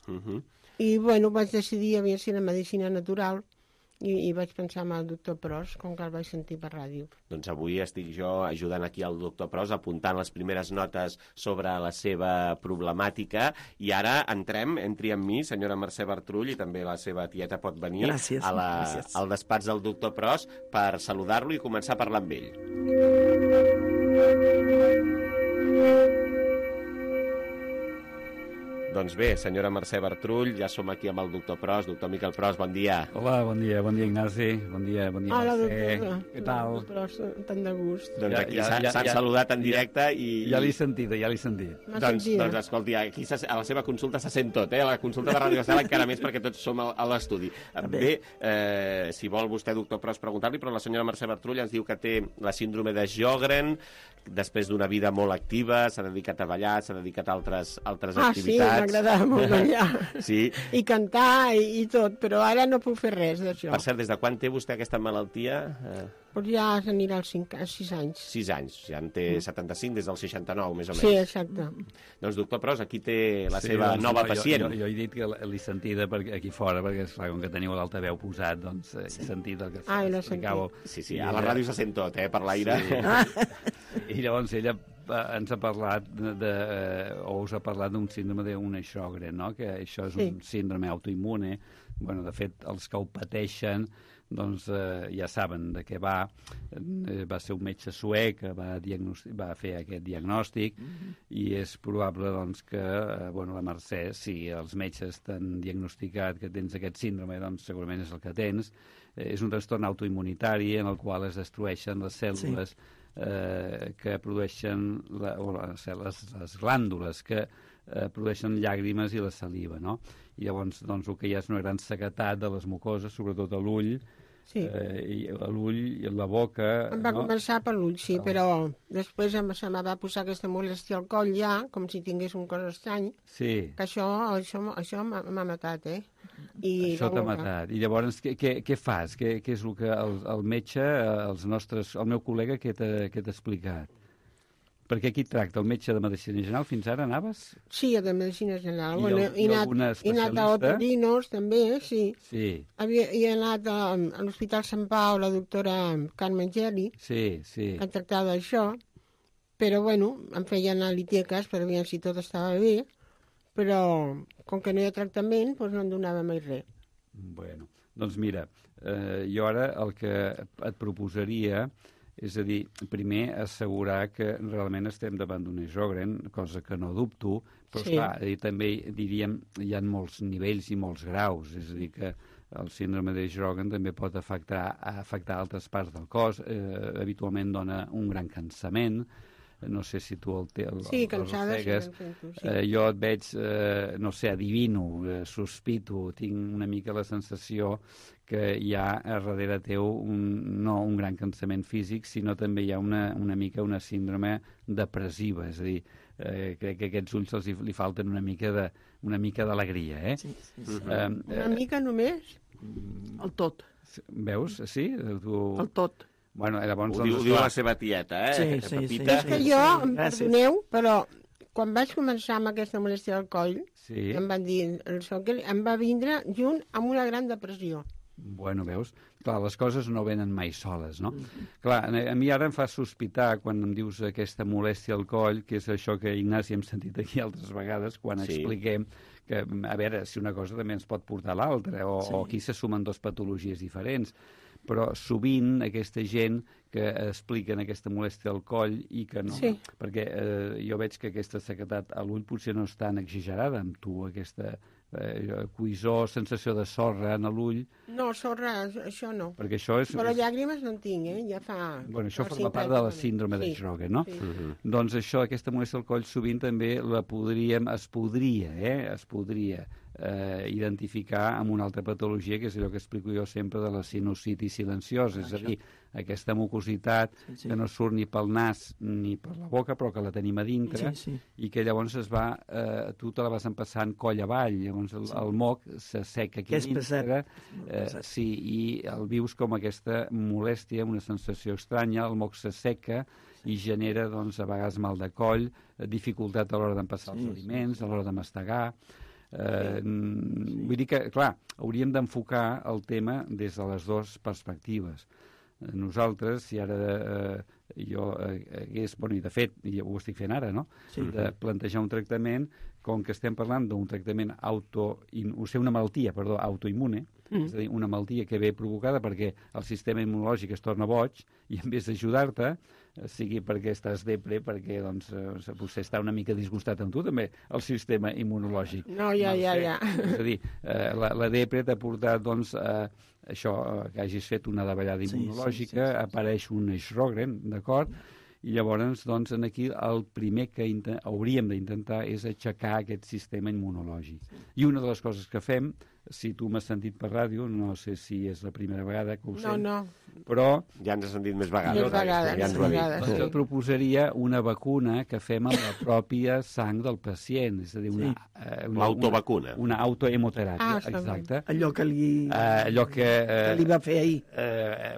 Uh -huh. I bueno, vaig decidir a veure si la medicina natural i, i vaig pensar en el doctor Pros, com que el vaig sentir per ràdio. Doncs avui estic jo ajudant aquí al doctor Pros, apuntant les primeres notes sobre la seva problemàtica, i ara entrem, entri amb mi, senyora Mercè Bertrull, i també la seva tieta pot venir Gràcies, a la, gràcies. al despatx del doctor Pros per saludar-lo i començar a parlar amb ell. Doncs bé, senyora Mercè Bertrull, ja som aquí amb el doctor Pros. Doctor Miquel Pros, bon dia. Hola, bon dia, bon dia Ignasi, bon dia, bon dia Hola, Mercè. doctora. Què tal? Pros, tant de gust. Doncs Ja- aquí ja- s'han ja- s'han ja- saludat en directe i... Ja l'he sentit, ja l'he sentit. M'ha Doncs, sentit. doncs escolti, aquí se- a la seva consulta se sent tot, eh? A la consulta de Ràdio Estel encara més perquè tots som a, a l'estudi. Bé, eh, si vol vostè, doctor Pros, preguntar-li, però la senyora Mercè Bertrull ens diu que té la síndrome de Sjögren, després d'una vida molt activa, s'ha dedicat a ballar, s'ha dedicat a altres, altres Ah, sí, activitats. m'agradava molt ballar. Sí. I cantar i, i tot, però ara no puc fer res d'això. Per cert, des de quan té vostè aquesta malaltia? Eh, Però ja s'anirà als cinc, a sis anys. sis anys, ja en té setanta-cinc des del seixanta-nou, més o menys. Sí, exacte. Doncs, doctor Pros, aquí té la Sí, seva doncs, nova no, pacient. Jo, jo, jo he dit que l'he sentida perquè, aquí fora, perquè esclar, com que teniu l'altaveu posat, doncs eh, he sentit el que Ah, l'he explicàveu. Sí, sí, a la ràdio se sent tot, eh, per l'aire. Sí. I llavors ella eh, ens ha parlat de, de, eh, o us ha parlat d'un síndrome d'una Sjögren, no? Que això és Sí. un síndrome autoimmune. Bueno, de fet, els que ho pateixen doncs eh, ja saben de què va. Eh, va ser un metge suec que va, va fer aquest diagnòstic mm-hmm. i és probable doncs, que eh, bueno, la Mercè, si els metges t'han diagnosticat que tens aquest síndrome, doncs segurament és el que tens. Eh, és un trastorn autoimmunitari en el qual es destrueixen les cèl·lules sí. eh, que produeixen la, o les, les, les glàndules que eh, produeixen llàgrimes i la saliva, no? I llavors doncs, el que hi ha és una gran sequetat de les mucoses, sobretot a l'ull, Sí. eh, i a l'ull i a la boca... Em va no? començar per l'ull, sí, però després em, se me va posar aquesta molèstia al coll ja, com si tingués un cos estrany, Sí. que això, això, això m'ha m'ha matat, eh? I Això la t'ha boca. matat. I llavors, què, què, què fas? Què, què és el que el, el metge, eh, els nostres, el meu col·lega, què t'ha què t'ha explicat? Perquè aquí et tracta el metge de medicina general, fins ara anaves? Sí, de medicina general. I Bueno, al- he i anat, alguna he anat a especialista? otorinos, també, sí. Sí, Havia, he anat a, a l'Hospital Sant Pau, la doctora Carmen Geli, sí, sí. que tractava d'això, però, bueno, em feien analítiques per veure si tot estava bé, però com que no hi ha tractament, doncs no em donava mai res. Bueno, doncs mira, eh, jo ara el que et proposaria és a dir, primer assegurar que realment estem davant d'un Sjögren, cosa que no dubto, però Sí. clar, i també diríem hi ha molts nivells i molts graus, és a dir que el síndrome de Sjögren també pot afectar, afectar altres parts del cos. Eh, habitualment dona un gran cansament. No sé si tu el, te, el, sí, el cansada, arrossegues. Sí, sí. Eh, jo et veig, eh, no sé, adivino, eh, sospito, tinc una mica la sensació que hi ha a darrere teu un, no un gran cansament físic, sinó també hi ha una, una mica una síndrome depressiva, és a dir, eh, crec que a aquests ulls els hi, li falten una mica de una mica d'alegria, eh? Sí, sí, sí. Eh, una mica només? El tot. Veus? Sí? Tu... El tot. Bueno, llavors, ho, diu, doncs, ho diu la seva tieta, eh? Sí, sí, Pepita. sí, és que jo, em perdoneu, però quan vaig començar amb aquesta molèstia al coll, sí. em van dir, el Sjögren em va vindre junt amb una gran depressió. Bueno, veus? Clar, les coses no venen mai soles, no? Mm-hmm. Clar, a mi ara em fa sospitar, quan em dius aquesta molèstia al coll, que és això que, Ignasi, hem sentit aquí altres vegades, quan sí. expliquem que, a veure, si una cosa també ens pot portar a l'altra, o, sí. o aquí se sumen dues patologies diferents, però sovint aquesta gent que expliquen aquesta molèstia al coll i que no... Sí. Perquè eh, jo veig que aquesta sequedat a l'ull potser no és tan exagerada amb tu, aquesta eh, cuisor, sensació de sorra en l'ull. No, sorra, això no. Perquè això és... Però llàgrimes no en tinc, eh? Ja fa... Bueno, això forma part de la síndrome sí. de Sjögren, no? Sí. Uh-huh. Doncs això, aquesta molèstia al coll, sovint també la podríem, es podria, eh? Es podria eh, identificar amb una altra patologia, que és allò que explico jo sempre de la sinusitis silenciosa, ah, és a dir, aquesta mucositat sí, sí. que no surt ni pel nas ni per la boca, però que la tenim a dintre, sí, sí. i que llavors es va, eh, tu te la vas empassant coll avall, llavors el, sí. el moc s'asseca aquí que és dintre, eh, sí, i el vius com aquesta molèstia, una sensació estranya, el moc s'asseca i genera, doncs, a vegades mal de coll, dificultat a l'hora d'empassar sí, els aliments, a l'hora de mastegar. Eh, sí. Vull dir que, clar, hauríem d'enfocar el tema des de les dues perspectives. Nosaltres, si ara eh, jo eh, hagués, bueno, i de fet, i ho estic fent ara, no?, sí. de plantejar un tractament, com que estem parlant d'un tractament auto, o sigui, una malaltia, perdó, autoimmune, mm. és a dir, una malaltia que ve provocada perquè el sistema immunològic es torna boig i en vez d'ajudar-te, sigui perquè estàs depre, perquè doncs, potser està una mica disgustat amb tu, també, el sistema immunològic. No, ja, ja, ja. És a dir, eh, la, la depre t'ha portat, doncs, a això, que hagis fet una davallada immunològica, sí, sí, sí, sí. apareix un Sjögren, d'acord? I llavors, doncs, aquí el primer que hauríem d'intentar és aixecar aquest sistema immunològic. I una de les coses que fem, si tu m'has sentit per ràdio, no sé si és la primera vegada que ho no, sent, no. però... Ja ens has sentit més vegades. Més vegades, ja ens ho ha dit. Doncs jo proposaria una vacuna que fem amb la pròpia sang del pacient, és a dir, una... Sí. Eh, una L'autovacuna. Una, una autohemoteràpia, ah, exacte. Allò que li, eh, allò que, eh, que li va fer ahir. Eh,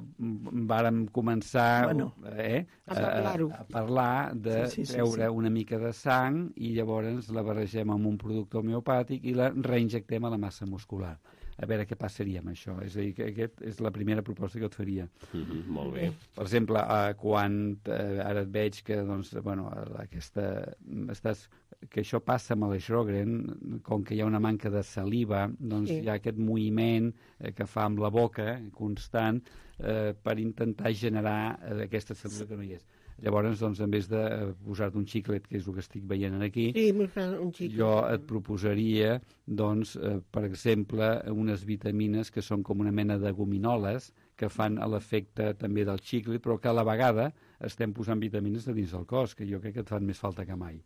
vàrem començar bueno, eh, a, a, a parlar de sí, sí, treure sí, sí. una mica de sang i llavors la barregem amb un producte homeopàtic i la reinjectem a la massa muscular. A veure què passaria amb això. És a dir, que aquesta és la primera proposta que et faria. Mm-hmm, molt bé. Per exemple, eh, quan eh, ara et veig que, doncs, bueno, aquesta, estàs, que això passa amb el Sjögren, com que hi ha una manca de saliva, doncs sí. hi ha aquest moviment eh, que fa amb la boca constant eh, per intentar generar eh, aquesta saliva que no hi és. Llavors, doncs, en vez de posar-te un xiclet, que és el que estic veient aquí, sí, un jo et proposaria, doncs, eh, per exemple, unes vitamines que són com una mena de gominoles que fan l'efecte també del xiclet, però que a la vegada estem posant vitamines de dins del cos, que jo crec que et fan més falta que mai.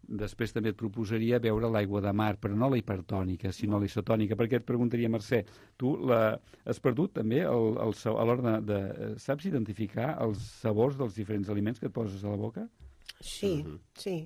Després també et proposaria beure l'aigua de mar, però no la hipertònica, sinó la isotònica, perquè et preguntaria, Mercè, tu la... has perdut també el, el, a l'hora de, de... Saps identificar els sabors dels diferents aliments que et poses a la boca? Sí, uh-huh. sí.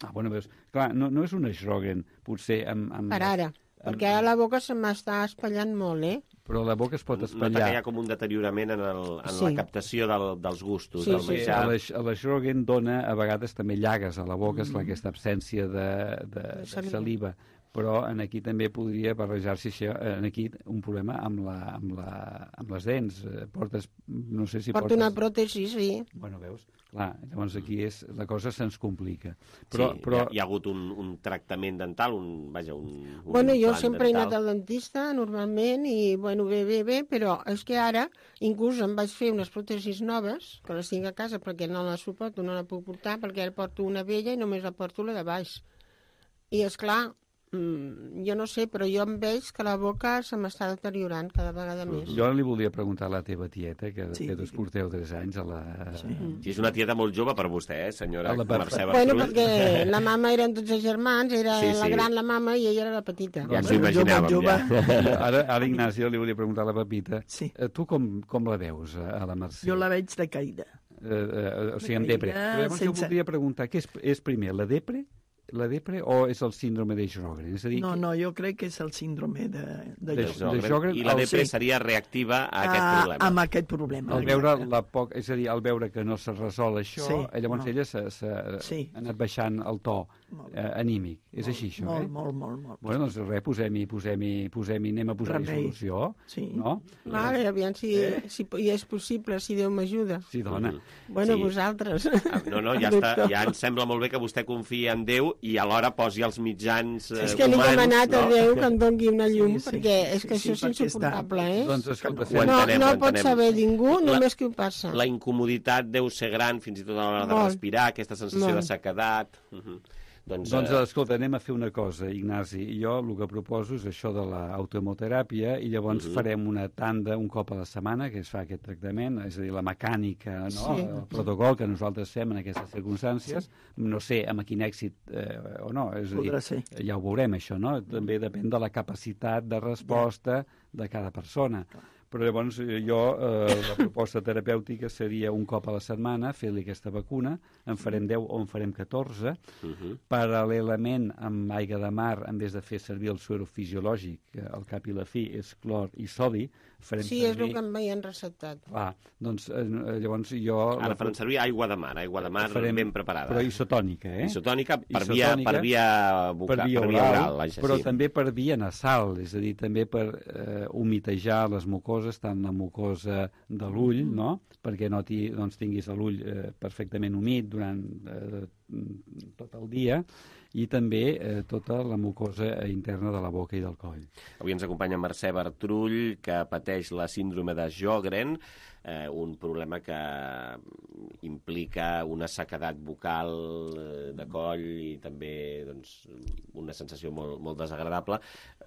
Ah, bueno, veus, clar, no, no és un Sjögren, potser amb... amb per ara, amb... perquè a la boca se m'està espatllant molt, eh? Però la boca es pot espatllar. Nota que hi ha com un deteriorament en, el, en sí. la captació del, dels gustos, sí, del sí. menjar. Sí, a la Sjögren dona a vegades també llagues a la boca, mm. és aquesta absència de, de, de saliva. Però en aquí també podria barrejar-se això, en aquí un problema amb, la, amb, la, amb les dents. Portes, no sé si Porto portes... una pròtesi, sí. Bueno, veus? Clar, llavors aquí és, la cosa se'ns complica. Però, sí, però... hi, ha, hi ha hagut un, un tractament dental, un, vaja, un, un Bueno, jo sempre dental. he anat al dentista, normalment, i, bueno, bé, bé, bé, però és que ara, inclús em vaig fer unes pròtesis noves, que les tinc a casa perquè no les suporto, no la puc portar, perquè ara porto una vella i només la porto la de baix. I, és clar, mm, jo no sé, però jo em veig que la boca se m'està deteriorant cada vegada més. Jo li volia preguntar a la teva tieta, que de Sí. fet us porteu tres anys a la... Sí. sí, és una tieta molt jove per vostè, eh, senyora Mercè Bertrull. Bueno, perquè la mama eren tots els germans, era Sí, la sí. gran la mama i ella era la petita. Ja ens ho imaginàvem, ja. Ara, ara Ignasi, jo li volia preguntar a la Pepita. Sí. Eh, Tu com, com la veus, a la Mercè? Jo la veig de caïda. Eh, eh, o sigui, amb De depre. caïda, Llavors jo sense- voldria preguntar, què és, és primer, la depre? La depre o és el síndrome de Sjögren? És a dir, No, no, jo crec que és el síndrome de, de, De Sjögren. de Sjögren, I la el- depre sí. seria reactiva a aquest Ah, problema. amb aquest problema. Al veure, la poc, és a dir, al veure que no se resol això, Sí, eh, llavors no. ella s'ha Sí. anat baixant el to eh, anímic. És així, això, molt, eh? molt, molt, molt. Bueno, doncs res, posem-hi, posem-hi, posem-hi, anem a posar-hi Remei. solució, Sí. no? Vale, aviam si, Eh? si hi és possible, si Déu m'ajuda. Sí, dona. Bueno, Sí. vosaltres. Ah, No, no, ja, està, ja ens sembla molt bé que vostè confia en Déu i alhora posi els mitjans eh, És que li he humans, demanat a no? Déu que em doni una llum, Sí, sí, perquè és que sí, això sí, és perquè està- insuportable, eh? Doncs escolta, Ho No, entenem, no ho pot entenem. saber ningú, La- només qui ho passa. La incomoditat deu ser gran, fins i tot a l'hora de Molt. respirar, aquesta sensació Molt. de sequedat. Uh -huh. Doncs, Doncs, eh, escolta, anem a fer una cosa, Ignasi. Jo el que proposo és això de l'autohemoteràpia i llavors Mhm. farem una tanda un cop a la setmana que es fa aquest tractament, és a dir, la mecànica, no? Sí. El protocol que nosaltres fem en aquestes circumstàncies. No sé amb quin èxit eh, o no, és a dir, Podrà ser. ja ho veurem això, no? També depèn de la capacitat de resposta de cada persona. Però llavors eh, jo, eh, la proposta terapèutica seria un cop a la setmana fer-li aquesta vacuna, en farem deu o en farem catorze, uh -huh. paral·lelament amb aigua de mar, en vez de fer servir el suero fisiològic, que al cap i la fi és clor i sodi, farem Sí, és servir... el que em havien receptat. Clar, doncs eh, llavors jo... Ara faran servir aigua de mar, aigua de mar farem- ben preparada. Però isotònica, eh? Isotònica per via, Isotònica, per via, bucal, per via per via oral, oral, vaja, però sí. també per via nasal, és a dir, també per eh, humitejar les mucoses, tant la mucosa de l'ull, no?, perquè no ti, doncs, tinguis l'ull eh, perfectament humit durant eh, tot el dia, i també eh, tota la mucosa interna de la boca i del coll. Avui ens acompanya Mercè Bertrull, que pateix la síndrome de Sjögren, eh, un problema que implica una sequedat bucal eh, de coll i també doncs, una sensació molt, molt desagradable.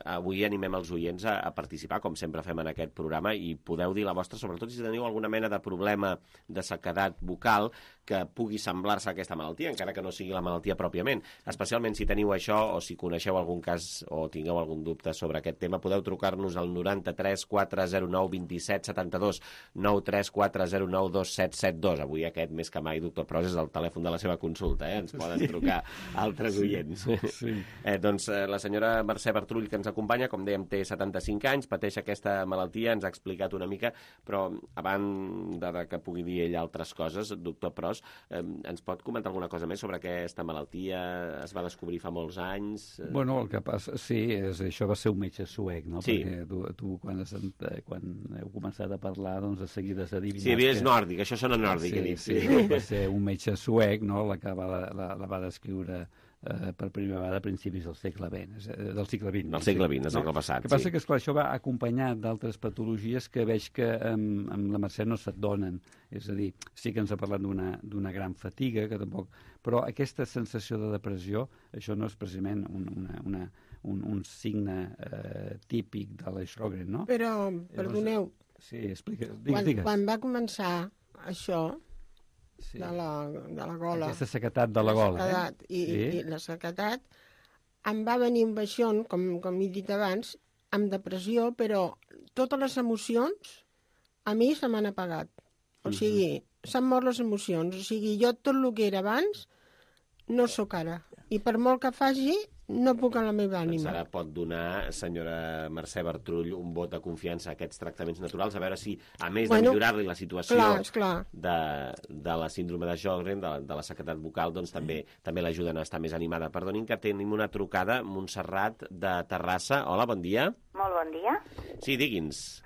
Avui animem els oients a, a participar, com sempre fem en aquest programa, i podeu dir la vostra, sobretot si teniu alguna mena de problema de sequedat bucal que pugui semblar-se a aquesta malaltia, encara que no sigui la malaltia pròpiament. Especialment si teniu això o si coneixeu algun cas o tingueu algun dubte sobre aquest tema, podeu trucar-nos al noranta-tres quatre zero nou dos set set dos, nou tres quatre zero nou dos set set dos. Avui aquest, més que mai, doctor Pros, és el telèfon de la seva consulta, eh? Ens poden trucar altres oients. Sí. Eh, doncs eh, la senyora Mercè Bertrull, que ens acompanya, com dèiem, té setanta-cinc anys, pateix aquesta malaltia, ens ha explicat una mica, però abans de, de que pugui dir ell altres coses, doctor Pros, eh, ens pot comentar alguna cosa més sobre aquesta malaltia? Es va descobrir fa molts anys? Eh... Bueno, el que passa, sí, és, això va ser un metge suec, no? Sí. Perquè tu, tu quan, has, quan heu començat a parlar, doncs de seguida has adivinat... Sí, és nòrdic, això sona nòrdic. Sí, he dit, sí, sí. va ser un metge suec, no?, la que va, la, la va descriure eh, per primera vegada a principis del segle vint, eh, del segle vint. Del segle vint, del segle passat, El que passa sí. que, esclar, això va acompanyat d'altres patologies que veig que amb, amb la Mercè no se't donen. És a dir, sí que ens ha parlat d'una d'una gran fatiga, que tampoc... Però aquesta sensació de depressió, això no és precisament un, una, una, un, un signe eh, típic de la Sjögren, no? Però, perdoneu, Sí, explica, digues, quan, digues. quan va començar això Sí. de, la, de la gola... Aquesta sequetat de la gola, sequedat, eh? i, Sí. i, i la sequedat, em va venir un baixón, com, com he dit abans, amb depressió, però totes les emocions a mi se m'han apagat. O sigui, s'han mort les emocions. O sigui, jo tot el que era abans no sóc ara. I per molt que faci, no puc en la meva Doncs ànima. ara pot donar, senyora Mercè Bertrull, un vot de confiança a aquests tractaments naturals, a veure si, a més Bueno, de millorar-li la situació clar, esclar. de, de la síndrome de Sjögren, de, de la sequedat bucal, doncs també també l'ajuden a estar més animada. Perdonin que tenim una trucada, Montserrat, de Terrassa. Hola, bon dia. Molt bon dia. Sí, digui'ns.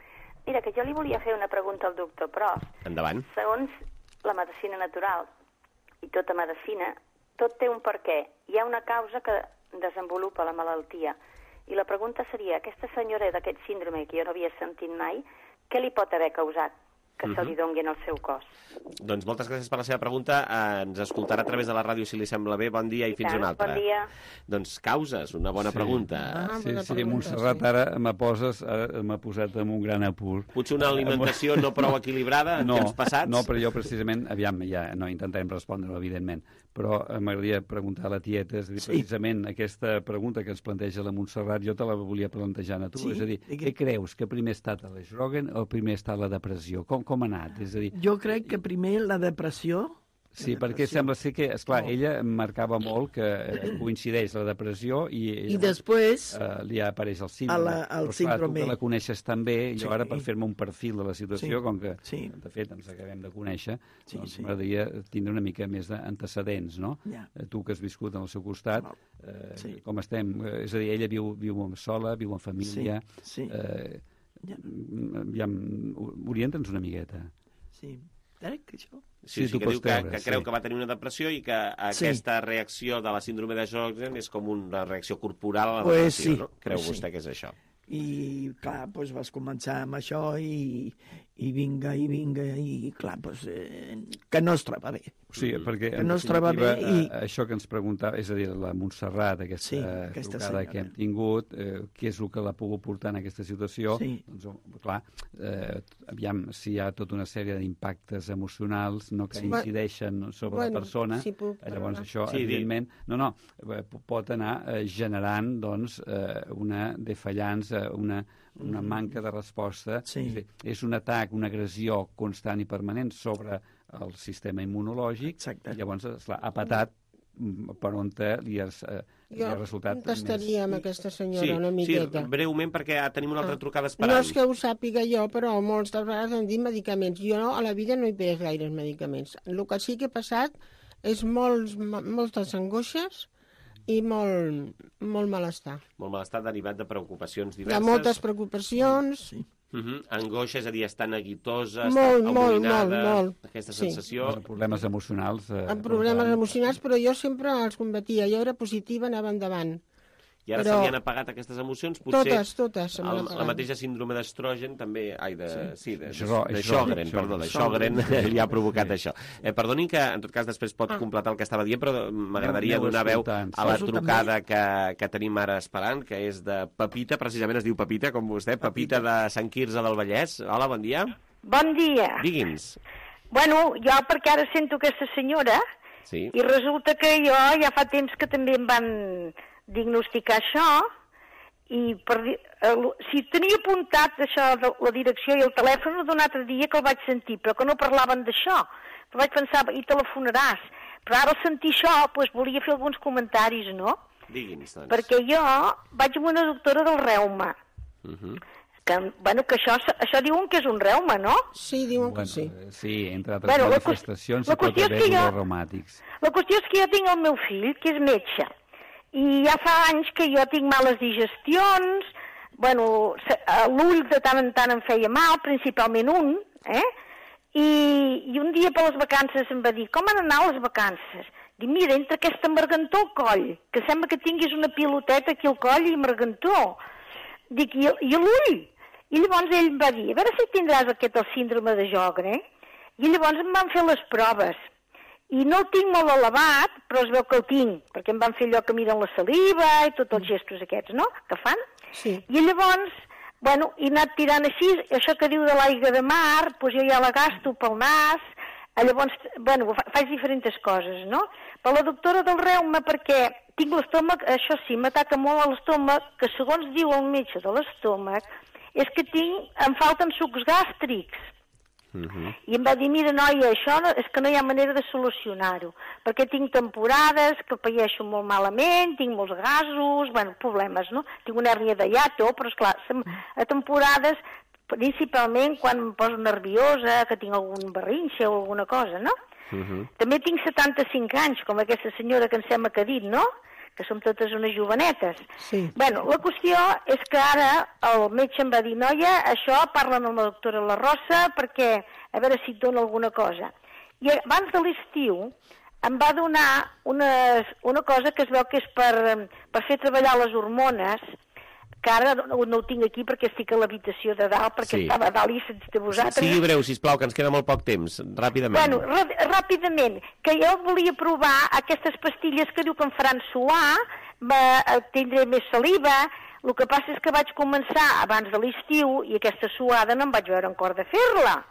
Mira, que jo li volia fer una pregunta al doctor Pros. Endavant. Segons la medicina natural i tota medicina, tot té un perquè. Hi ha una causa que desenvolupa la malaltia. I la pregunta seria, aquesta senyora d'aquest síndrome que jo no havia sentit mai, què li pot haver causat? que se li doni en el seu cos. Doncs moltes gràcies per la seva pregunta. Eh, ens escoltarà a través de la ràdio, si li sembla bé. Bon dia i, I fins tant, una altra. bon dia. Doncs causes, una bona Sí. pregunta. Ah, sí, sí, Montserrat, ara me poses, ara m'ha posat en un gran apur. Potser una alimentació no prou equilibrada en no, temps passats? No, però jo precisament, aviam, ja no intentarem respondre-ho, evidentment, però m'agradaria preguntar a la tieta, és a dir, Sí. precisament aquesta pregunta que ens planteja la Montserrat, jo te la volia plantejar a tu, Sí, és a dir, digui. què creus, que primer ha estat l'estrògen o primer ha estat la depressió? Com, com ha anat? És a dir, Jo crec que primer la depressió... sí, perquè sembla ser que, esclar, no. ella marcava molt que eh, coincideix la depressió i... I després... Eh, li apareix el síndrome. A la, el però, esclar, síndrome. tu que la coneixes tan bé, jo Sí. ara per fer-me un perfil de la situació, Sí. com que, Sí. de fet, ens acabem de conèixer, Sí, doncs sí. m'agradaria tindre una mica més d'antecedents, no? Ja. Eh, Tu que has viscut al seu costat, eh, Sí. com estem? Eh, és a dir, ella viu, viu sola, viu en família... Sí, sí. Eh, ja, orienta'ns una miqueta. Sí, crec que això... Sí, Sí, sí, tu que pots diu que, creure, que sí. creu que va tenir una depressió i que aquesta reacció de la síndrome de Sjögren és com una reacció corporal a la Pues depressió, sí, no? Creu pues sí. vostè que és això? I, clar, doncs vas començar amb això i, i vinga, i vinga, i clar, doncs, eh, que no es troba bé. Sí, perquè que en no es troba bé definitiva, i... eh, això que ens preguntava, és a dir, la Montserrat, aquesta, Sí, aquesta trucada senyora. que hem tingut, eh, què és el que l'ha pogut portar en aquesta situació? Sí. Doncs, clar, eh, aviam, si hi ha tota una sèrie d'impactes emocionals no, que Sí. incideixen sobre Bueno, la persona, sí, puc eh, llavors parlar. això, Sí, evidentment, no, no, eh, pot anar eh, generant, doncs, eh, una defallança, una, una manca de resposta. Sí. És, a dir, és un atac, una agressió constant i permanent sobre el sistema immunològic. Exacte. I llavors, esclar, ha patat mm, per on te li, has, eh, li Jo ha resultat contestaria amb aquesta senyora Sí, una sí, miqueta. breument, perquè tenim una altra Ah. trucada No esperant. és que ho sàpiga jo, però moltes vegades em dit medicaments. Jo no, a la vida no he pres gaires medicaments. El que sí que he passat és molts, moltes angoixes i molt, molt malestar. Molt malestar derivat de preocupacions Hi ha diverses. moltes preocupacions. Sí. Uh -huh. Angoixa, és a dir, estar neguitosa, Molt, estar molt, amoïnada, molt, molt. aquesta Sí. sensació... Bueno, problemes emocionals. Eh, Amb problemes emocionals, però jo sempre els combatia. Jo era positiva, anava endavant. I ara Però- se li han apagat aquestes emocions, potser... Totes, totes se me n'han el, la apagat. mateixa síndrome d'estrogen també... Ai, de... Sí, de, de, Sjögren, de Sjögren, perdó, de Sjögren li ha provocat això. Eh, perdoni que, en tot cas, després pot Ah. completar el que estava dient, però m'agradaria Aneu donar veu escoltant. a la Poso trucada que, que tenim ara esperant, que és de Pepita, precisament es diu Pepita, com vostè, Pepita de Sant Quirze del Vallès. Hola, bon dia. Bon dia. Digui'ns. Bueno, jo perquè ara sento aquesta senyora Sí. i resulta que jo ja fa temps que també em van diagnosticar això i per, dir- el, si tenia apuntat això de la direcció i el telèfon d'un altre dia que el vaig sentir, però que no parlaven d'això. Però vaig pensar, i telefonaràs. Però ara al sentir això, doncs volia fer alguns comentaris, no? Digui'ns, doncs. Perquè jo vaig amb una doctora del reuma, Uh -huh. que, bueno, que això, això diuen que és un reuma, no? Sí, diuen Bueno, que sí. eh, sí, entre altres Bueno, la qües- manifestacions la hi pot qüestió és haver que jo- dolors reumàtics. La qüestió és que jo tinc el meu fill, que és metge, i ja fa anys que jo tinc males digestions, bueno, se- a l'ull de tant en tant em feia mal, principalment un, eh? I, i un dia per les vacances em va dir, com han anat les vacances? Dic, mira, entre aquesta margantó al coll, que sembla que tinguis una piloteta aquí al coll i margantó. Dic, i, i l'ull? I llavors ell em va dir, a veure si tindràs aquest el síndrome de Sjögren, eh? I llavors em van fer les proves. I no el tinc molt elevat, però es veu que el tinc, perquè em van fer allò que miren la saliva i tots els gestos aquests, no?, que fan. Sí. I llavors, bueno, he anat tirant així, això que diu de l'aigua de mar, doncs jo ja la gasto pel nas, eh, llavors, bueno, fa- faig diferents coses, no? Per la doctora del reuma, perquè tinc l'estómac, això sí, m'ataca molt a l'estómac, que segons diu el metge de l'estómac, és que tinc, em falten sucs gàstrics. Uh -huh. I em va dir, mira, noia, això no, és que no hi ha manera de solucionar-ho, perquè tinc temporades que païeixo molt malament, tinc molts gasos, bueno, problemes, no? Tinc una hèrnia de hiato, però, esclar, sem- a temporades, principalment quan em poso nerviosa, que tinc algun berrinxe o alguna cosa, no? Uh -huh. També tinc setanta-cinc anys, com aquesta senyora que em sembla que ha dit, no?, que som totes unes jovenetes. Sí. Bueno, la qüestió és que ara el metge em va dir, noia, això parlen amb la doctora La Rosa perquè a veure si et dona alguna cosa. I abans de l'estiu em va donar unes, una cosa que es veu que és per, per fer treballar les hormones, encara no, no ho tinc aquí perquè estic a l'habitació de dalt, perquè Sí. estava a dalt i sense de vosaltres. Sigui breu, sisplau, que ens queda molt poc temps. Ràpidament. Bueno, ràpidament, que jo volia provar aquestes pastilles que diu que em faran suar, va, tindré més saliva. El que passa és que vaig començar abans de l'estiu i aquesta suada no em vaig veure en cor de fer-la.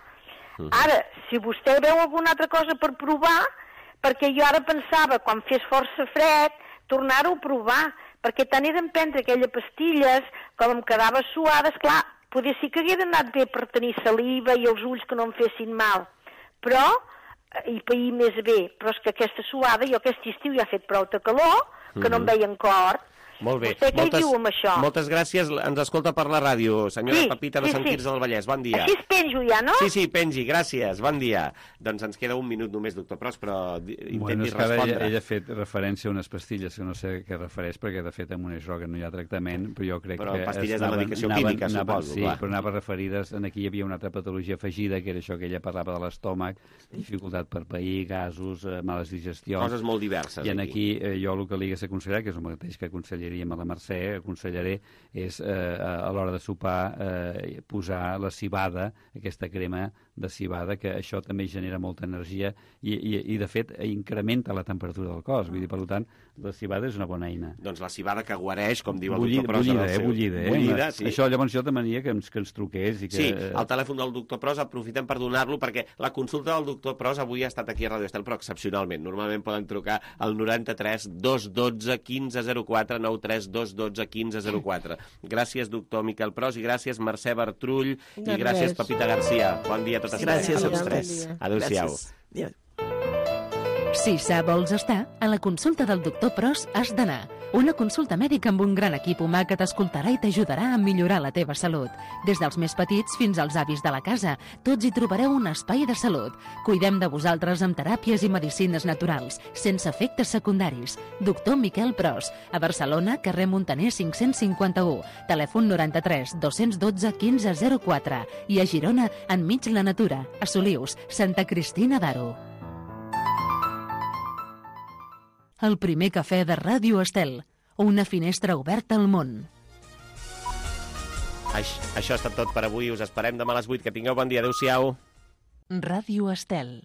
Uh-huh. Ara, si vostè veu alguna altra cosa per provar, perquè jo ara pensava, quan fes força fred, tornar-ho a provar, perquè tant he d'emprendre aquelles pastilles, com em quedava suada, esclar, poder sí que hagués anat bé per tenir saliva i els ulls que no em fessin mal, però, i pair més bé, però és que aquesta suada, jo aquest estiu ja ha fet prou de calor, que no em veia en cor. Molt bé. Vostè què moltes, hi diu amb això? Moltes gràcies. Ens escolta per la ràdio. Senyora Sí, Pepita de sí, Sant sí. Quirze del Vallès, bon dia. Així es penjo ja, no? Sí, sí, pengi, gràcies, bon dia. Doncs ens queda un minut només, doctor Pros, però di- intenti Bueno, és que ara respondre. ella, ella ha fet referència a unes pastilles que no sé a què refereix, perquè de fet amb un droga no hi ha tractament, però jo crec Però que... pastilles de anaven- medicació anaven- química, anaven- suposo, Sí, clar. però anava referides... En aquí hi havia una altra patologia afegida, que era això que ella parlava de l'estómac, dificultat per pair, gasos, eh, males digestions... Coses molt diverses, I en aquí. aquí eh, jo el que li hagués aconsellat, que és el mateix que aconsellaríem a la Mercè, aconsellaré, és eh, a l'hora de sopar eh, posar la cibada, aquesta crema de cibada, que això també genera molta energia i, i, i de fet, incrementa la temperatura del cos. Vull dir, per tant, la cibada és una bona eina. Doncs la cibada que guareix, com diu el Bullida, doctor Pros. en el bullida, eh, seu- bullida, eh? Bullida, sí. Això llavors jo demanaria que ens, que ens truqués i que... Sí, el telèfon del doctor Pros, aprofitem per donar-lo, perquè la consulta del doctor Pros avui ha estat aquí a Ràdio Estel, però excepcionalment. Normalment poden trucar al noranta-tres dos dotze quinze zero quatre, noranta-tres dos dotze quinze zero quatre. Gràcies, doctor Miquel Pros, i gràcies, Mercè Bertrull, i De gràcies, res. Pepita Garcia. Bon dia a totes Gràcies a tots vosaltres. tres. Adéu-siau. Gràcies. Si sa vols estar, a la consulta del doctor Pros has d'anar. Una consulta mèdica amb un gran equip humà que t'escoltarà i t'ajudarà a millorar la teva salut. Des dels més petits fins als avis de la casa, tots hi trobareu un espai de salut. Cuidem de vosaltres amb teràpies i medicines naturals, sense efectes secundaris. Doctor Miquel Pros, a Barcelona, carrer Montaner cinc-cents cinquanta-u, telèfon noranta-tres dos dotze quinze zero quatre, i a Girona, enmig la natura, a Solius, Santa Cristina d'Aro. El primer cafè de Ràdio Estel, una finestra oberta al món. Això, això ha estat tot per avui. Us esperem demà a les vuit. Que tingueu bon dia. Adéu-siau. Ràdio Estel.